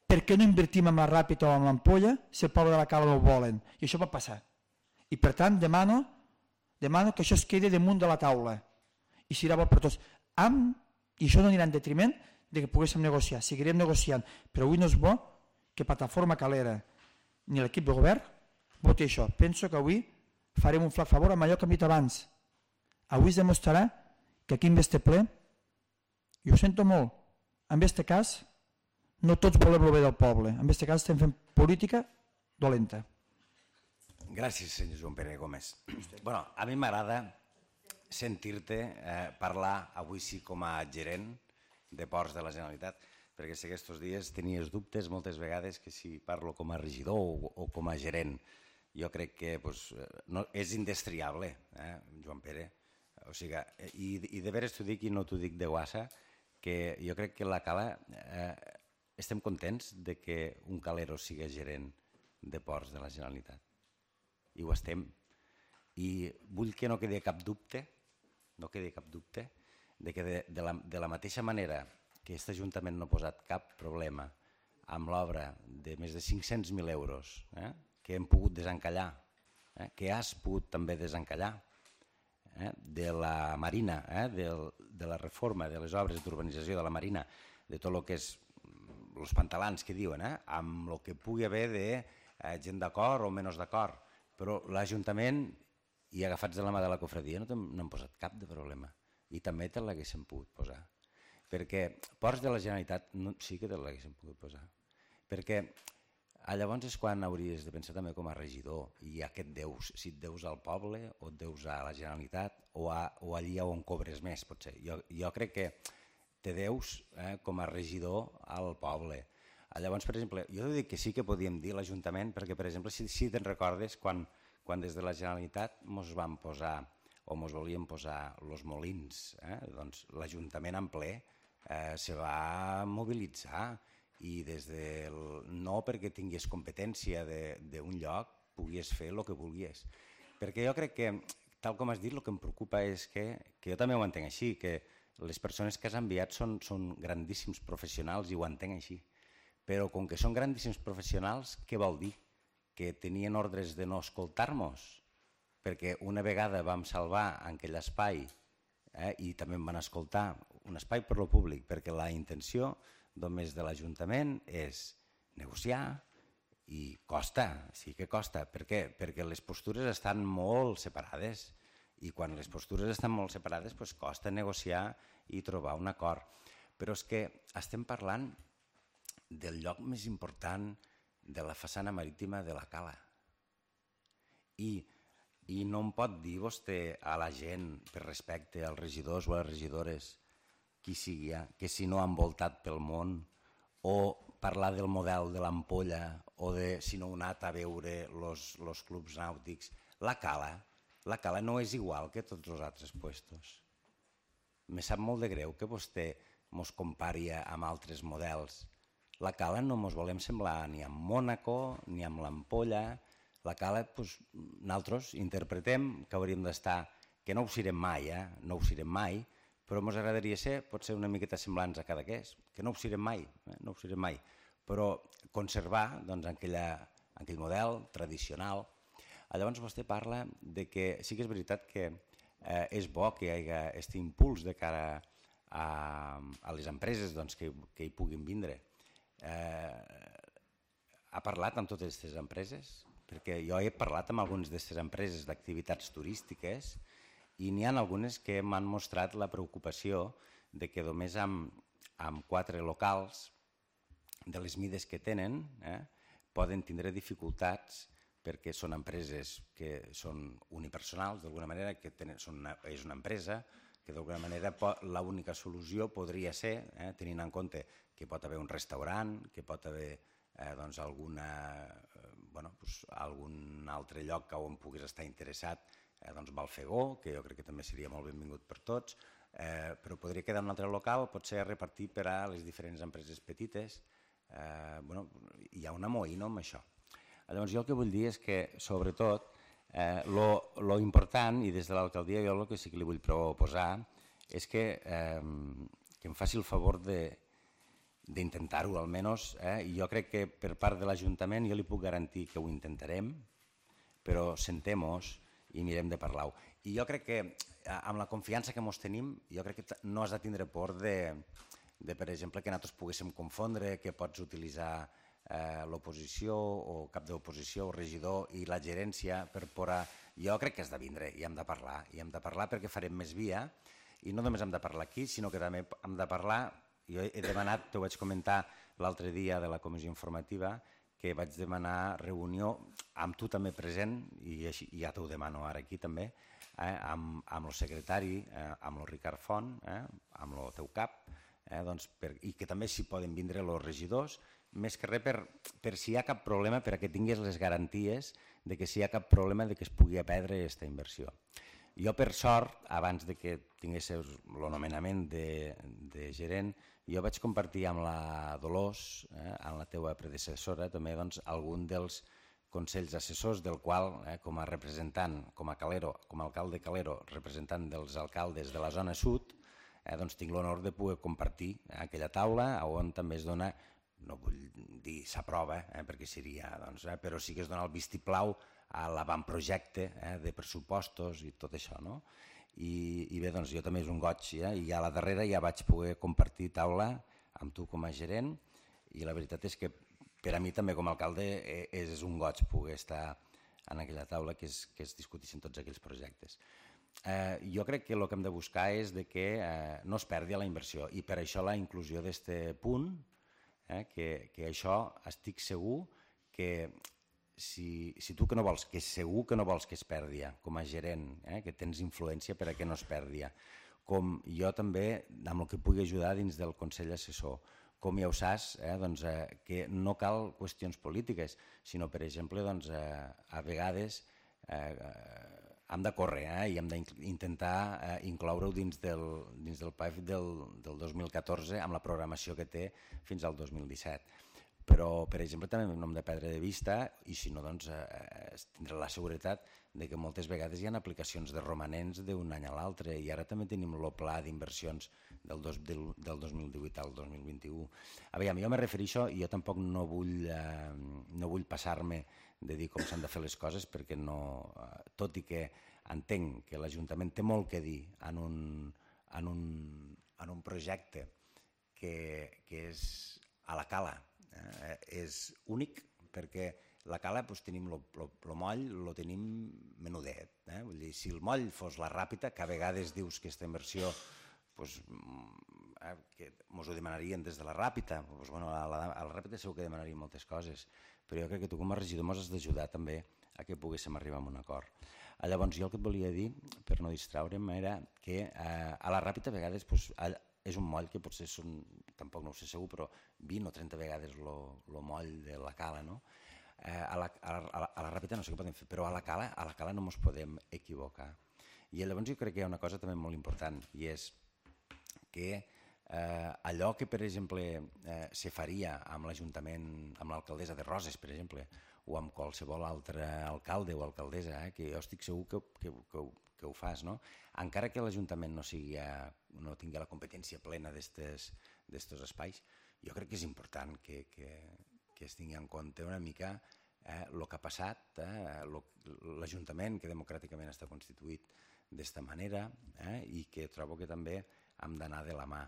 Speaker 2: per què no invertim en la Ràpita o en l'Ampolla si el poble de la Cala no ho volen. I això pot passar. I per tant demano, demano que això es quedi damunt de la taula i serà bo per tots. Amb, i això no anirà en detriment de que poguéssim negociar. Seguirem negociant, però avui no és bo que Plataforma Calera ni l'equip de govern voti això. Penso que avui farem un flac favor amb allò que hem dit abans. Avui es demostrarà que aquí en este ple, i ho sento molt, en este cas no tots volem el bé del poble, en este cas estem fent política dolenta.
Speaker 1: Gràcies, senyor Joan Pere Gómez. Bueno, a mi m'agrada sentir-te eh, parlar avui sí com a gerent de Ports de la Generalitat, perquè sé que aquests dies tenies dubtes moltes vegades que si parlo com a regidor o, o com a gerent. Jo crec que pues, no, és indestriable, eh, Joan Pere. O sigui, i, i de veres t'ho dic i no t'ho dic de guassa, que jo crec que la Cala eh, estem contents de que un calero sigui gerent de Ports de la Generalitat. I ho estem. I vull que no quedi cap dubte, no quedi cap dubte, de que de, de, la, de la mateixa manera que aquest Ajuntament no ha posat cap problema amb l'obra de més de cinc-cents mil euros, eh, que hem pogut desencallar, eh, que has pogut també desencallar, eh, de la Marina, eh, del, de la reforma de les obres d'urbanització de la Marina, de tot el que és els pantalans que diuen, eh, amb el que pugui haver de eh, gent d'acord o menys d'acord, però l'Ajuntament, i agafats de la mà de la cofradia, no, no han posat cap de problema. I també te l'haguéssim pogut posar. Perquè Ports de la Generalitat no, sí que te l'haguéssim pogut posar. Perquè llavors és quan hauries de pensar també com a regidor i a què et deus, si et deus al poble o et deus a la Generalitat o, a, o allí on cobres més, potser. Jo, jo crec que te deus eh, com a regidor al poble. Llavors, per exemple, jo dic que sí que podíem dir l'Ajuntament, perquè, per exemple, si, si te'n recordes, quan, quan des de la Generalitat ens vam posar o ens volien posar els molins, eh, doncs l'Ajuntament en ple eh, se va mobilitzar i des del, no perquè tingués competència d'un lloc puguis fer el que vulguis. Perquè jo crec que, tal com has dit, el que em preocupa és que, que jo també ho entenc així, que les persones que has enviat són, són grandíssims professionals i ho entenc així. Però com que són grandíssims professionals, què vol dir? Que tenien ordres de no escoltar-nos? Perquè una vegada vam salvar aquell espai eh, i també em van escoltar un espai per lo públic, perquè la intenció només de l'Ajuntament és negociar i costa, sí que costa. Per què? Perquè les postures estan molt separades i quan les postures estan molt separades doncs costa negociar i trobar un acord. Però és que estem parlant del lloc més important de la façana marítima de la Cala. I, i no em pot dir vostè a la gent, per respecte als regidors o a les regidores, qui sigui, que si no han voltat pel món, o parlar del model de l'Ampolla, o de si no han anat a veure els clubs nàutics. La Cala, la Cala no és igual que tots els altres puestos. Me sap molt de greu que vostè mos compari amb altres models. La Cala no ens volem semblar ni amb Mònaco ni amb l'Ampolla. La Cala, doncs, nosaltres interpretem que hauríem d'estar, que no ho serem mai, eh? no ho serem mai, però ens agradaria ser, pot ser una miqueta semblants a Cadaqués, que no ho serem mai, eh? no ho serem mai, però conservar doncs, aquella, aquell model tradicional. Llavors vostè parla de que sí que és veritat que eh, és bo que hi hagi aquest impuls de cara a, a les empreses doncs, que, que hi puguin vindre. Eh, ha parlat amb totes aquestes empreses? Perquè jo he parlat amb algunes d'aquestes empreses d'activitats turístiques i n'hi ha algunes que m'han mostrat la preocupació de que només amb, amb quatre locals de les mides que tenen eh, poden tindre dificultats perquè són empreses que són unipersonals, d'alguna manera, que tenen, són una, és una empresa que d'alguna manera l'única solució podria ser, eh, tenint en compte que pot haver un restaurant, que pot haver eh, doncs alguna, eh, bueno, doncs algun altre lloc on puguis estar interessat, eh, doncs Balfegó, que jo crec que també seria molt benvingut per tots, eh, però podria quedar un altre local, potser repartit per a les diferents empreses petites. Eh, bueno, hi ha una moïna amb això. Llavors jo el que vull dir és que, sobretot, eh, lo, lo important, i des de l'alcaldia jo el que sí que li vull proposar, és que, eh, que em faci el favor d'intentar-ho almenys, eh? I jo crec que per part de l'Ajuntament jo li puc garantir que ho intentarem, però sentem-nos i mirem de parlar-ho. I jo crec que amb la confiança que ens tenim, jo crec que no has de tindre por de, de per exemple, que nosaltres poguéssim confondre, que pots utilitzar eh, l'oposició o cap d'oposició o regidor i la gerència per por a... Jo crec que has de vindre i hem de parlar, i hem de parlar perquè farem més via, i no només hem de parlar aquí, sinó que també hem de parlar, jo he demanat, t'ho vaig comentar l'altre dia de la comissió informativa, que vaig demanar reunió amb tu també present, i així, ja t'ho demano ara aquí també, eh, amb, amb el secretari, eh, amb el Ricard Font, eh, amb el teu cap, eh, doncs per, i que també s'hi poden vindre els regidors, més que res per, per si hi ha cap problema, perquè tingués les garanties de que si hi ha cap problema de que es pugui perdre aquesta inversió. Jo, per sort, abans de que tingués el nomenament de, de gerent, jo vaig compartir amb la Dolors, eh, amb la teva predecessora, també doncs, algun dels consells assessors, del qual, eh, com a representant, com a Calero, com a alcalde Calero, representant dels alcaldes de la zona sud, eh, doncs tinc l'honor de poder compartir eh, aquella taula on també es dona, no vull dir s'aprova, eh, perquè seria, doncs, eh, però sí que es dona el vistiplau a l'avantprojecte eh, de pressupostos i tot això, no? I, i bé, doncs jo també és un goig, eh? I a la darrera ja vaig poder compartir taula amb tu com a gerent, i la veritat és que per a mi també com a alcalde és un goig poder estar en aquella taula que es, que es discutissin tots aquells projectes. Eh, jo crec que el que hem de buscar és de que eh, no es perdi la inversió, i per això la inclusió d'aquest punt, eh, que, que això estic segur que Si, si tu que no vols, que segur que no vols que es perdi com a gerent, eh, que tens influència per a que no es perdi, com jo també amb el que pugui ajudar dins del Consell Assessor, com ja ho saps, eh, doncs, eh, que no cal qüestions polítiques, sinó, per exemple, doncs, eh, a vegades eh, hem de córrer eh, i hem d'intentar eh, incloure-ho dins del, dins del P A E F del, del dos mil catorze amb la programació que té fins al dos mil disset. Però, per exemple, també no hem de perdre de vista, i si no, doncs, eh, tindrà la seguretat de que moltes vegades hi ha aplicacions de romanents d'un any a l'altre, i ara també tenim el pla d'inversions del, del, del dos mil divuit al dos mil vint-i-u. A veure, jo me refereixo, i jo tampoc no vull, eh, no vull passar-me de dir com s'han de fer les coses, perquè no, eh, tot i que entenc que l'Ajuntament té molt que dir en un, en un, en un projecte que, que és a la Cala, Eh, és únic perquè la Cala doncs, tenim el moll, lo tenim menudet. Eh? Vull dir, si el moll fos la Ràpita, que a vegades dius que aquesta inversió doncs, eh, que mos ho demanarien des de la Ràpita, doncs, bueno, a, la, a la Ràpita segur que demanarien moltes coses, però jo crec que tu com a regidor mos has d'ajudar també a que poguéssim arribar a un acord. Llavors jo el que et volia dir, per no distraure'm, era que eh, a la Ràpita a vegades doncs, a, és un moll que potser són, tampoc no ho sé segur, però vint o trenta vegades el moll de la Cala, no? Eh, a, la, a, la, a la Ràpita no sé què podem fer, però a la Cala, a la Cala no ens podem equivocar. I llavors jo crec que hi ha una cosa també molt important, i és que eh, allò que, per exemple, eh, se faria amb l'Ajuntament, amb l'alcaldessa de Roses, per exemple, o amb qualsevol altre alcalde o alcaldessa, eh, que jo estic segur que, que, que, que ho fas, no? Encara que l'Ajuntament no, sigui, no tingui la competència plena d'estos espais, jo crec que és important que, que, que es tingui en compte una mica el eh, que ha passat, eh, l'Ajuntament que democràticament està constituït d'esta manera eh, i que trobo que també hem d'anar de la mà.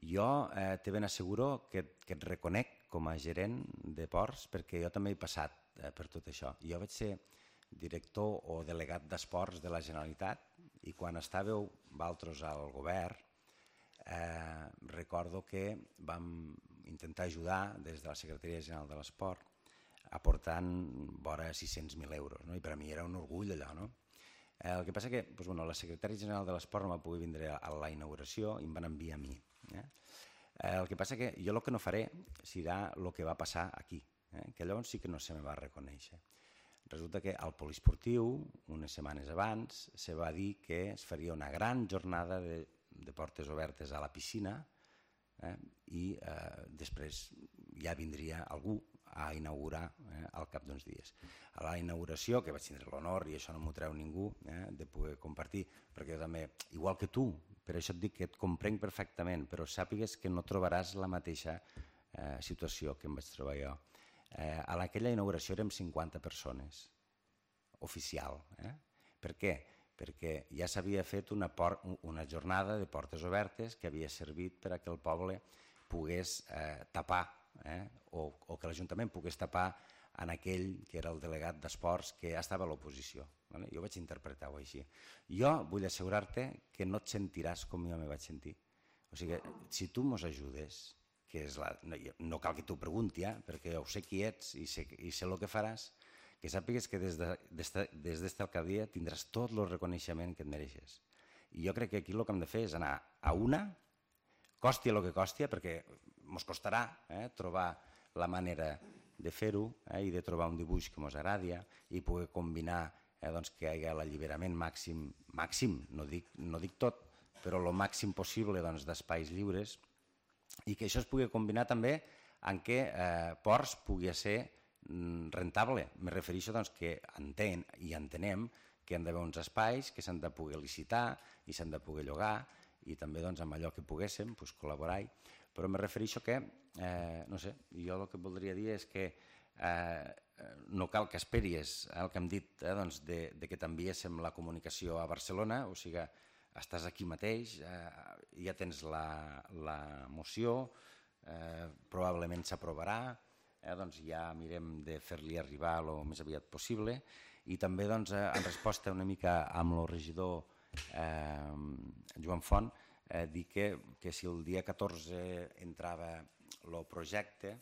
Speaker 1: Jo eh, te ben asseguro que, que et reconec com a gerent de ports perquè jo també he passat eh, per tot això. Jo vaig ser director o delegat d'esports de la Generalitat i quan estàveu vosaltres al govern eh, recordo que vam intentar ajudar des de la Secretaria General de l'Esport aportant vora sis-cents mil euros, no? I per a mi era un orgull allò, no? Eh, el que passa que doncs, bueno, la Secretaria General de l'Esport no va poder vindre a la inauguració i em van enviar a mi. Eh? Eh, el que passa que jo el que no faré serà el que va passar aquí, eh? Que llavors sí que no se me va reconèixer. Resulta que al poliesportiu, unes setmanes abans, se va dir que es faria una gran jornada de, de portes obertes a la piscina, eh, i eh, després ja vindria algú a inaugurar eh, al cap d'uns dies. A la inauguració, que vaig tindre l'honor, i això no m'ho treu ningú, eh, de poder compartir, perquè jo també, igual que tu, per això et dic que et comprenc perfectament, però sàpigues que no trobaràs la mateixa eh, situació que em vaig trobar jo. Eh, a aquella inauguració érem cinquanta persones, oficial. Eh? Per què? Perquè ja s'havia fet una, por una jornada de portes obertes que havia servit per a que el poble pogués eh, tapar, eh? o, o que l'Ajuntament pogués tapar en aquell que era el delegat d'esports que estava a l'oposició. Vale? Jo vaig interpretar-ho així. Jo vull assegurar-te que no et sentiràs com jo me vaig sentir. O sigui, si tu mos ajudes, que és la, no, no cal que t'ho pregunti, eh? perquè jo sé qui ets i sé, i sé el que faràs, que sàpigues que des d'esta de, des alcaldia tindràs tot el reconeixement que et mereixes. I jo crec que aquí el que hem de fer és anar a una, costi el que costi, perquè ens costarà eh, trobar la manera de fer-ho eh, i de trobar un dibuix que ens agradi i poder combinar eh, doncs, que hi hagi l'alliberament màxim, màxim, no dic, no dic tot, però el màxim possible doncs, d'espais lliures i que això es pugui combinar també en què eh, Ports pugui ser rentable. Me refereixo doncs, que entén i entenem que hi ha d'haver uns espais que s'han de poder licitar i s'han de poder llogar i també doncs, amb allò que poguéssim doncs, col·laborar-hi. Però me refereixo que, eh, no sé, jo el que voldria dir és que eh, no cal que esperis el que hem dit eh, doncs, de, de que t'enviéssim la comunicació a Barcelona, o sigui, estàs aquí mateix, eh, ja tens la, la moció, eh, probablement s'aprovarà, Eh, doncs ja mirem de fer-li arribar el més aviat possible i també doncs, eh, en resposta una mica amb el regidor eh, Joan Font eh, dir que, que si el dia catorze entrava el projecte,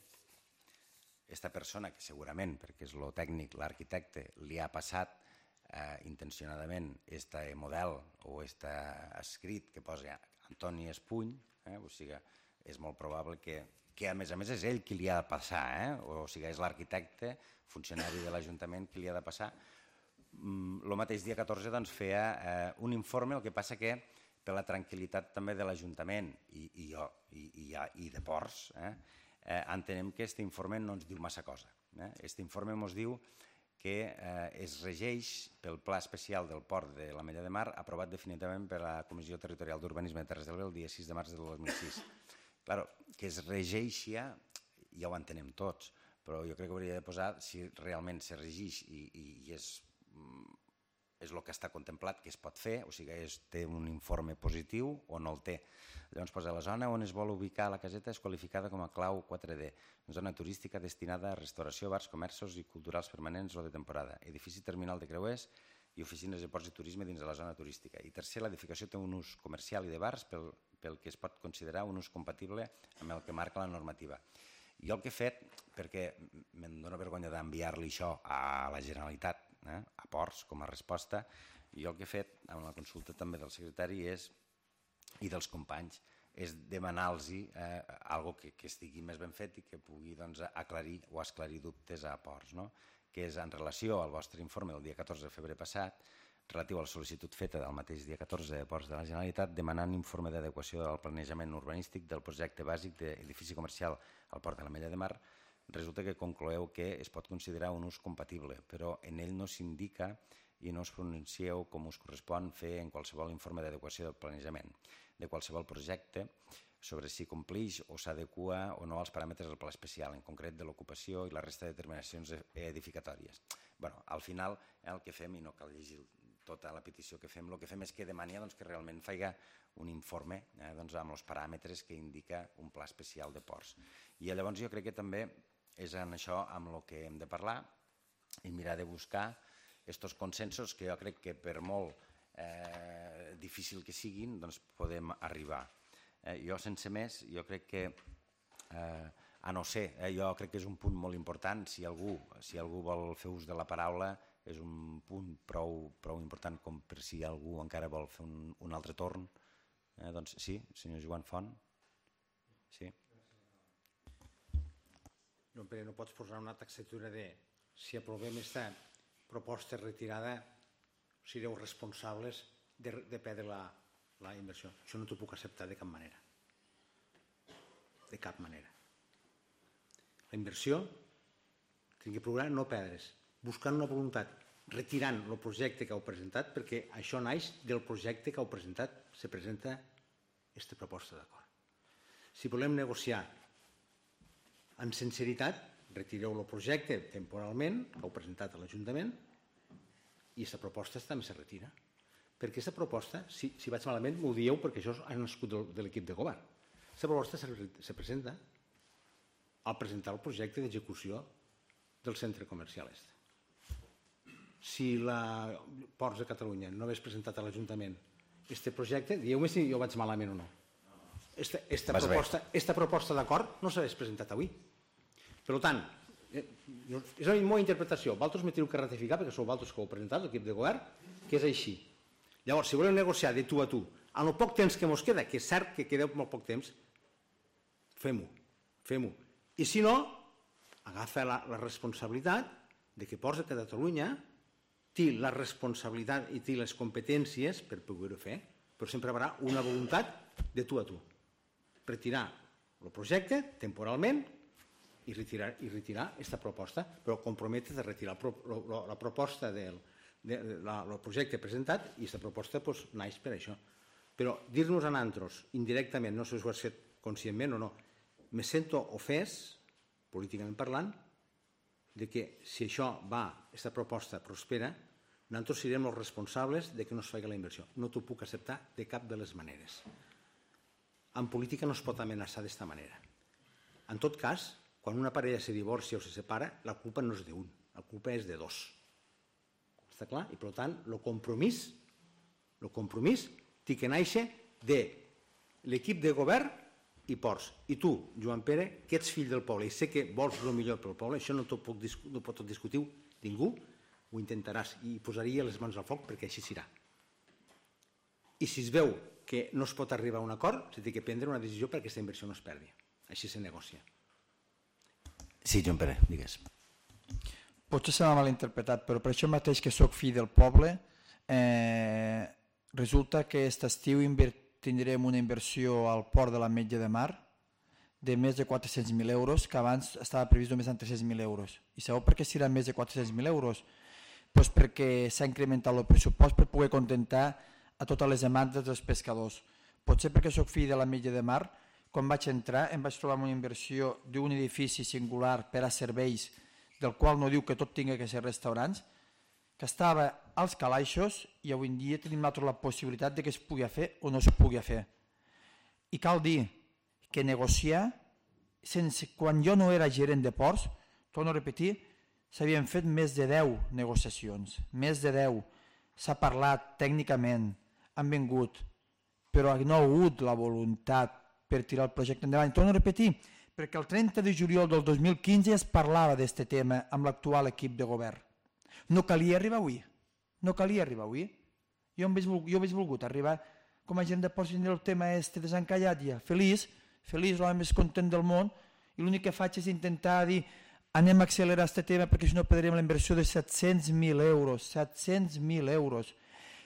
Speaker 1: aquesta persona que segurament, perquè és el tècnic, l'arquitecte, li ha passat eh, intencionadament este model o este escrit que posa Antoni Espuny, eh, o sigui, és molt probable que que a més a més és ell qui li ha de passar, eh? o sigui, és l'arquitecte, funcionari de l'Ajuntament, qui li ha de passar. El mateix dia catorze doncs, feia eh, un informe, el que passa que per la tranquil·litat també de l'Ajuntament i, i, i, i, i de Ports, eh, eh, entenem que aquest informe no ens diu massa cosa. Aquest eh? informe ens diu que eh, es regeix pel Pla Especial del Port de l'Ametlla de Mar aprovat definitivament per la Comissió Territorial d'Urbanisme de Terres de l'Ebre el dia sis de març del dos mil sis. Claro, que es regeixi, ja ho entenem tots, però jo crec que hauria de posar si realment se regeix i, i, i és, és el que està contemplat que es pot fer, o sigui, és, té un informe positiu o no el té. Llavors posa la zona on es vol ubicar la caseta és qualificada com a clau quatre D, zona turística destinada a restauració, bars, comerços i culturals permanents o de temporada, edifici terminal de creuers i oficines de ports i turisme dins de la zona turística. I tercer, l'edificació té un ús comercial i de bars pel, pel que es pot considerar un ús compatible amb el que marca la normativa. Jo el que he fet, perquè me'n dóna vergonya d'enviar-li això a la Generalitat, eh, a Ports com a resposta, jo el que he fet, amb la consulta també del secretari és, i dels companys, és demanar-los eh, algo que, que estigui més ben fet i que pugui doncs, aclarir o esclarir dubtes a Ports, no? Que és en relació al vostre informe del dia catorze de febrer passat, relatiu a la sol·licitud feta del mateix dia catorze de Ports de la Generalitat, demanant informe d'adequació del planejament urbanístic del projecte bàsic d'edifici comercial al Port de l'Ametlla de Mar, resulta que concloeu que es pot considerar un ús compatible, però en ell no s'indica i no us pronuncieu com us correspon fer en qualsevol informe d'adequació del planejament de qualsevol projecte sobre si complix o s'adequa o no als paràmetres del pla especial, en concret de l'ocupació i la resta de determinacions edificatòries. Bueno, al final, eh, el que fem, i no cal llegir tota la petició que fem, el que fem és que demania doncs, que realment faiga un informe eh, doncs, amb els paràmetres que indica un pla especial de ports. I llavors jo crec que també és en això amb el que hem de parlar i mirar de buscar aquests consensos que jo crec que per molt eh, difícil que siguin doncs podem arribar. Eh, jo sense més, jo crec que eh, a no ser, eh, jo crec que és un punt molt important, si algú, si algú vol fer ús de la paraula és un punt prou, prou important com per si algú encara vol fer un, un altre torn. Eh, doncs sí, senyor Joan Font. Sí.
Speaker 7: No, però no pots posar una taxatura de si aprovem aquesta proposta retirada, sereu responsables de, de perdre la, la inversió. Això no t'ho puc acceptar de cap manera. De cap manera. La inversió tenim que procurar no perdre's, buscant una voluntat, retirant el projecte que heu presentat, perquè això naix del projecte que heu presentat, se presenta aquesta proposta d'acord. Si volem negociar amb sinceritat, retireu el projecte temporalment que heu presentat a l'Ajuntament i aquesta proposta també se retira. Perquè aquesta proposta, si, si vaig malament, m'ho dieu perquè això ha nascut de, de l'equip de govern. Aquesta proposta se, se presenta al presentar el projecte d'execució del centre comercial est. Si la Ports de Catalunya no hagués presentat a l'Ajuntament aquest projecte, dieu-me si jo vaig malament o no. Esta, esta, proposta, esta proposta d'acord no s'hagués presentat avui. Per tant, és la meva interpretació. Vosaltres me teniu que ratificar, perquè sou vosaltres que ho heu presentat, l'equip de govern, que és així. Llavors, si voleu negociar de tu a tu, en el poc temps que ens queda, que és cert que quedeu molt poc temps, fem-ho, fem-ho. I si no, agafa la, la responsabilitat de que Ports de Catalunya té la responsabilitat i té les competències per poder-ho fer, però sempre hi haurà una voluntat de tu a tu. Retirar el projecte temporalment i retirar i retirar aquesta proposta, però comprometre de retirar el, la, la proposta del de, la, el projecte presentat i aquesta proposta pues, naix per això. Però dir-nos a nosaltres indirectament, no sé si ho has fet conscientment o no, me sento ofès, políticament parlant, de que si això va, aquesta proposta prospera, nosaltres serem els responsables de que no es faci la inversió. No t'ho puc acceptar de cap de les maneres. En política no es pot amenaçar d'esta manera. En tot cas, quan una parella se divorcia o se separa, la culpa no és d'un, la culpa és de dos. Està clar? I per tant, el compromís, el compromís té que néixer de l'equip de govern i Ports. I tu, Joan Pere, que ets fill del poble i sé que vols el millor pel poble, això no t'ho pot, no pot discutir ningú, ho intentaràs i posaria les mans al foc perquè així serà. I si es veu que no es pot arribar a un acord, s'ha de prendre una decisió perquè aquesta inversió no es perdi. Així se negocia.
Speaker 1: Sí, Joan Pere, digues.
Speaker 2: Potser se m'ha malinterpretat, però per això mateix que sóc fill del poble, eh, resulta que aquest estiu tindrem una inversió al port de l'Ametlla de Mar de més de quatre-cents mil euros, que abans estava previst només en tres-cents mil euros. I sabeu per què serà més de quatre-cents mil euros? Pues perquè s'ha incrementat el pressupost per poder contentar a totes les demandes dels pescadors. Potser perquè sóc fill de l'Ametlla de Mar, quan vaig entrar em vaig trobar una inversió d'un edifici singular per a serveis, del qual no diu que tot tingui que ser restaurants, que estava als calaixos i avui en dia tenim nosaltres la possibilitat de que es pugui fer o no es pugui fer. I cal dir que negociar, sense, quan jo no era gerent de ports, torno a repetir, s'havien fet més de deu negociacions, més de deu. S'ha parlat tècnicament, han vingut, però no ha hagut la voluntat per tirar el projecte endavant. Torno a repetir, perquè el trenta de juliol del dos mil quinze es parlava d'aquest tema amb l'actual equip de govern. No calia arribar avui, no calia arribar avui. Jo hauria volgut arribar com a gent de ports i el tema este desencallat ja, feliç, feliç, l'home més content del món, i l'únic que faig és intentar dir anem a accelerar aquest tema perquè si no perdrem la inversió de set-cents mil euros, set-cents mil euros.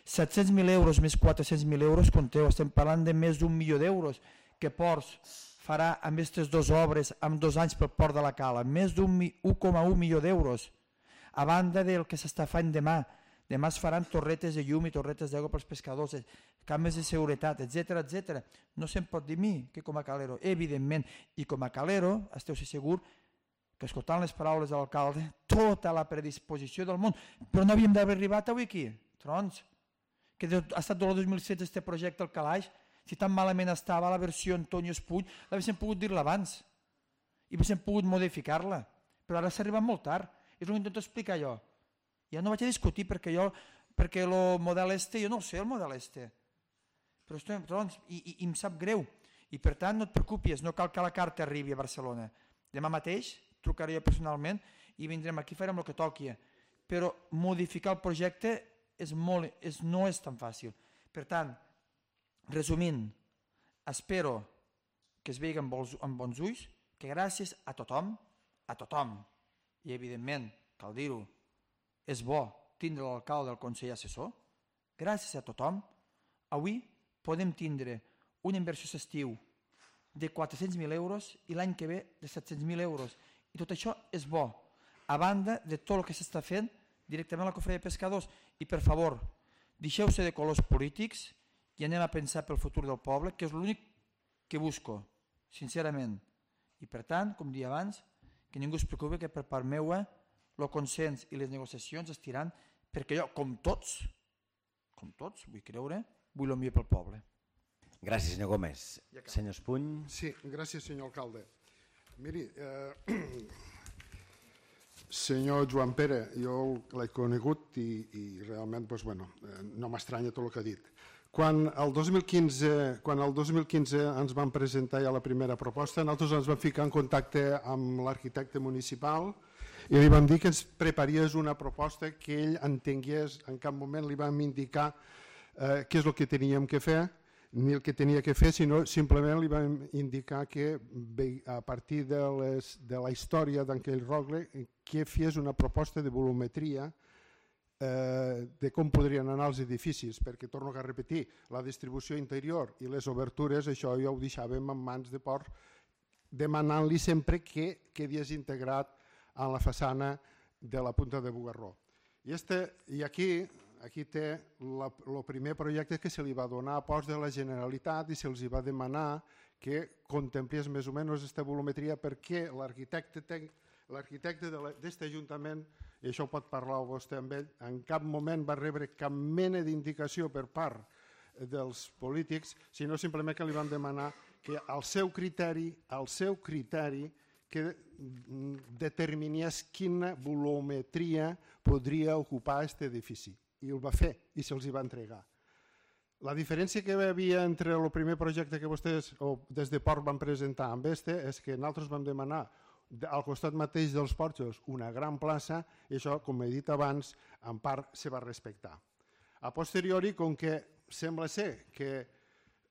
Speaker 2: set-cents mil euros més quatre-cents mil euros, compteu, estem parlant de més d'un milió d'euros que Ports farà amb aquestes dues obres en dos anys pel Port de la Cala, més d'un un coma un milió d'euros. A banda del que s'està fent demà, demà es faran torretes de llum i torretes d'aigua pels pescadors, cames de seguretat, etcètera, etcètera. No se'n pot dir mi que com a calero, evidentment, i com a calero, esteu segur que escoltant les paraules de l'alcalde, tota la predisposició del món, però no havíem d'haver arribat avui aquí, trons, que ha estat del dos mil setze este projecte al calaix, si tan malament estava la versió Antonio Espull, l'haguéssim pogut dir-la abans, i haguéssim pogut modificar-la, però ara s'ha arribat molt tard, és el que intento explicar jo. Ja no vaig a discutir perquè jo, perquè el model este, jo no sé el model este, però estem, trons, i, i, i em sap greu, i per tant no et preocupis, no cal que la carta arribi a Barcelona. Demà mateix trucaré jo personalment i vindrem aquí, farem el que toqui, però modificar el projecte és molt, és, no és tan fàcil. Per tant, resumint, espero que es vegi amb bons, amb bons ulls, que gràcies a tothom, a tothom, i evidentment, cal dir-ho, és bo tindre l'alcalde del Consell Assessor, gràcies a tothom, avui podem tindre una inversió s'estiu de quatre-cents mil euros i l'any que ve de set-cents mil euros. I tot això és bo, a banda de tot el que s'està fent directament a la cofreria de pescadors. I per favor, deixeu-se de colors polítics i anem a pensar pel futur del poble, que és l'únic que busco, sincerament. I per tant, com dia abans, que ningú es preocupi que per part meua el consens i les negociacions es tiran perquè jo, com tots, com tots, vull creure, vull el millor pel poble.
Speaker 1: Gràcies, senyor Gómez. Senyor Espuny.
Speaker 6: Sí, gràcies, senyor alcalde. Miri, eh, senyor Joan Pere, jo l'he conegut i, i realment doncs, bueno, eh, no m'estranya tot el que ha dit. Quan el dos mil quinze, quan el dos mil quinze ens van presentar ja la primera proposta, nosaltres ens vam ficar en contacte amb l'arquitecte municipal i li vam dir que ens preparies una proposta que ell entengués, en cap moment li vam indicar eh, què és el que teníem que fer, ni el que tenia que fer, sinó simplement li vam indicar que a partir de, les, de la història d'Anquell Rogle que fes una proposta de volumetria eh, de com podrien anar els edificis, perquè torno a repetir, la distribució interior i les obertures, això ja ho deixàvem en mans de Port, demanant-li sempre que quedés integrat en la façana de la Punta de Bugarró. I, este, i aquí, aquí té el primer projecte que se li va donar a post de la Generalitat i se'ls va demanar que contemplés més o menys aquesta volumetria perquè l'arquitecte l'arquitecte d'aquest Ajuntament, i això ho pot parlar vostè amb ell, en cap moment va rebre cap mena d'indicació per part dels polítics, sinó simplement que li van demanar que al seu criteri, al seu criteri, que determinés quina volumetria podria ocupar aquest edifici. I ho va fer i se'ls va entregar. La diferència que hi havia entre el primer projecte que vostès o des de Port van presentar amb este és que nosaltres vam demanar al costat mateix dels porxos una gran plaça i això, com he dit abans, en part se va respectar. A posteriori, com que sembla ser que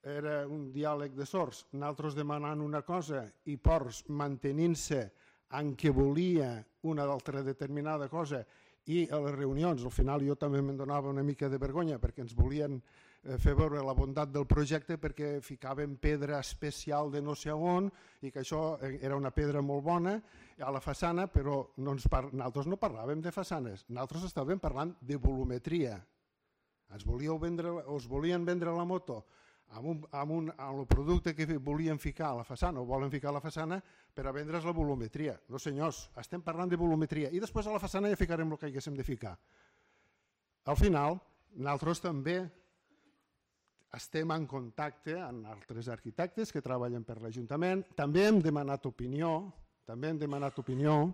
Speaker 6: era un diàleg de sords, nosaltres demanant una cosa i Ports mantenint-se en què volia una altra determinada cosa i a les reunions, al final jo també me'n donava una mica de vergonya perquè ens volien fer veure la bondat del projecte perquè ficaven pedra especial de no sé on i que això era una pedra molt bona a la façana, però no ens par... nosaltres no parlàvem de façanes, nosaltres estàvem parlant de volumetria. Ens volíeu vendre, us volien vendre la moto amb, un, amb, un, amb el producte que volien ficar a la façana o volen ficar a la façana per a vendre's la volumetria. No senyors, estem parlant de volumetria i després a la façana ja ficarem el que haguéssim de ficar. Al final, nosaltres també estem en contacte amb altres arquitectes que treballen per l'Ajuntament, també hem demanat opinió, també hem demanat opinió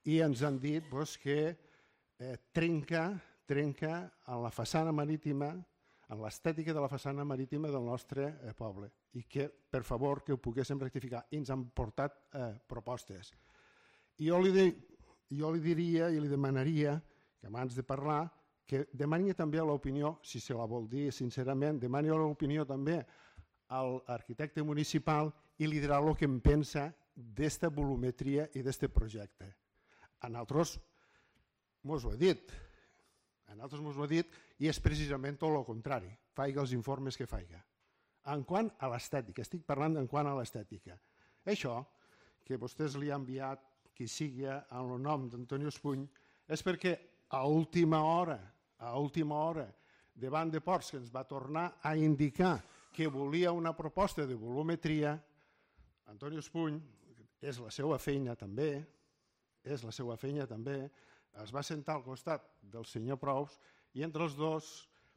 Speaker 6: i ens han dit doncs, que eh, trenca, trenca en la façana marítima, en l'estètica de la façana marítima del nostre eh, poble i que, per favor, que ho poguéssim rectificar. I ens han portat eh, propostes. I jo li, de, jo li diria i li demanaria que abans de parlar que demani també l'opinió, si se la vol dir sincerament, demani l'opinió també a l'arquitecte municipal i li dirà el que em pensa d'esta volumetria i d'aquest projecte. A nosaltres mos ho ha dit, a nosaltres mos ho ha dit i és precisament tot el contrari, faiga els informes que faiga. En quant a l'estètica, estic parlant en quant a l'estètica. Això, que vostès li han enviat qui sigui en el nom d'Antonio Espuny, és perquè a última hora, a última hora, davant de Ports, que ens va tornar a indicar que volia una proposta de volumetria, Antonio Espuny, és la seva feina també, és la seva feina també, es va sentar al costat del senyor Prous i entre els dos,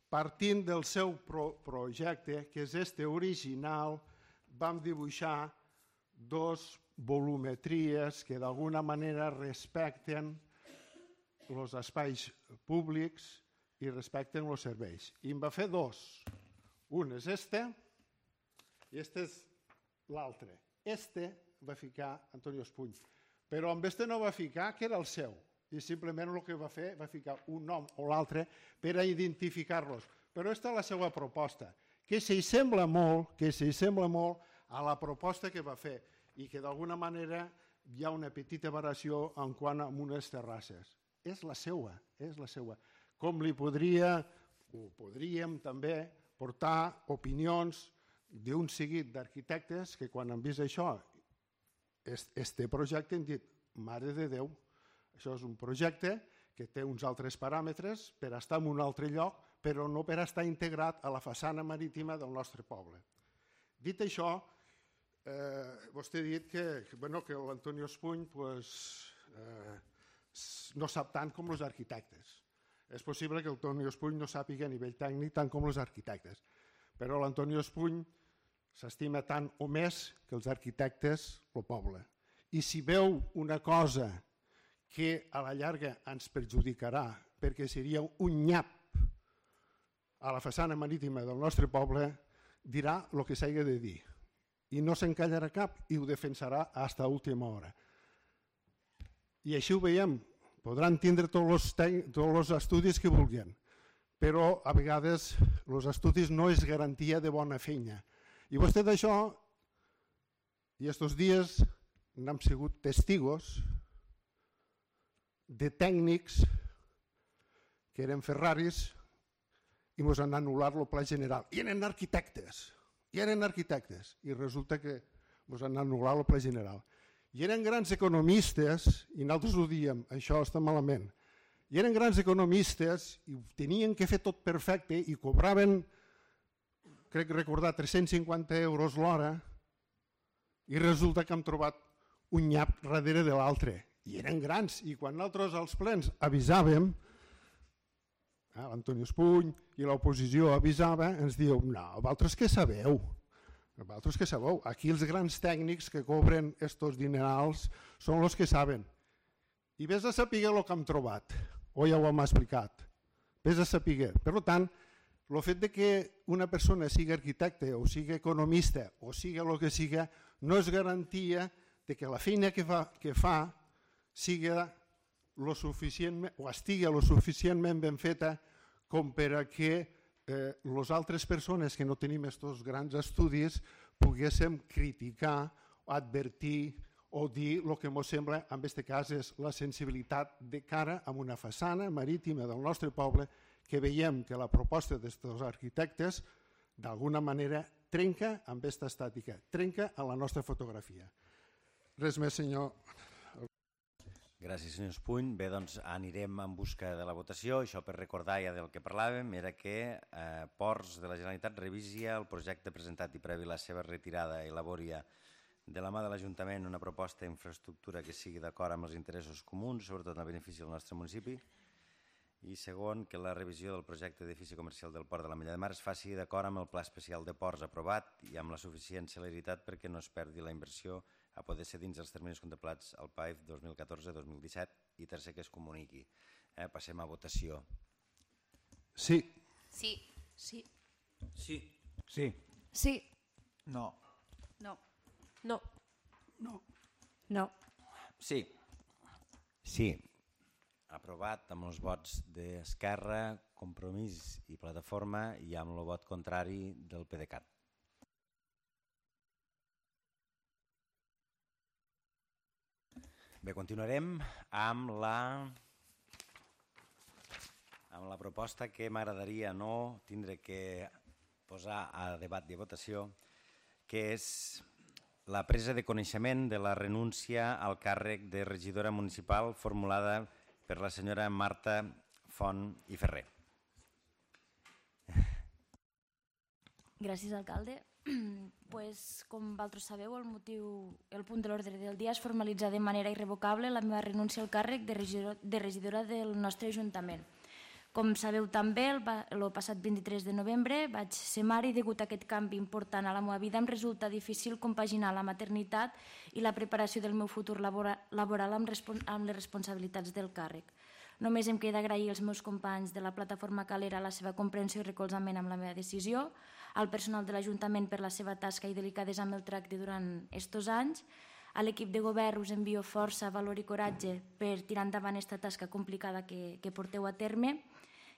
Speaker 6: partint del seu pro projecte, que és este original, vam dibuixar dos volumetries que d'alguna manera respecten els espais públics i respecten els serveis. I em va fer dos. Un és este i este és l'altre. Este va ficar Antonio Espuny. Però amb este no va ficar que era el seu. I simplement el que va fer va ficar un nom o l'altre per a identificar-los. Però aquesta és la seva proposta, que s'hi sembla molt, que s'hi sembla molt a la proposta que va fer i que d'alguna manera hi ha una petita variació en quant a unes terrasses. És la seva, és la seva. Com li podria, o podríem també portar opinions d'un seguit d'arquitectes que quan han vist això, este projecte, han dit, mare de Déu, això és un projecte que té uns altres paràmetres per estar en un altre lloc, però no per estar integrat a la façana marítima del nostre poble. Dit això, eh, vostè ha dit que, bueno, que l'Antonio Espuny pues, eh, no sap tant com els arquitectes. És possible que l'Antonio Espuny no sàpiga a nivell tècnic tant com els arquitectes, però l'Antonio Espuny s'estima tant o més que els arquitectes el poble. I si veu una cosa que a la llarga ens perjudicarà, perquè seria un nyap a la façana marítima del nostre poble, dirà el que s'hagi de dir. I no s'encallarà cap i ho defensarà fins a última hora. I així ho veiem. Podran tindre tots els estudis que vulguin, però a vegades els estudis no és garantia de bona feina. I vostè d'això, i estos dies n'hem sigut testigos de tècnics que eren Ferraris i ens han anul·lat el pla general. I eren arquitectes, i eren arquitectes, i resulta que ens han anul·lat el pla general. I eren grans economistes, i nosaltres ho diem, això està malament, i eren grans economistes i tenien que fer tot perfecte i cobraven, crec recordar, tres-cents cinquanta euros l'hora i resulta que hem trobat un nyap darrere de l'altre. I eren grans, i quan nosaltres als plens avisàvem, eh, l'Antonio Espuny i l'oposició avisava, ens diu, no, vosaltres què sabeu? Vosaltres què sabeu? Aquí els grans tècnics que cobren estos dinerals són els que saben. I vés a saber el que hem trobat, o ja ho hem explicat. Vés a saber. Per tant, el fet de que una persona sigui arquitecte o sigui economista o sigui el que sigui, no és garantia de que la feina que fa, que fa siga lo suficient, o estigui lo suficientment ben feta com per a que eh, les altres persones que no tenim aquests grans estudis poguéssim criticar, advertir o dir el que ens sembla, en aquest cas, és la sensibilitat de cara a una façana marítima del nostre poble que veiem que la proposta d'aquests arquitectes d'alguna manera trenca amb aquesta estàtica, trenca a la nostra fotografia. Res més, senyor.
Speaker 1: Gràcies, senyor Espuny. Bé, doncs anirem en busca de la votació. Això per recordar ja del que parlàvem era que eh, Ports de la Generalitat revisia el projecte presentat i previ la seva retirada i elaboria de la mà de l'Ajuntament una proposta d'infraestructura que sigui d'acord amb els interessos comuns, sobretot en el benefici del nostre municipi. I segon, que la revisió del projecte d'edifici comercial del Port de la Mella de Mar es faci d'acord amb el Pla Especial de Ports aprovat i amb la suficient celeritat perquè no es perdi la inversió a poder ser dins dels terminis contemplats al P A I F dos mil catorze dos mil disset i tercer que es comuniqui. Eh, passem a votació.
Speaker 6: Sí.
Speaker 4: Sí. Sí.
Speaker 9: Sí.
Speaker 10: Sí.
Speaker 4: Sí.
Speaker 2: No.
Speaker 4: No.
Speaker 8: No.
Speaker 3: No.
Speaker 4: No.
Speaker 1: Sí. Sí. Aprovat amb els vots d'Esquerra, Compromís i Plataforma i amb el vot contrari del PDeCAT. Bé, continuarem amb la, amb la proposta que m'agradaria no tindre que posar a debat i a votació, que és la presa de coneixement de la renúncia al càrrec de regidora municipal formulada per la senyora Marta Font i Ferrer.
Speaker 11: Gràcies, alcalde. Pues, com vosaltres sabeu, el motiu, el punt de l'ordre del dia és formalitzar de manera irrevocable la meva renúncia al càrrec de regidora, de regidora del nostre Ajuntament. Com sabeu també, el, el passat vint-i-tres de novembre vaig ser mare i degut a aquest canvi important a la meva vida em resulta difícil compaginar la maternitat i la preparació del meu futur labora, laboral amb, amb les responsabilitats del càrrec. Només em queda agrair als meus companys de la plataforma Calera la seva comprensió i recolzament amb la meva decisió, al personal de l'Ajuntament per la seva tasca i delicadesa amb el tracte durant estos anys, a l'equip de govern us envio força, valor i coratge per tirar endavant aquesta tasca complicada que, que porteu a terme,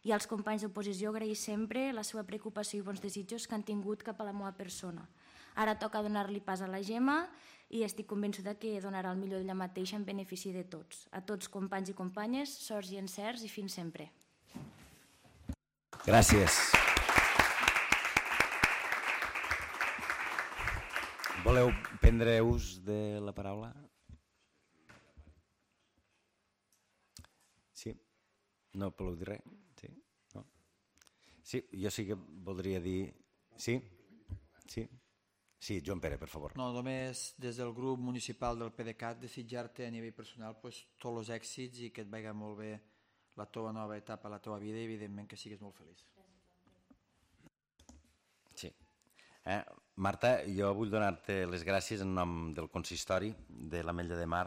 Speaker 11: i als companys d'oposició agrair sempre la seva preocupació i bons desitjos que han tingut cap a la meva persona. Ara toca donar-li pas a la Gemma i estic convençuda que donarà el millor d'ella mateixa en benefici de tots. A tots, companys i companyes, sorts i encerts i fins sempre.
Speaker 1: Gràcies. Voleu prendre ús de la paraula? Sí? No voleu dir res? Sí? No? Sí, jo sí que voldria dir... Sí? Sí? Sí, Joan Pere, per favor.
Speaker 2: No, només des del grup municipal del PDeCAT desitjar-te a nivell personal pues, tots els èxits i que et vagi molt bé la teva nova etapa, la teva vida i evidentment que siguis molt feliç.
Speaker 1: Sí. Eh, Marta, jo vull donar-te les gràcies en nom del consistori de l'Ametlla de Mar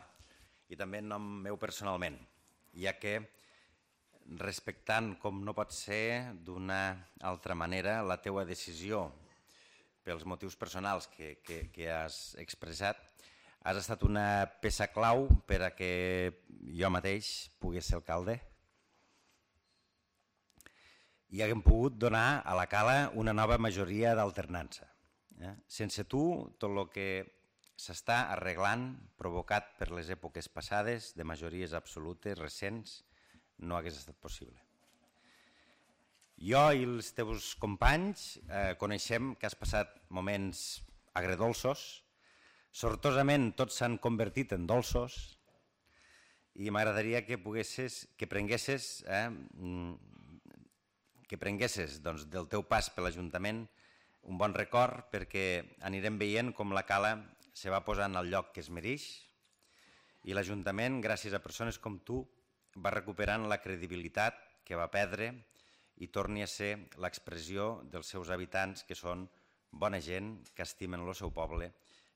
Speaker 1: i també en nom meu personalment, ja que respectant com no pot ser d'una altra manera la teua decisió pels motius personals que, que, que has expressat, has estat una peça clau per a que jo mateix pogués ser alcalde i haguem pogut donar a la Cala una nova majoria d'alternança. Eh? Sense tu, tot el que s'està arreglant, provocat per les èpoques passades, de majories absolutes, recents, no hagués estat possible. Jo i els teus companys eh, coneixem que has passat moments agredolços, sortosament tots s'han convertit en dolços i m'agradaria que poguessis, que prenguessis, eh, que prenguessis doncs, del teu pas per l'Ajuntament un bon record perquè anirem veient com la Cala se va posant al lloc que es mereix i l'Ajuntament, gràcies a persones com tu, va recuperant la credibilitat que va perdre i torni a ser l'expressió dels seus habitants que són bona gent, que estimen el seu poble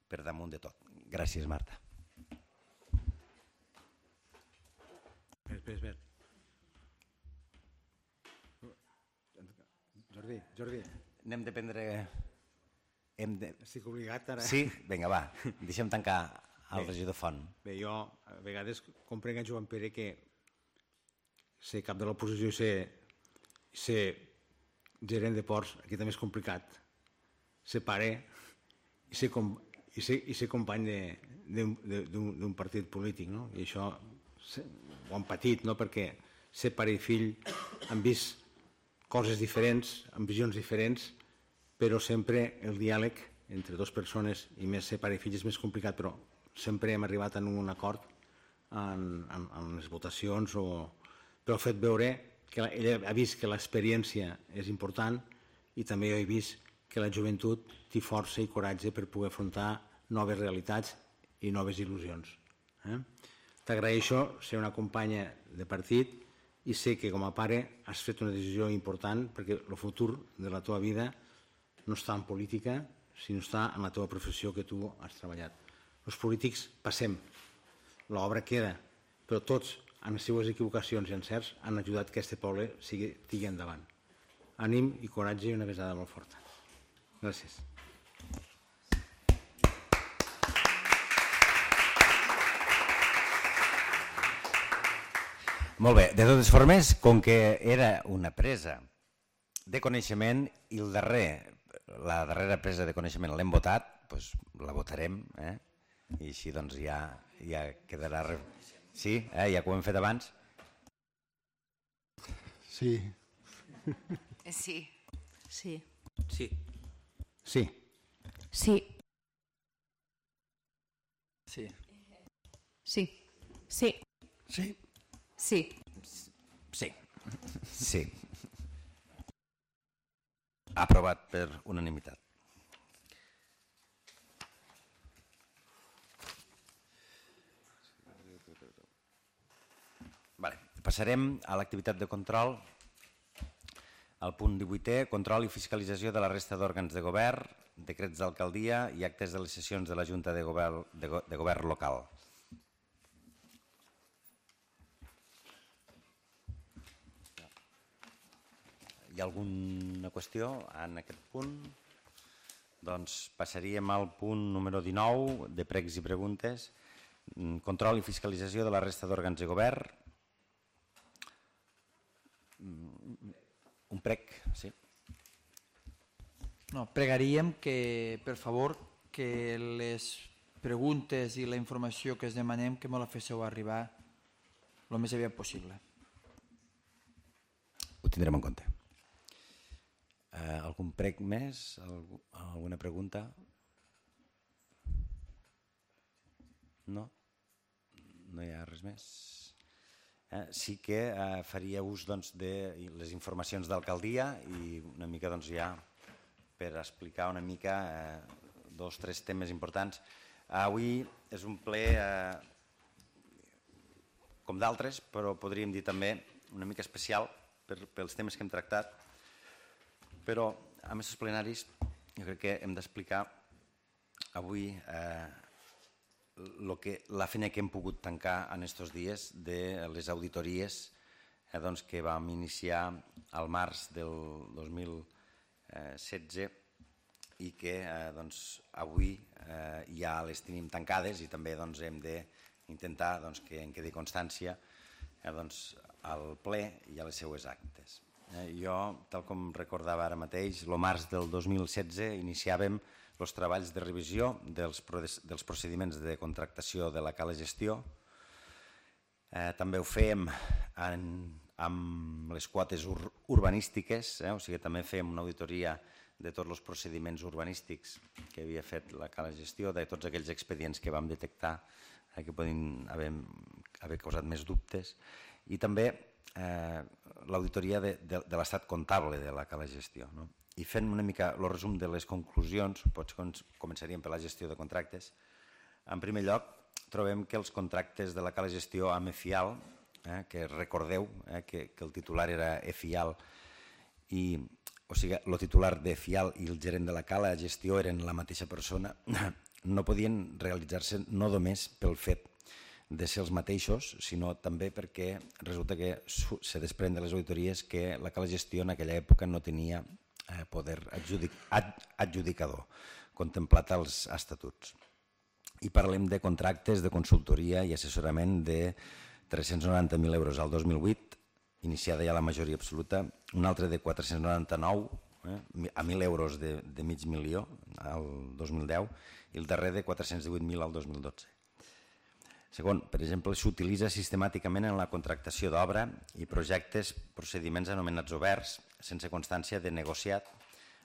Speaker 1: per damunt de tot. Gràcies, Marta.
Speaker 7: Espera, espera. Jordi, Jordi.
Speaker 1: Anem de prendre... Hem de...
Speaker 7: Estic obligat ara.
Speaker 1: Sí? Vinga, va. Deixem tancar el regidor Font.
Speaker 7: Bé, jo a vegades comprenc a Joan Pere que ser cap de l'oposició i ser, ser gerent de ports, aquí també és complicat. Ser pare i ser, com, i ser, i ser company d'un partit polític, no? I això ho han patit, no? Perquè ser pare i fill han vist coses diferents, amb visions diferents, però sempre el diàleg entre dues persones i més ser pare i fill és més complicat, però sempre hem arribat a un acord en, en, en les votacions, o... però ha fet veure que ella ha vist que l'experiència és important i també jo he vist que la joventut té força i coratge per poder afrontar noves realitats i noves il·lusions. Eh? T'agraeixo ser una companya de partit i sé que com a pare has fet una decisió important perquè el futur de la teva vida no està en política, sinó està en la teva professió que tu has treballat. Els polítics passem, l'obra queda, però tots, en les seues equivocacions i encerts, han ajudat que aquest poble sigui, tigui endavant. Ànim i coratge i una besada molt forta. Gràcies.
Speaker 1: Molt bé, de totes formes, com que era una presa de coneixement i el darrer, la darrera presa de coneixement l'hem votat, doncs la votarem, eh? I així doncs ja, ja quedarà... Sí, eh? Ja que ho hem fet abans.
Speaker 6: Sí.
Speaker 4: Sí.
Speaker 3: Sí.
Speaker 9: Sí.
Speaker 7: Sí.
Speaker 8: Sí.
Speaker 2: Sí.
Speaker 4: Sí.
Speaker 8: Sí.
Speaker 6: Sí.
Speaker 4: Sí.
Speaker 1: Sí. Sí. Aprovat per unanimitat. Vale. Passarem a l'activitat de control. Al punt divuitè, control i fiscalització de la resta d'òrgans de govern, decrets d'alcaldia i actes de les sessions de la Junta de Govern, de, go de govern local. Hi ha alguna qüestió en aquest punt? Doncs passaríem al punt número dinou, de pregs i preguntes. Control i fiscalització de la resta d'òrgans de govern. Un prec, sí.
Speaker 2: No, pregaríem que, per favor, que les preguntes i la informació que es demanem que me la féssiu arribar el més aviat possible.
Speaker 1: Ho tindrem en compte. Eh, algun prec més? Algú, alguna pregunta? No? No hi ha res més? Eh, sí que eh, faria ús doncs, de les informacions d'alcaldia i una mica doncs, ja per explicar una mica eh, dos o tres temes importants. Avui és un ple eh, com d'altres, però podríem dir també una mica especial per, pels temes que hem tractat, però a més els plenaris jo crec que hem d'explicar avui eh, lo que, la feina que hem pogut tancar en aquests dies de les auditories eh, doncs, que vam iniciar al març del dos mil setze i que eh, doncs, avui eh, ja les tenim tancades i també doncs, hem d'intentar doncs, que en quedi constància eh, doncs, al ple i a les seues actes. Eh, jo, tal com recordava ara mateix, el març del dos mil setze iniciàvem els treballs de revisió dels, dels procediments de contractació de la Cala Gestió. Eh, també ho fèiem en, amb les quotes ur, urbanístiques, eh, o sigui, també fèiem una auditoria de tots els procediments urbanístics que havia fet la Cala Gestió, de tots aquells expedients que vam detectar eh, que poden haver, haver causat més dubtes, i també eh, l'auditoria de, de, de l'estat comptable de la Cala Gestió. No? I fent una mica el resum de les conclusions, potser començaríem per la gestió de contractes. En primer lloc, trobem que els contractes de la Cala Gestió amb EFIAL, eh, que recordeu eh, que, que el titular era EFIAL, i, o sigui, el titular d'EFIAL i el gerent de la Cala Gestió eren la mateixa persona, no podien realitzar-se no només pel fet de ser els mateixos, sinó també perquè resulta que se desprèn de les auditories que la Cala Gestió en aquella època no tenia eh, poder adjudic, ad, adjudicador contemplat als estatuts. I parlem de contractes de consultoria i assessorament de tres-cents noranta mil euros al dos mil vuit, iniciada ja la majoria absoluta, un altre de quatre-cents noranta-nou eh, a mil euros de, de mig milió al dos mil deu i el darrer de quatre-cents divuit mil al dos mil dotze. Segon, per exemple, s'utilitza sistemàticament en la contractació d'obra i projectes procediments anomenats oberts, sense constància de negociat,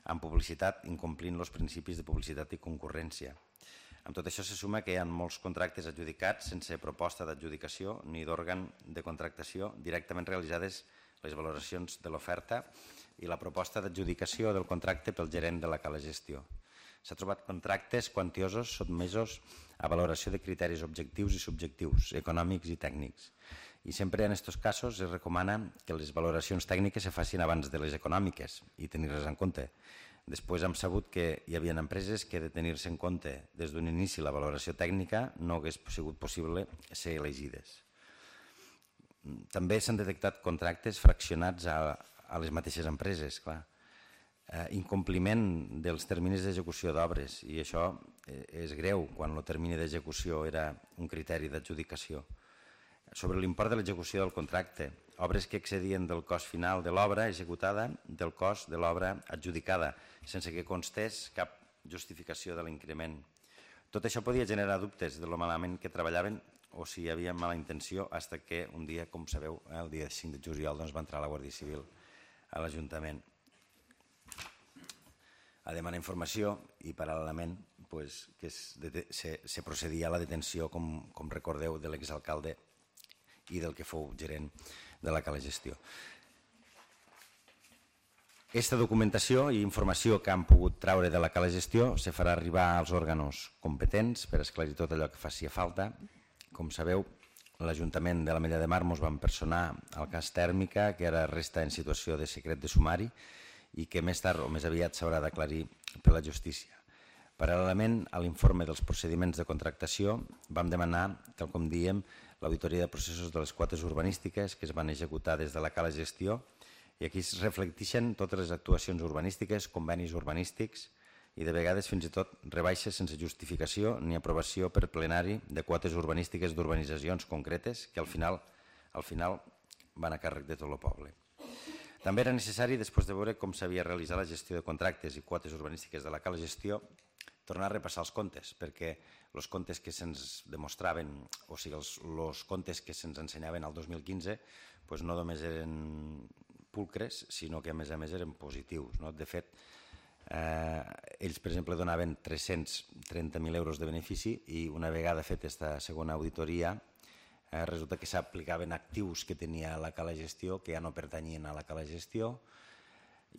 Speaker 1: amb publicitat, incomplint els principis de publicitat i concurrència. Amb tot això se suma que hi ha molts contractes adjudicats sense proposta d'adjudicació ni d'òrgan de contractació, directament realitzades les valoracions de l'oferta i la proposta d'adjudicació del contracte pel gerent de la Cala Gestió. S'ha trobat contractes quantiosos sotmesos a valoració de criteris objectius i subjectius, econòmics i tècnics. I sempre en aquests casos es recomana que les valoracions tècniques se facin abans de les econòmiques i tenir-les en compte. Després hem sabut que hi havia empreses que de tenir-se en compte des d'un inici la valoració tècnica no hagués sigut possible ser elegides. També s'han detectat contractes fraccionats a, a les mateixes empreses, clar. Eh, incompliment dels terminis d'execució d'obres, i això eh, és greu quan el termini d'execució era un criteri d'adjudicació. Sobre l'import de l'execució del contracte, obres que excedien del cost final de l'obra executada del cost de l'obra adjudicada, sense que constés cap justificació de l'increment. Tot això podia generar dubtes de lo malament que treballaven o si hi havia mala intenció, fins que un dia, com sabeu, eh, el dia cinc de juliol doncs, va entrar la Guàrdia Civil a l'Ajuntament a demanar informació i paral·lelament pues, que se, se, se procedia a la detenció, com, com recordeu, de l'exalcalde i del que fou gerent de la Cala Gestió. Aquesta documentació i informació que han pogut traure de la Cala Gestió se farà arribar als òrgans competents per esclarir tot allò que faci falta. Com sabeu, l'Ajuntament de l'Ametlla de Mar mos van personar al cas Tèrmica, que ara resta en situació de secret de sumari, i que més tard o més aviat s'haurà d'aclarir per la justícia. Paral·lelament a l'informe dels procediments de contractació vam demanar, tal com diem, l'auditoria de processos de les quotes urbanístiques que es van executar des de la Cala Gestió, i aquí es reflecteixen totes les actuacions urbanístiques, convenis urbanístics i de vegades fins i tot rebaixes sense justificació ni aprovació per plenari de quotes urbanístiques d'urbanitzacions concretes que al final, al final van a càrrec de tot el poble. També era necessari, després de veure com s'havia realitzat la gestió de contractes i quotes urbanístiques de la Cala Gestió, tornar a repassar els comptes, perquè els comptes que se'ns demostraven, o sigui, els, els comptes que se'ns ensenyaven al dos mil quinze, doncs no només eren pulcres, sinó que a més a més eren positius. No? De fet, ells, per exemple, donaven tres-cents trenta mil euros de benefici i una vegada fet aquesta segona auditoria resulta que s'aplicaven actius que tenia la Cala Gestió que ja no pertanyien a la Cala Gestió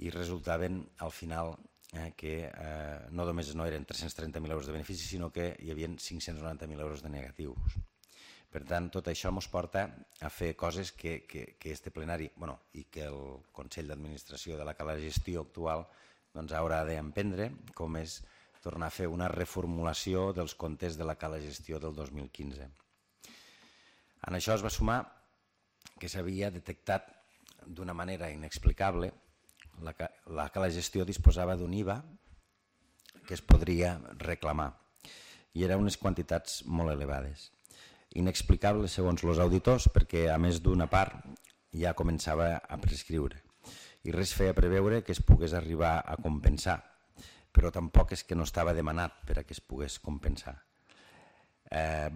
Speaker 1: i resultaven al final que no només no eren tres-cents trenta mil euros de benefici sinó que hi havia cinc-cents noranta mil euros de negatius. Per tant, tot això ens porta a fer coses que este plenari i que el Consell d'Administració de la Cala Gestió actual haurà d'emprendre, com és tornar a fer una reformulació dels comptes de la Cala Gestió del dos mil quinze. En això es va sumar que s'havia detectat d'una manera inexplicable, la Cala Gestió disposava d'un I V A que es podria reclamar i eren unes quantitats molt elevades. Inexplicable segons els auditors perquè a més d'una part ja començava a prescriure i res feia preveure que es pogués arribar a compensar, però tampoc és que no estava demanat per a que es pogués compensar.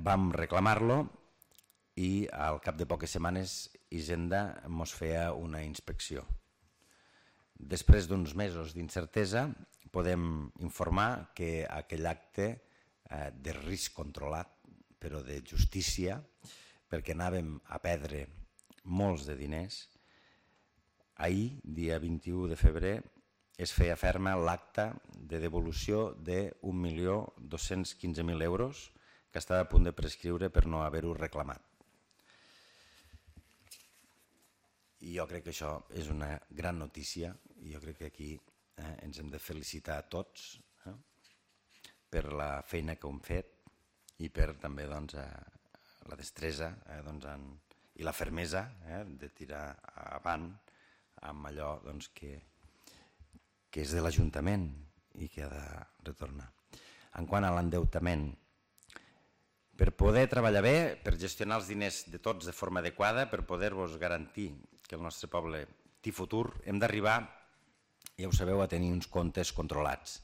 Speaker 1: Vam reclamar-lo i al cap de poques setmanes Hisenda ens feia una inspecció. Després d'uns mesos d'incertesa podem informar que aquell acte de risc controlat, però de justícia, perquè anàvem a perdre molts de diners, ahir, dia vint-i-u de febrer, es feia ferma l'acte de devolució d'un milió dos-cents quinze mil euros que estava a punt de prescriure per no haver-ho reclamat. I jo crec que això és una gran notícia i jo crec que aquí ens hem de felicitar a tots per la feina que hem fet i per també la destresa i la fermesa de tirar avant amb allò que és de l'Ajuntament i que ha de retornar. En quant a l'endeutament, per poder treballar bé, per gestionar els diners de tots de forma adequada, per poder-vos garantir que el nostre poble té futur, hem d'arribar, ja ho sabeu, a tenir uns comptes controlats.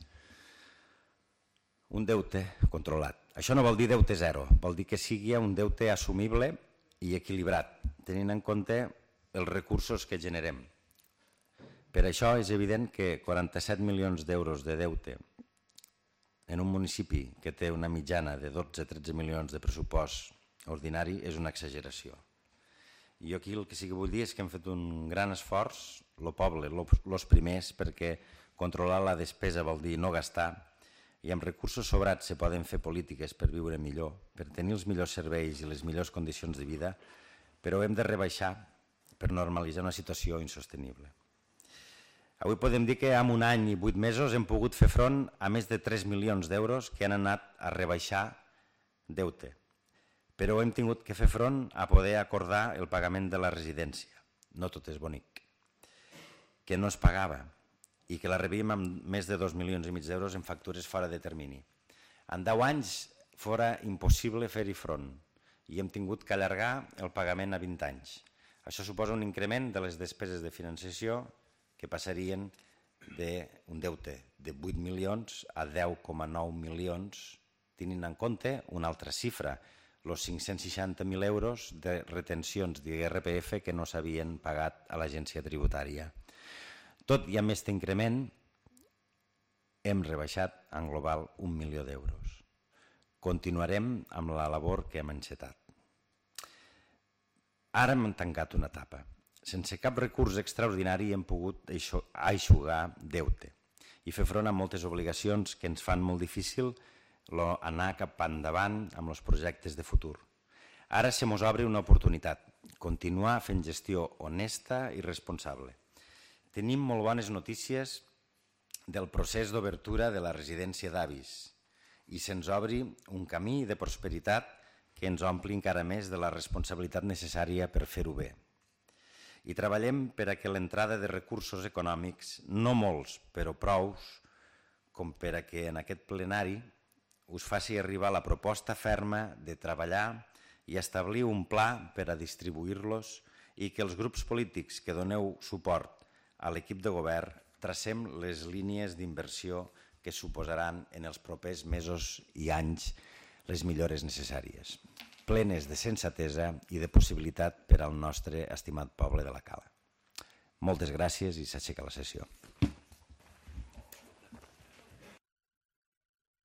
Speaker 1: Un deute controlat. Això no vol dir deute zero, vol dir que sigui un deute assumible i equilibrat, tenint en compte els recursos que generem. Per això és evident que quaranta-set milions d'euros de deute en un municipi que té una mitjana de dotze a tretze milions de pressupost ordinari és una exageració. I jo aquí el que sí que vull dir és que hem fet un gran esforç, el poble, els primers, perquè controlar la despesa vol dir no gastar i amb recursos sobrats se poden fer polítiques per viure millor, per tenir els millors serveis i les millors condicions de vida, però hem de rebaixar per normalitzar una situació insostenible. Avui podem dir que en un any i vuit mesos hem pogut fer front a més de tres milions d'euros que han anat a rebaixar deute, però hem tingut que fer front a poder acordar el pagament de la residència. No tot és bonic. Que no es pagava i que la rebíem amb més de dos milions i mig d'euros en factures fora de termini. En deu anys fora impossible fer-hi front i hem tingut que allargar el pagament a vint anys. Això suposa un increment de les despeses de financiació que passarien d'un deute de vuit milions a deu coma nou milions, tenint en compte una altra xifra, els cinc-cents seixanta mil euros de retencions d'I R P F que no s'havien pagat a l'agència tributària. Tot i amb aquest increment, hem rebaixat en global un milió d'euros. Continuarem amb la labor que hem encetat. Ara hem tancat una etapa. Sense cap recurs extraordinari hem pogut aixugar deute i fer front a moltes obligacions que ens fan molt difícil anar cap endavant amb els projectes de futur. Ara se mos obre una oportunitat, continuar fent gestió honesta i responsable. Tenim molt bones notícies del procés d'obertura de la residència d'avis i se'ns obri un camí de prosperitat que ens ompli encara més de la responsabilitat necessària per fer-ho bé. I treballem per a que l'entrada de recursos econòmics, no molts, però prous, com per a que en aquest plenari us faci arribar la proposta ferma de treballar i establir un pla per a distribuir-los i que els grups polítics que doneu suport a l'equip de govern tracem les línies d'inversió que suposaran en els propers mesos i anys les millores necessàries, plenes de sensatesa i de possibilitat per al nostre estimat poble de la Cala. Moltes gràcies i s'aixeca la sessió.